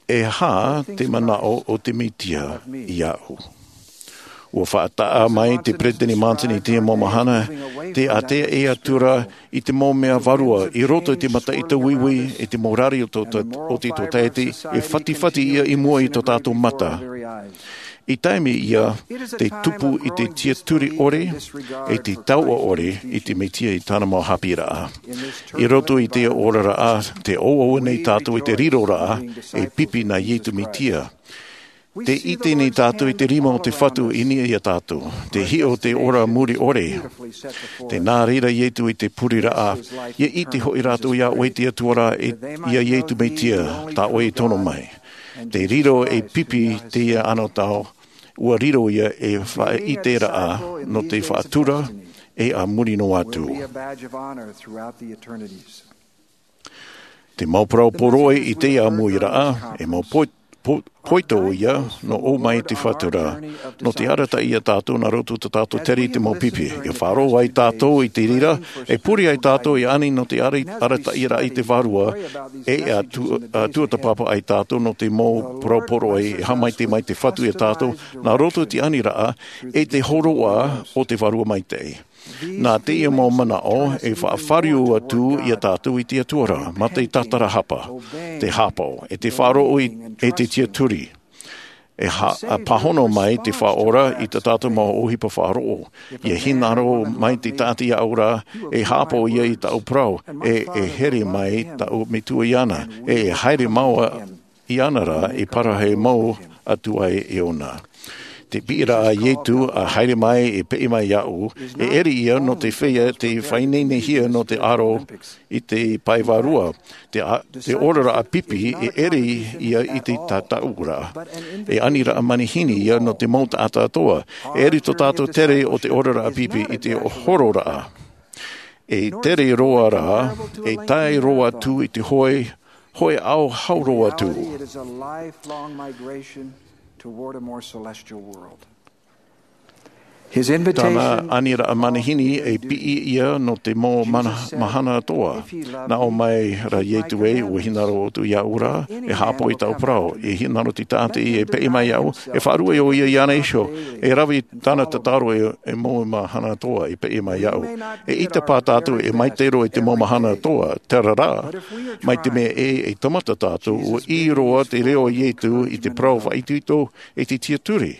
e aha te manaʻo o te Mesia iāʻu? ʻUa faʻataʻa mai te Peresideni Monson i te mau mahana, tē ʻātea ʻē atu ra i te mau mea vārua i roto i te mataʻi tauiui, i te mau rari o tō, o te tōtaiete, e fatifati ïa i mua i tō tātou mata. I taime ïa te tupu i te tiaturi ʻore, e te tauʻa ʻore i te Mesia i tāna mau haʻapiʻiraʻa. I roto i te oraraʻa, tē ʻauʻau nei tātou i te riroraʻa, e pipi nā Iesu Mesia. Tē ʻite nei tātou i te rima o te Fatu i niʻa iā tātou. Tē hiʻo te ora muri ʻore. Tē nā reira Iesu i te pureraʻa, ʻia ʻite hoʻi rātou iā ʻoe te Atua ra, e, iā Iesu Mesia, tā ʻoe i tono mai. Tē riro ei pipi teie anotau, ʻua riro ïa ei faʻaʻiteraʻa nō te faʻatura, e a muri noa atu. Te mau parau poroʻi i teie ʻāmuiraʻa, e mau poito ia nō ʻō mai i te Fatu ra, nō te arataʻi ia tātou nā roto i tō tātou tere i te mau pipi. E faʻaroʻo ai tātou i te reira, e pure ai tātou i ani nō te arataʻi ra i te Vārua, e a tuatāpapa ai tātou nō te mau parau poroʻi e haʻamaitaʻi mai te Fatu ia tātou nā roto i te aniraʻa e te hōroʻa o te Vārua Maitaʻi. Nā teie mau manaʻo e faʻafāriu atu ia tātou i te Atua ra mā te tātarahapa, te hāpaʻo, e te faʻaroʻo e te tiaturi. E pāhono mai te Faʻaora i tā tātou mau ʻohipa faʻaroʻo. Ia hinaʻaro mai te taʻata iaʻu ra, e hāpaʻo ia i taʻu parau, e e here mai taʻu metua iāna, e e haere mau iāna ra e parahi mau atu ai iāna. Te piʻiraʻa a Ietu a haere mai e peʻe mai iāʻu, e ʻere ia nō te feiā te faʻaineinehia nō te aro i te pae vārua. Te oraraʻa pipi e ʻere ia i te tātaʻuraʻa, e aniraʻa manihini ia nō te mau taʻata atoʻa. E ʻere tō tātou tere o te oraraʻa pipi i te hororaʻa, e tere roa rā, e tae roa atu i te hoʻe hoʻe ao hau roa atu. Tōna aniraʻa manihini e piʻi ia nō te mau mahana atoʻa. Nā ʻō mai ra Ietu ē, ua hinaʻaro ʻoutou iāʻu ra, e hāpaʻo i taʻu parau. E hinaʻaro te taʻata e peʻe mai iāʻu, e faʻaruʻe ʻo ia iāna iho, e rave tāna tataro e mau mahana atoʻa e peʻe mai iāʻu. E ʻite pā tātou e maitaʻi roa i te mau mahana atoʻa, terā rā, mai te mea ē e tāmata tātou, ua ʻī roa te reo a Ietu i te parau faʻaitoito e te tiaturi.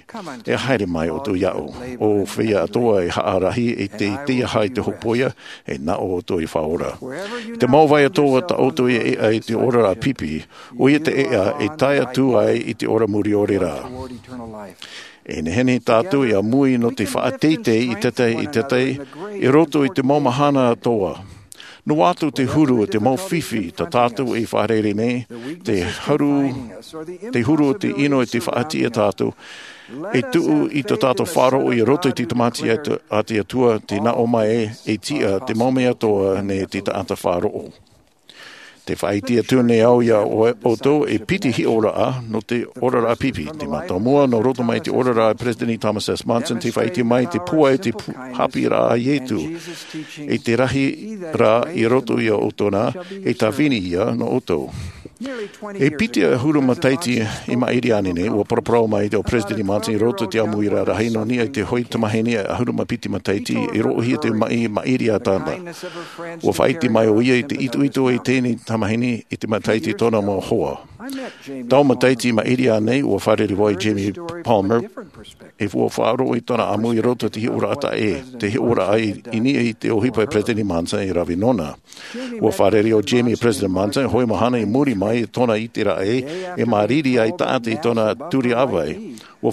E haere mai ʻoutou iāʻu, ʻo feiā atoʻa e haʻarahi e te teiaha i te hopoiʻa, e nā ʻō ʻoutou i faʻaora. Te mau vai atoʻa tā ʻoutou e ʻeʻa i te oraraʻa pipi, ʻoia te ʻeʻa e tae atu ai i te ora mure ʻore ra. E nehenehe tātou e ʻāmui nō te faʻateitei i tētahi i tētahi i roto i te mau mahana atoʻa. Noa atu te huru o te mau fifi tā tātou e fārerei nei, te huru o te ʻino e te faʻatiʻa tātou, e tuʻu i tō tātou faʻaroʻo i roto i te tāmata a te Atua, te nā ʻō mai e tiʻa te mau mea atoʻa nei te taʻata faʻaroʻo. Te faʻaʻite atu nei au iā ʻoutou e piti hiʻoraʻa nō te oraraʻa pipi. Te mātāmua nō roto mai te oraraʻa a Peresideni Thomas S. Monson te faʻaʻite mai te pūai te hāpiʻiraʻa a Ietu. I te rahi rā i roto iā ʻoutou nā, e tāvini ia nō ʻoutou. E piti ʻahuru matahiti i maʻiri aʻe nei, ua paraparau mai te Peresideni Monson i roto i te ʻāmuiraʻa rahi nō niʻa i te hoʻe tamahine ʻahuru mā piti matahiti i roʻohia te maʻi maʻiri a tāna. Ua faʻaʻite mai ʻo ia i te itoito i teie tamahine i te matahiti tōna mau hoa. Taua matahiti i maʻiri aʻe nei, ua fārerei vau iā Jamie Palmer, e ua faʻaroʻo i tōna ʻāmui i roto i te hiʻoraʻa taʻa ʻē, te hiʻoraʻa i niʻa i te ʻohipa a Peresideni Monson e rave nōna. Ua fārerei ʻo Jamie iā Peresideni Monson, hoʻi mahana i muri mai i tōna ʻiteraʻa e māriri ai taʻata i tōna turi ʻāvae. Ua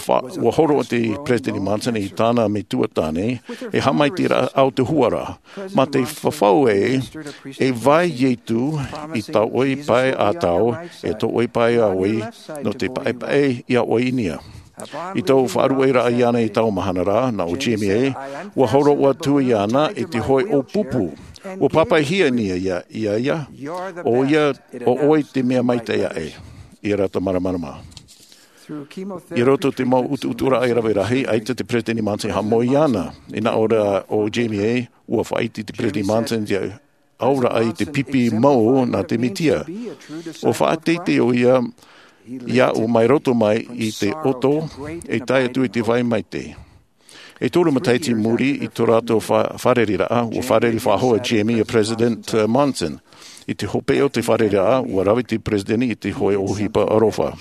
hōroʻa te Peresideni Monson i tāna metua tāne, e haʻamaitaʻiraʻa ʻautuhuaraʻa. Mā te fafau ē, e vai Ietu i tō ʻoe pae ʻātau, e tō ʻoe pae ʻāvae, nō te paʻepaʻe iā ʻoe i niʻa. I tō faʻaruʻeraʻa iāna i taua mahana rā, nā ʻo Jamie ē, ua hōroʻa atu iāna i te hoʻe ʻōpupu. Ua pāpaʻihia nei iā ia, ʻoia, ʻo ʻoe te mea maitaʻi aʻe. I rātou māramarama. I roto i te mau ʻutuʻuturaʻa e rave rahi, ʻaita te Peresideni Monson i haʻamoe iāna. I nā ʻō ra ʻo Jamie ē, ua faʻaʻite te Peresideni Monson i te auraʻa i te pipi mau nā te Mesia. Ua faʻateitei ʻo ia iāʻu mai roto mai i te ʻoto, e tae atu i te vai maitaʻi. E toru matahiti i muri i tō rātou fārereiraʻa, ua fārerei faʻahou ʻo Jamie iā Peresideni Monson. I te hopeʻa o te fārereiraʻa, ua rave te Peresideni i te hoʻe ʻohipa aroha.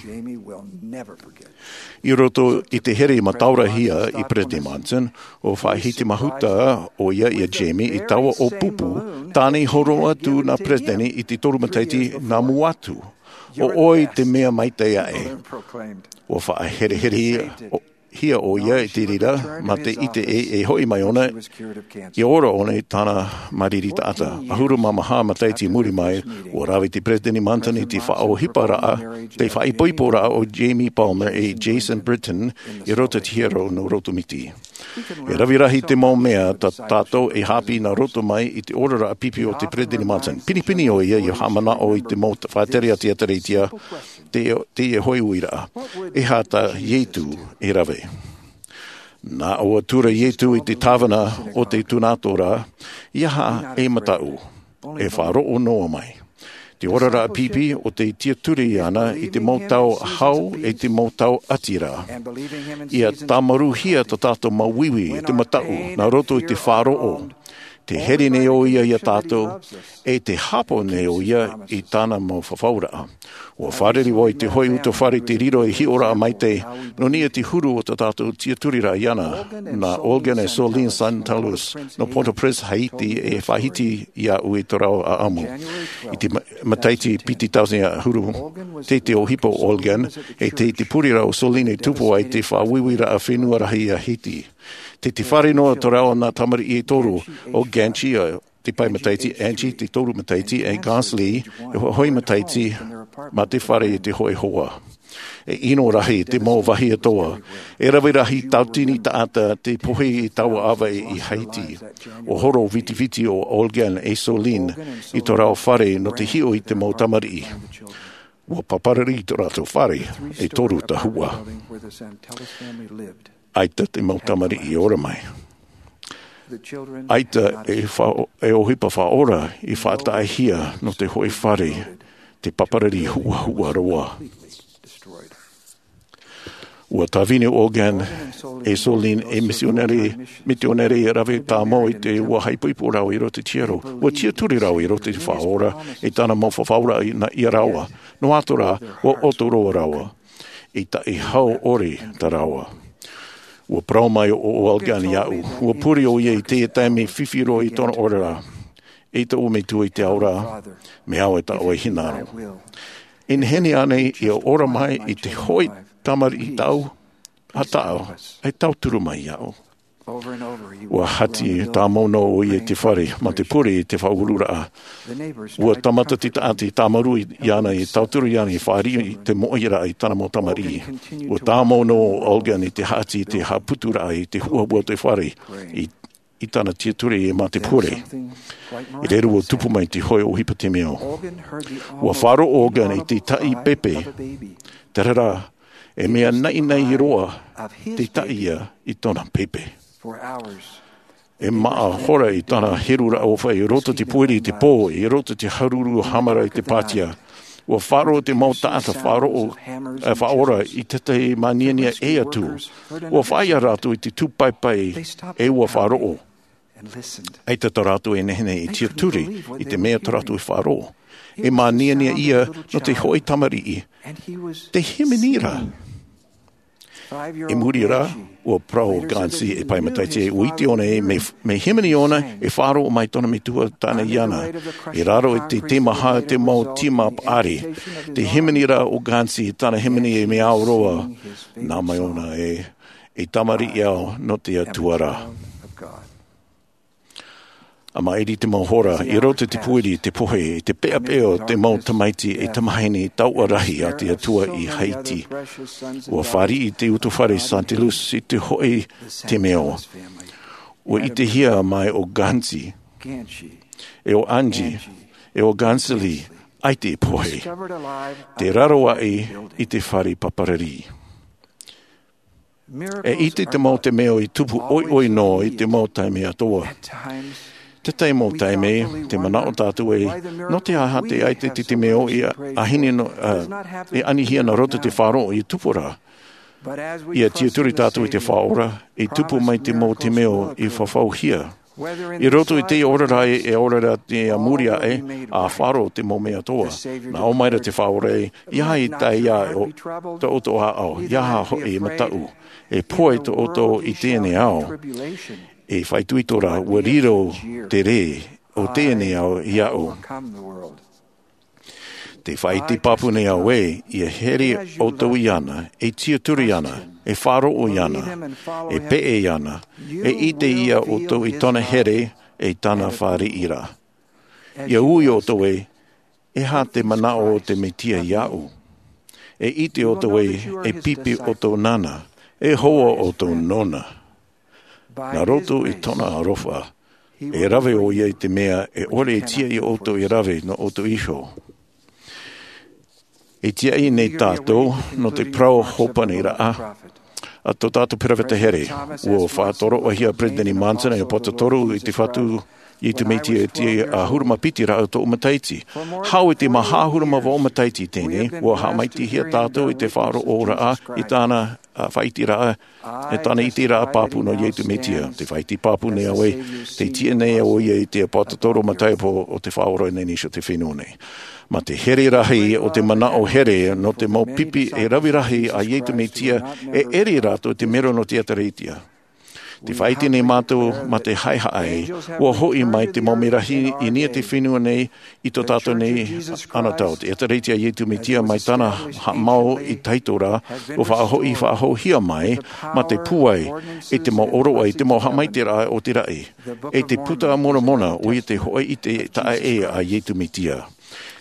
I roto i te here i mataʻihia e Peresideni Monson, ua faʻahiti mahuta ʻo ia iā Jamie i taua ʻōpupu, tāna i hōroʻa atu nā Peresideni i te toru matahiti nā mua atu. ʻO ʻoe te mea maitaʻi aʻe. Ua faʻaherehere hia ʻo ia i te reira, mā te ʻite ē, e hoʻi mai ʻōna, ʻia ora ʻōna i tāna mariri taʻata. ʻAhuru mā maha matahiti i muri mai, ʻua rave te Peresideni Monson i te faʻaʻohiparaʻa, te faʻaipoiporaʻa o Jamie Palmer e Jason Britton i roto i te hiero nō Rotomiti. E rave rahi te mau mea tā tātou e haʻapiʻi nā roto mai i te oraraʻa pipi o te Peresideni Monson. Pinepine ʻo ia ʻia haʻamanaʻo i te mau faʻatere a te Ateretia, te, te hoʻi uiraʻa. E aha tā Ietu e rave? Nā ʻō atu ra Ietu i te tāvana o te tūnato ra, ʻia haʻa e mataʻu, e faʻaroʻo noa mai. Te oraraʻa pipi ʻo tē tiaturi ana i te mau tau hau e te mau tau ʻati ra. ʻIa tāmaruhia tā tātou mau uiui e te mataʻu, nā roto i te faʻaroʻo, te here nei ʻo ia ia tātou, e te hāpaʻo nei ʻo ia i tāna mau fafauraʻa. ʻUa fārerei vau i te hoʻi utuafare i te riro ei hiʻoraʻa maitaʻi, nō niʻa i te huru o tā tātou tiaturiraʻa iāna, nā Olgan e Soline Santelus, nō Port-au-Prince, Haiti, e faʻahiti iāʻu i tō rāua ʻāʻamu. I te ma-, matahiti piti tauatini ʻahuru, tei te ʻohipa o Olgan, e tei te pureraʻa o Soline i tupu ai te faʻauiuiraʻa fenua rahi a Haiti. Tei te fare noa tō rāua nā tamariʻi e toru, ʻo Ganchi, te pae matahiti, Angie, te toru matahiti, e Gonsley, e hōʻē matahiti, mā te fare i te hōʻē hoa. E ʻino rahi te mau vāhi atoʻa. E rave rahi tauatini taʻata tei pohe i taua ʻāvaʻe i Haiti. ʻUa horo vitiviti ʻo Olgan e Soline i tō rāua fare nō te hiʻo i te mau tamariʻi. ʻUa paparari tō rātou fare e toru tahua. ʻAita te mau tamariʻi i ora mai. ʻAita e fa-, e ʻohipa faʻaora i faʻataʻahia nō te hōʻē fare, te paparari huʻahuʻa roa. ʻUa tāvini ʻo Olgan e Soline ei mitionare, mitionare e rave tāmau i te ʻua faʻaipoipo rāua i roto i te hiero. ʻUa tiaturi rāua i roto i te Faʻaora, e tāna mau fafauraʻa i nā, ia rāua. Noa atu rā, ʻua ʻoto roa rāua. I taʻi hau ʻore tā rāua. ʻUa parau mai ʻo, ʻo Olgan iāʻu. ʻUa pure ʻo ia i te taime fifi roa i tōna oraraʻa. E tōʻu Metua i te ao ra, mea au e tāʻu e hinaʻaro. E nehenehe ānei ʻia ora mai i te hōʻē tamariʻi tau, a taʻu, e tauturu mai iāʻu. ʻUa hati tāmau noa ʻo ia i te fare, mā te pure i te faʻaururaʻa. ʻUa tāmata te taʻata i tāmarū iāna, i tauturu iāna, i fāriʻi i te moʻeraʻa i tāna mau tamariʻi. ʻUa tāmau noa ʻo Olgan i te hati, i te haʻaputuraʻa, i te huʻahuʻa o te fare, i, i tāna tiaturi mā te pure. I reira ʻua tupu mai te hōʻē ʻohipa temeio. ʻUa faʻaroʻo ʻo Olgan i te taʻi pepe. Terā rā, e mea naʻinaʻi roa te taʻi ia i tōna pepe. E maha hora i tāna heruraʻa ʻōfaʻi i roto i te pōiri i te pō, i roto i te hāruru hāmara i te pātia. ʻUa faʻaroʻo te mau taʻata faʻaroʻo, e, faʻaora i tētahi māniania ʻē atu. ʻUa fāʻi rātou i te tūpaipai e ʻua faʻaroʻo. ʻAita tā rātou e nehenehe e tiaturi i te mea tā rātou e faʻaroʻo. E māniania ïa nō te hōʻē tamariʻi. Te hīmene ra. I muri rā, ʻua parau ʻo Ganchi, e pae matahiti, ʻua ʻite ʻōna ē, mea, mea hīmene ʻōna e faʻaroʻo mai tōna metua tāna iāna. I raro i te teimaha te mau tīma paʻari. Te hīmene ra ʻo Ganchi, tāna hīmene e mea ao roa. Nā mai ʻōna ē, e tamariʻi au nō te Atua ra. A maʻiri te mau hora, i roto i te pōiri, te pohe, i te peʻapeʻa o te mau tamaiti e tamahine tauʻa rahi a te Atua i Haiti. ʻUa fāriʻi te utuafare Santelus i te hōʻē temeio. ʻUa ʻitehia mai ʻo Ganchi, e ʻo Angie, e ʻo Gansley, ʻaita i pohe. Tē raro aʻe i te fare paparari. E ʻite te mau temeio i tupu ʻoiʻoi noa i te mau taime atoʻa. Te tahi mau taime, tē manaʻo tātou ē, nō te aha tē ʻaita te temeio i ʻāhine nō, ā, i anihia nā roto i te faʻaroʻo i tupu ra. ʻIa tiaturi tātou i te Faʻaora, i tupu mai te mau temeio i fafauhia. I roto i te oraraʻa e ora ra te a muri aʻe, ʻa faʻaroʻo te mau mea atoʻa. Nā ʻō mai ra te Faʻaora ē, ʻeiaha e tae ia ʻo, tō ʻoutou ʻāʻau, ʻeiaha hoʻi e mataʻu. E pohe tō ʻoutou i teie nei ao. E faʻaitoito rā, ʻua riro te rē o teie nei ao iāʻu. Te faʻaʻite pāpū nei au ē, ia here ʻoutou iāna, e tiʻaturi iāna, e faʻaroʻo iāna, e peʻe iāna, e ʻite ia ʻoutou i tōna here, e tāna fāriʻi ra. Ia ui ʻoutou ē, e aha te manaʻo o te Mesia iāʻu. E ʻite ʻoutou ē, e pipi ʻoutou nāna, e hoa ʻoutou nōna. Nā roto i tōna aroha, e rave ʻoia i te mea e ʻore e tiʻa ia ʻoutou e rave nō ʻoutou iho. E tiaʻi nei tātou nō te parau hōpani raʻa a tō tātou peropheta here. Ua faʻatoroʻahia Peresideni Monson e Aposetolo i te Fatu Iesu Mesia e te ʻahuru mā piti raʻa tōʻu matahiti. Hau i te maha ʻahuru mā vaʻu matahiti teie, ua haʻamaitaʻihia tātou i te faʻaroʻo raʻa i tāna a, faʻaʻite raʻa, e tāna ʻite raʻa pāpū nō Iesu Mesia. Te faʻaʻite pāpū nei au ē, tē tiʻa nei ʻoia i te Aposetolo Mataio o te Faʻaora nei nā te fenua nei. Mā te here rahi o te manaʻo here nō te mau pipi e rave rahi a Iesu Mesia, e ʻere rātou te mero nō te ʻEkalesia. Te faʻaʻite nei mātou mā te haʻehaʻa, ua hoʻi mai te mau merahi i niʻa i te fenua nei i tō tātou nei anotau. Te ʻEkalesia a Iesu Mesia mai tāna haʻamau i tahito ra, ua faʻahoʻi, faʻahouhia mai mā te pūai, i te mau ʻōroʻa, i te mau haʻamaitaʻiraʻa o te raʻi, e te Puta a Moromona, ʻoia te hōʻē ʻite taʻa ʻē a Iesu Mesia.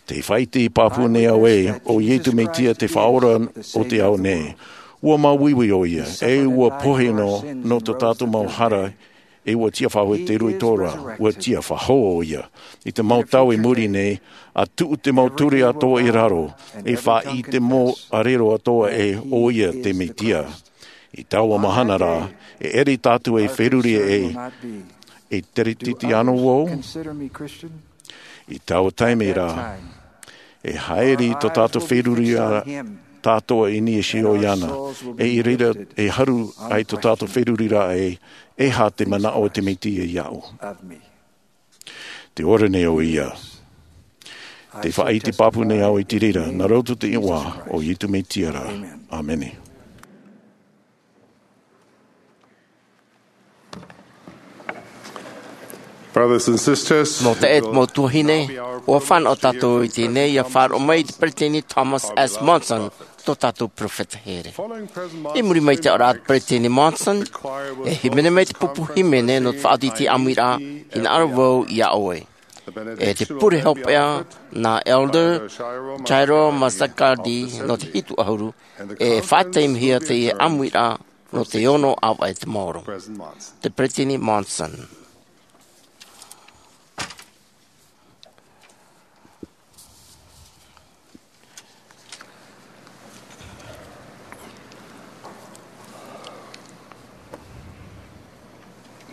Te faʻaʻite pāpū nei au ē, ʻo Iesu Mesia te Faʻaora o te ao nei. Ua māuiui ʻoia, e ua pohe nō, nō tō tātou mau hara, e ua tiʻa faʻahou i te rua i tō ra, ua tiʻa faʻahou ʻoia. I te mau tau i muri nei, ʻa tuʻu te mau ture atoʻa i raro, e faʻaʻite mau ʻarero atoʻa ē ʻoia te Mesia. I taua mahana rā, e ʻere tātou e feruri ē, e teretete anō vau? I taua taime rā, e haere tō tātou feruri ra, tātou i niʻa iho iāna, e i reira e haru ai tō tātou feruri ra ē, e aha te manaʻo o te Mesia iāʻu. Te ora nei ʻoia. Te faʻaʻite pāpū nei au i te reira, nā roto i te iʻoa o Iesu Mesia ra. ʻĀmene. Brothers and sisters, mau taeaʻe, mau tuahine, ʻua fānaʻo tātou i teie nei ʻia faʻaroʻo mai i te Peresideni Thomas S. Monson, tō tātou peropheta here. I muri mai i te aʻoraʻa a te Peresideni Monson, e hīmene mai te pupu hīmene nō te faʻaoti i te ʻāmuiraʻa, hinaʻaro vau iā ʻoe. E te pure hopeʻa nā Elder Jairo Mazzacardi nō te hitu ʻahuru, e faʻataimihia teie ʻāmuiraʻa nō te ono ʻāvaʻe te maoro. Te Peresideni Monson.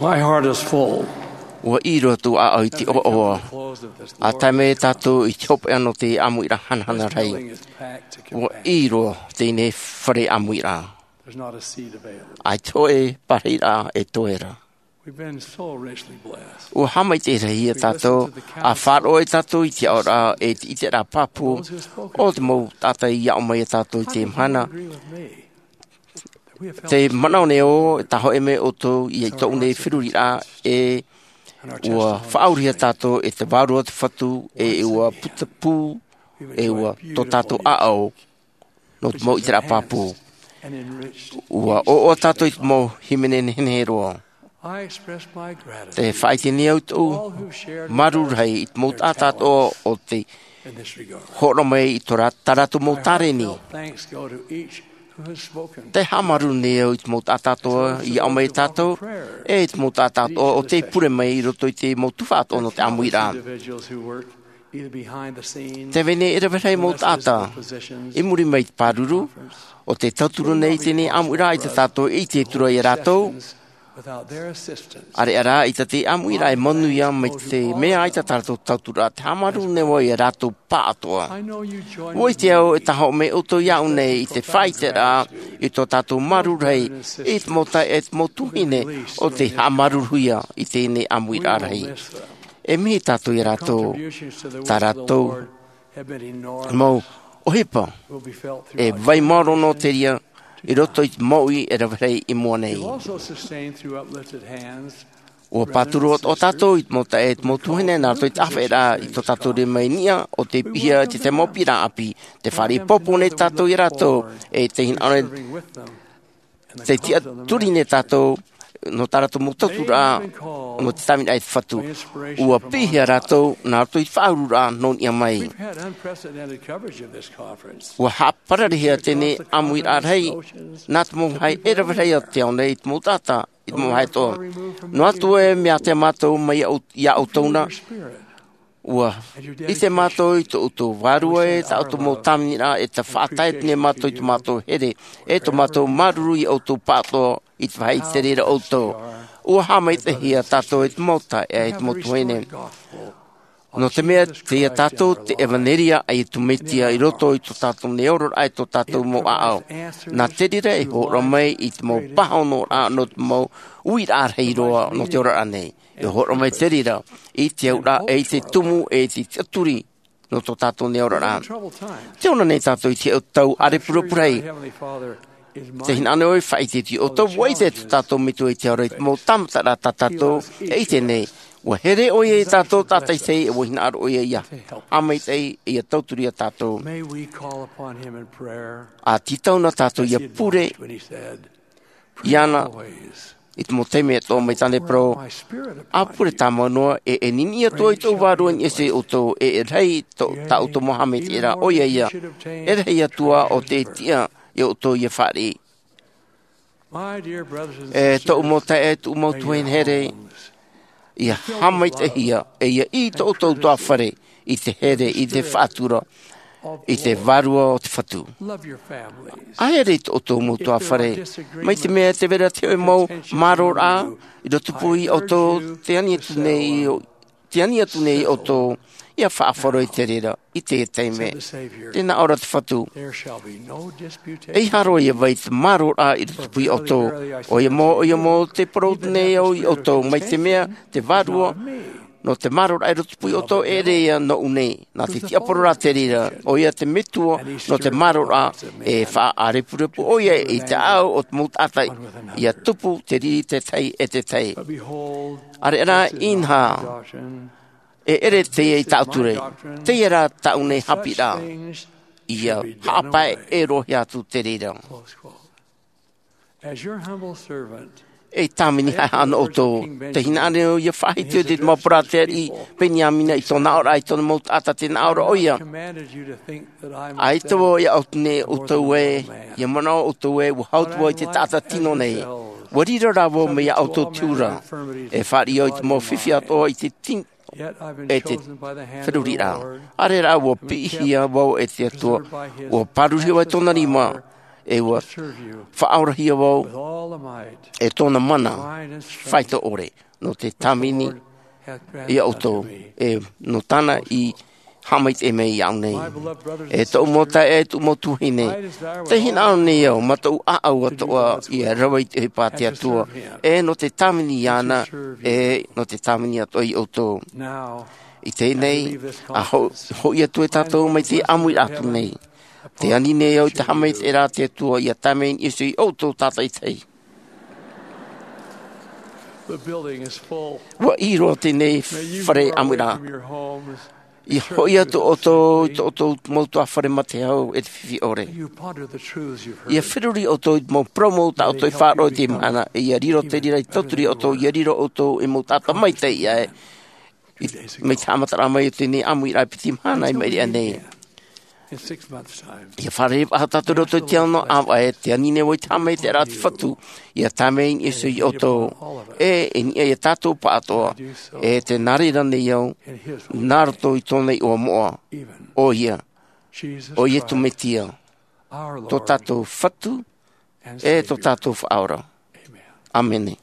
My heart is full. ʻUa ʻī roa tōʻu ʻāʻau i te ʻoaʻoa. ʻA tae mai tātou i te hopeʻa nō te ʻāmuiraʻa hanahana rahi. ʻUa ʻī roa teie fare ʻāmuiraʻa. There's not a seed available. ʻAita hōʻē parahiraʻa e toe ra. We've been so richly blessed. ʻUa haʻamaitaʻi rahi ia tātou, ʻa faʻaroʻo ai tātou i te aʻoraʻa e te ʻiteraʻa pāpū, o te mau taʻata i aʻo mai ia tātou i te mahana. Te manaʻo nei au, e tāhōʻē mai ʻoutou i tōʻu nei feruriraʻa, e ʻua faʻaurahia tātou e te Vārua o te Fatu, e ʻua putapū, e ʻua tō tātou ʻāʻau nō te mau ʻiteraʻa pāpū. ʻUa ʻoaʻoa tātou i te mau hīmene nehenehe roa. Te faʻaʻite nei au tōʻu māuruuru rahi i te mau taʻata atoʻa o tei hōroʻa mai i tō rā-, tā rātou mau tāreni. Te haʻamāuruuru nei au i te mau taʻata atoʻa i aʻo mai ia tātou, e i te mau taʻata atoʻa o tei pure mai i roto i te mau tuhaʻa atoʻa nō te ʻāmuiraʻa. Tē vai nei e rave rahi mau taʻata i muri mai i te pāruru, ʻo tē tauturu nei i teie ʻāmuiraʻa ʻaita tātou e ʻite atu ra ia rātou. ʻAreʻa rā, ʻaita te ʻāmuiraʻa e manuia mai te mea ʻaita tā rātou tauturu ra, te haʻamāuruuru nei au ia rātou pāʻatoʻa. ʻUa ʻite au e tāhōʻē mai ʻoutou iāʻu nei i te faʻaʻiteraʻa i tō tātou māuruuru rahi, i te mau taeaʻe, i te mau tuahine, ʻo tē haʻamāuruuruhia i teie ʻāmuiraʻa rahi. E mihi tātou ia rātou, tā rātou mau ʻohipa, e vai maoro noa te reira i roto i te mouʻi e rave rahi i mua nei. You've also sustained through uplifted hands ʻUa pāturu atoʻa tātou i te mau taeaʻe, te mau tuahine, nā roto i te ʻāfaʻiraʻa i tō tātou rima i niʻa, ʻo tei piʻihia i te mau piʻiraʻa ʻāpī. Tē fāriʻi pōpō nei tātou ia rātou, e tē hinaʻaro, tē tiʻaturi nei tātou, nō tā rātou mau tauturu, nō te tāviniraʻa e te Fatu. ʻUa piʻihia rātou, nā roto i te faʻaururaʻa nō niʻa mai. We've had unprecedented coverage of this conference. ʻUa haʻapararehia teie ʻāmuiraʻa rahi, nā te mau vāhi e rave rahi o te ao nei, i te mau taʻata, i te mau vāhi atoʻa. Noa atu e mea ʻātea mātou mai iā ʻou-, iā ʻoutou na, ʻua ʻite mātou i tō ʻoutou vārua e tā ʻoutou mau tāviniraʻa, e tē faʻatae nei mātou i tō mātou here, e tō mātou māuruuru iā ʻoutou pāʻatoʻa i te vāhi i te reira ʻoutou. ʻUa haʻamaitaʻihia tātou e te mau taeaʻe, e te mau tuahine. Nō te mea, tei iā tātou te ʻevanelia a Iesu Mesia i roto i tō tātou nei oraraʻa, e tō tātou mau ʻāʻau. Nā te reira e hōroʻa mai i te mau pāhonoraʻa nō te mau uiraʻa rahi roa nō te oraraʻa nei. E hōroʻa mai te reira i te auraʻa, e i te tumu, e i te tiʻaturi nō tō tātou nei oraraʻa. Tē ora nei tātou i te tau ʻārepurepu rahi. Tē hinaʻaro nei ʻoe e faʻaʻite iā ʻoutou, ʻua ʻite tō tātou Metua i te ao ra i te mau tāmataraʻa tā tātou e ʻite nei. ʻUa here ʻoia iā tātou tātaʻitahi, ʻua hinaʻaro ʻoia ʻia haʻamaitaʻi, ʻia tauturu iā tātou. May we call upon him in prayer, ʻA tītau na tātou ʻia pure iāna i te mau taime atoʻa, mai tāna e parau. ʻA pure tāmau noa, e, e niniʻi atu i tōʻu vārua i niʻa iho iā ʻoutou, e, e rahi tō, tā ʻoutou mau haʻamaitaʻiraʻa, ʻoia ia, e rahi atu ā ʻo tē tiʻa iā ʻoutou ʻia fāriʻi. E tōʻu mau taeaʻe, tōʻu mau tuahine here, ʻia haʻamaitaʻihia, e ʻia ʻī tō ʻoutou ʻutuāfare i te here, i te faʻatura, i te Vārua o te Fatu. ʻA here i tō ʻoutou mau ʻutuāfare. Mai te mea tē vai ra te hōʻē mau mārōraʻa i rotopū iā ʻoutou, tē ani atu nei, tē ani atu nei iā ʻoutou ʻia faʻaroʻo i te reira i teie taime. Tē nā ʻō ra te Fatu: ʻEiaha roa ia vai te mārōraʻa i rotopū iā ʻoutou. ʻOia mau, ʻoia mau, tē parau nei au iā ʻoutou, mai te mea te Vārua nō te mārōraʻa i rotopū iā ʻoutou, e ʻere ia nōʻu nei. Nā te tiʻaparau rā te reira, ʻoia te Metua nō te mārōraʻa, e faʻaʻārepurepu ʻoia i te ʻāʻau o te mau taʻata, ʻia tupu te riri te tahi e te tahi. ʻĀreʻa rā, inaha, e ʻere teie i tāʻu ture, teie rā tāʻu nei haʻapiʻiraʻa, ʻia haʻapae e roaʻa atu te reira. As your humble servant, ei tāvini haʻehaʻa nō ʻoutou, tē hinaʻaro nei au ʻia faʻahiti i te mau parau a te Ariʻi Beniamina i tōna aʻoraʻa, i tōna mau taʻata, tē nā ʻō ra ʻoia: ʻAita vau e aʻo atu nei iā ʻoutou ē, ʻia manaʻo ʻoutou ē, ʻua hau atu vau i te taʻata tino nei. ʻUa riro rā vau mai iā ʻoutou te huru ra, e fāriʻi au i te mau fifi atoʻa i te tin-, e te feruriraʻa. ʻĀreʻa rā, ʻua piʻihia vau e te Atua, ʻua pāruruhia vau e tōna rima, e ʻua faʻaorahia vau e tōna mana faito ʻore, nō te tāvini iā ʻoutou, e nō tāna i haʻamaitaʻi mai iāʻu nei. E tōʻu mau taeaʻe, e tōʻu mau tuahine, tē hinaʻaro nei au, mā tōʻu ʻāʻau atoʻa, ʻia rave i te ʻohipa a te Atua, e nō te tāvini iāna, e nō te tāvini atoʻa iā ʻoutou. I teie nei, ʻa ho-, hoʻi atu e tātou mai te ʻāmuiraʻa atu nei. Tē ani nei au i te haʻamaitaʻiraʻa a te Atua ʻia tae mai i niʻa iho iā ʻoutou tātaʻitahi. The building is full. ʻUa ʻī roa teie fare ʻāmuiraʻa. ʻIa hoʻi atu ʻoutou i tō ʻoutou mau ʻutuāfare mā te hau e te fifi ʻore. ʻIa feruri ʻoutou i te mau parau mau tā ʻoutou i faʻaroʻo i teie mahana, e ʻia riro te reira ei tauturu iā ʻoutou, ʻia riro ʻoutou ei mau taʻata maitaʻi aʻe. I, mai te haʻamataraʻa mai o teie ʻāmuiraʻa piti mahana i maʻiri aʻe nei. ʻIa fārerei faʻahou tātou i roto i te ao nō ʻāvaʻe, tē ani nei au i te haʻamaitaʻiraʻa a te Fatu ʻia tae mai i niʻa iho iā ʻoutou. E, e niʻa iā tātou pāʻatoʻa, e tē nā reira nei au, nā roto i tōna iʻoa moʻa. ʻOia, ʻo Iesu Mesia, tō tātou Fatu, e tō tātou Faʻaora. ʻĀmene.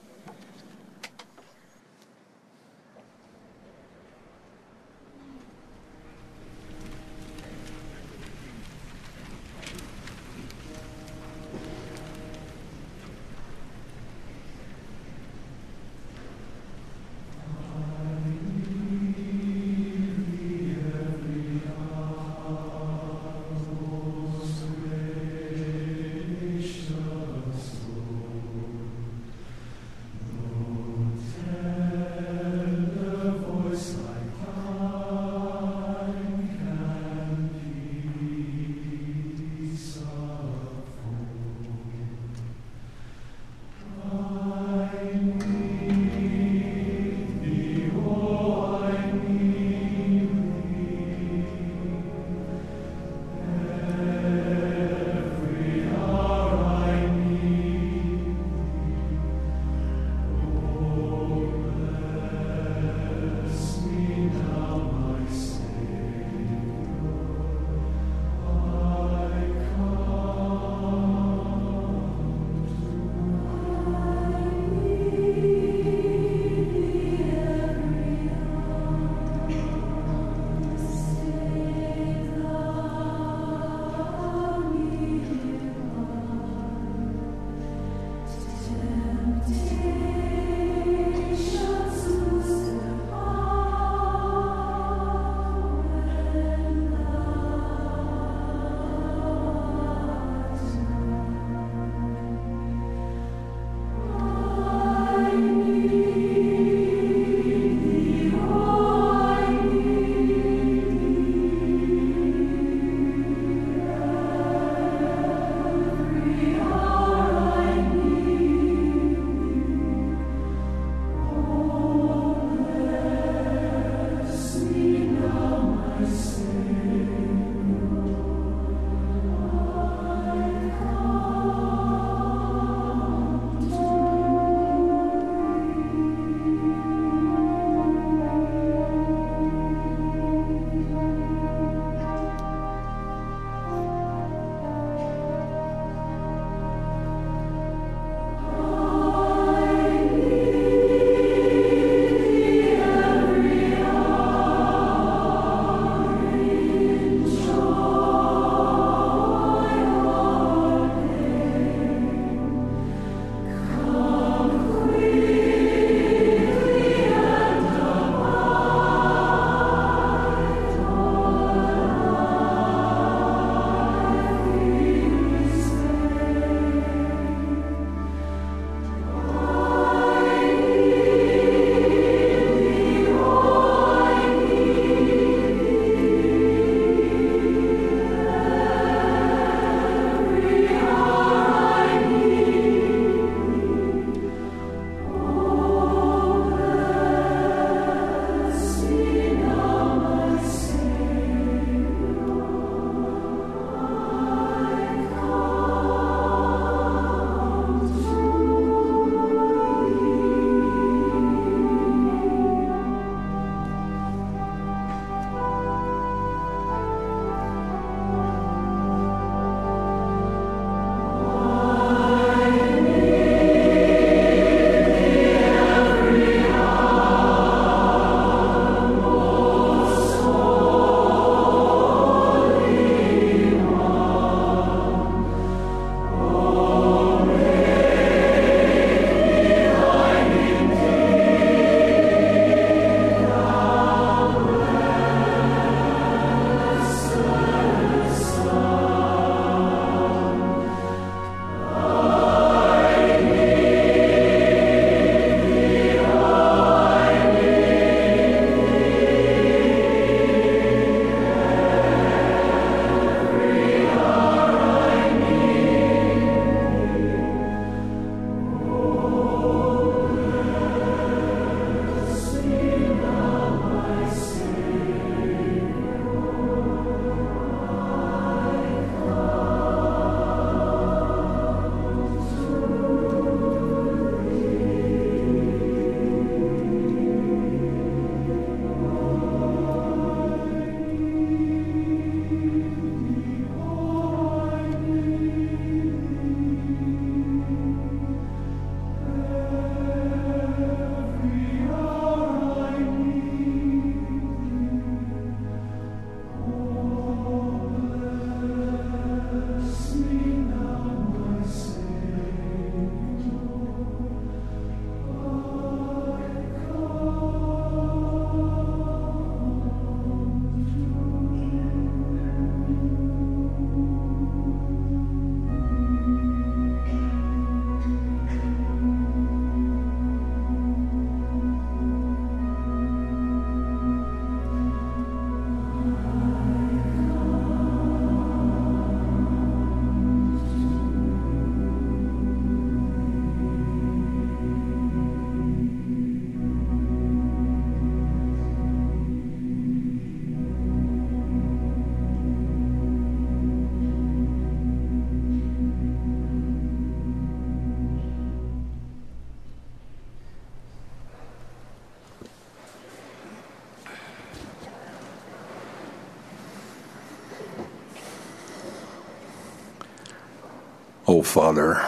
Father,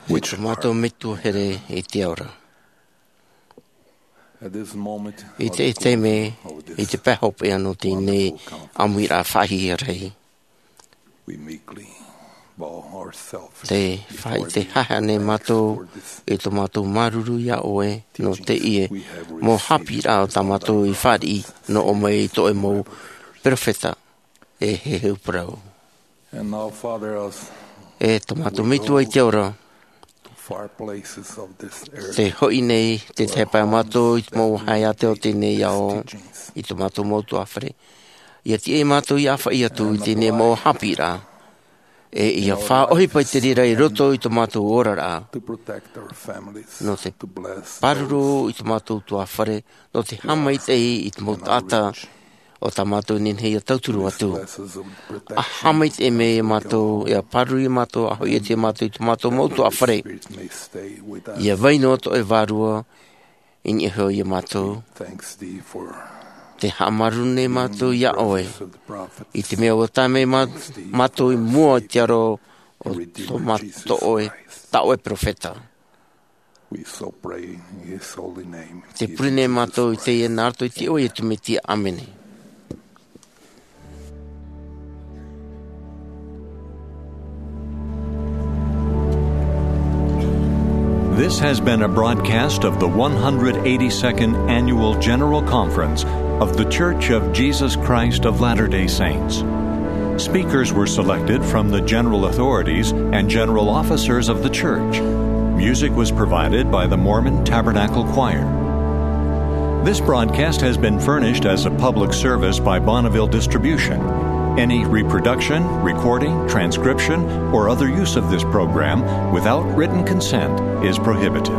which art mātou Metua here i te ao ra. At this moment, I te taime, i te pae hopeʻa nō tēnei ʻāmuiraʻa faʻahiahia rahi, we meekly bow ourselves te before faʻaite thee, haʻahaʻa nei mātou i tō mātou māuruuru iā ʻoe nō te ʻie mau haʻapiʻiraʻa o tā mātou i fāriʻi nō ʻō mai i tō ʻoe mau perofeta e heheu parau. And now, Father, as e tō mātou Metua i te ao ra, far places of this earth, te hoʻi nei te tahi pae mātou i te mau haeate o tēnei ao, i tō mātou mau tuafare. Ia tiʻa mātou ia faʻaʻī atu i tēnei mau haʻapiʻiraʻa, e ia faʻaʻohipa i te reira i roto i tō mātou oraraʻa, to protect our families, nō te to bless pāruru those i tō mātou tuafare, nō te haʻamaitaʻi i te mau taʻata o tā mātou nehenehe ia tauturu atu. A haʻamaitaʻi mai iā mātou, ia pāruru iā mātou, a hoʻi atu iā mātou i tō mātou mau tuafare. Ia vai noa tō ʻoe Vārua i niʻa iho iā mātou. Te haʻamāuruuru nei mātou iā ʻoe i te mea ʻua tae mai mā-, mātou i mua i te aro o tō mā-, tō ʻoe, tā ʻoe perofeta. We so pray in his holy name. Te pure nei mātou i teie nā roto i te iʻoa o Iesu Mesia. ʻĀmene. This has been a broadcast of the one hundred eighty-second Annual General Conference of The Church of Jesus Christ of Latter-day Saints. Speakers were selected from the general authorities and general officers of the church. Music was provided by the Mormon Tabernacle Choir. This broadcast has been furnished as a public service by Bonneville Distribution. Any reproduction, recording, transcription, or other use of this program without written consent is prohibited.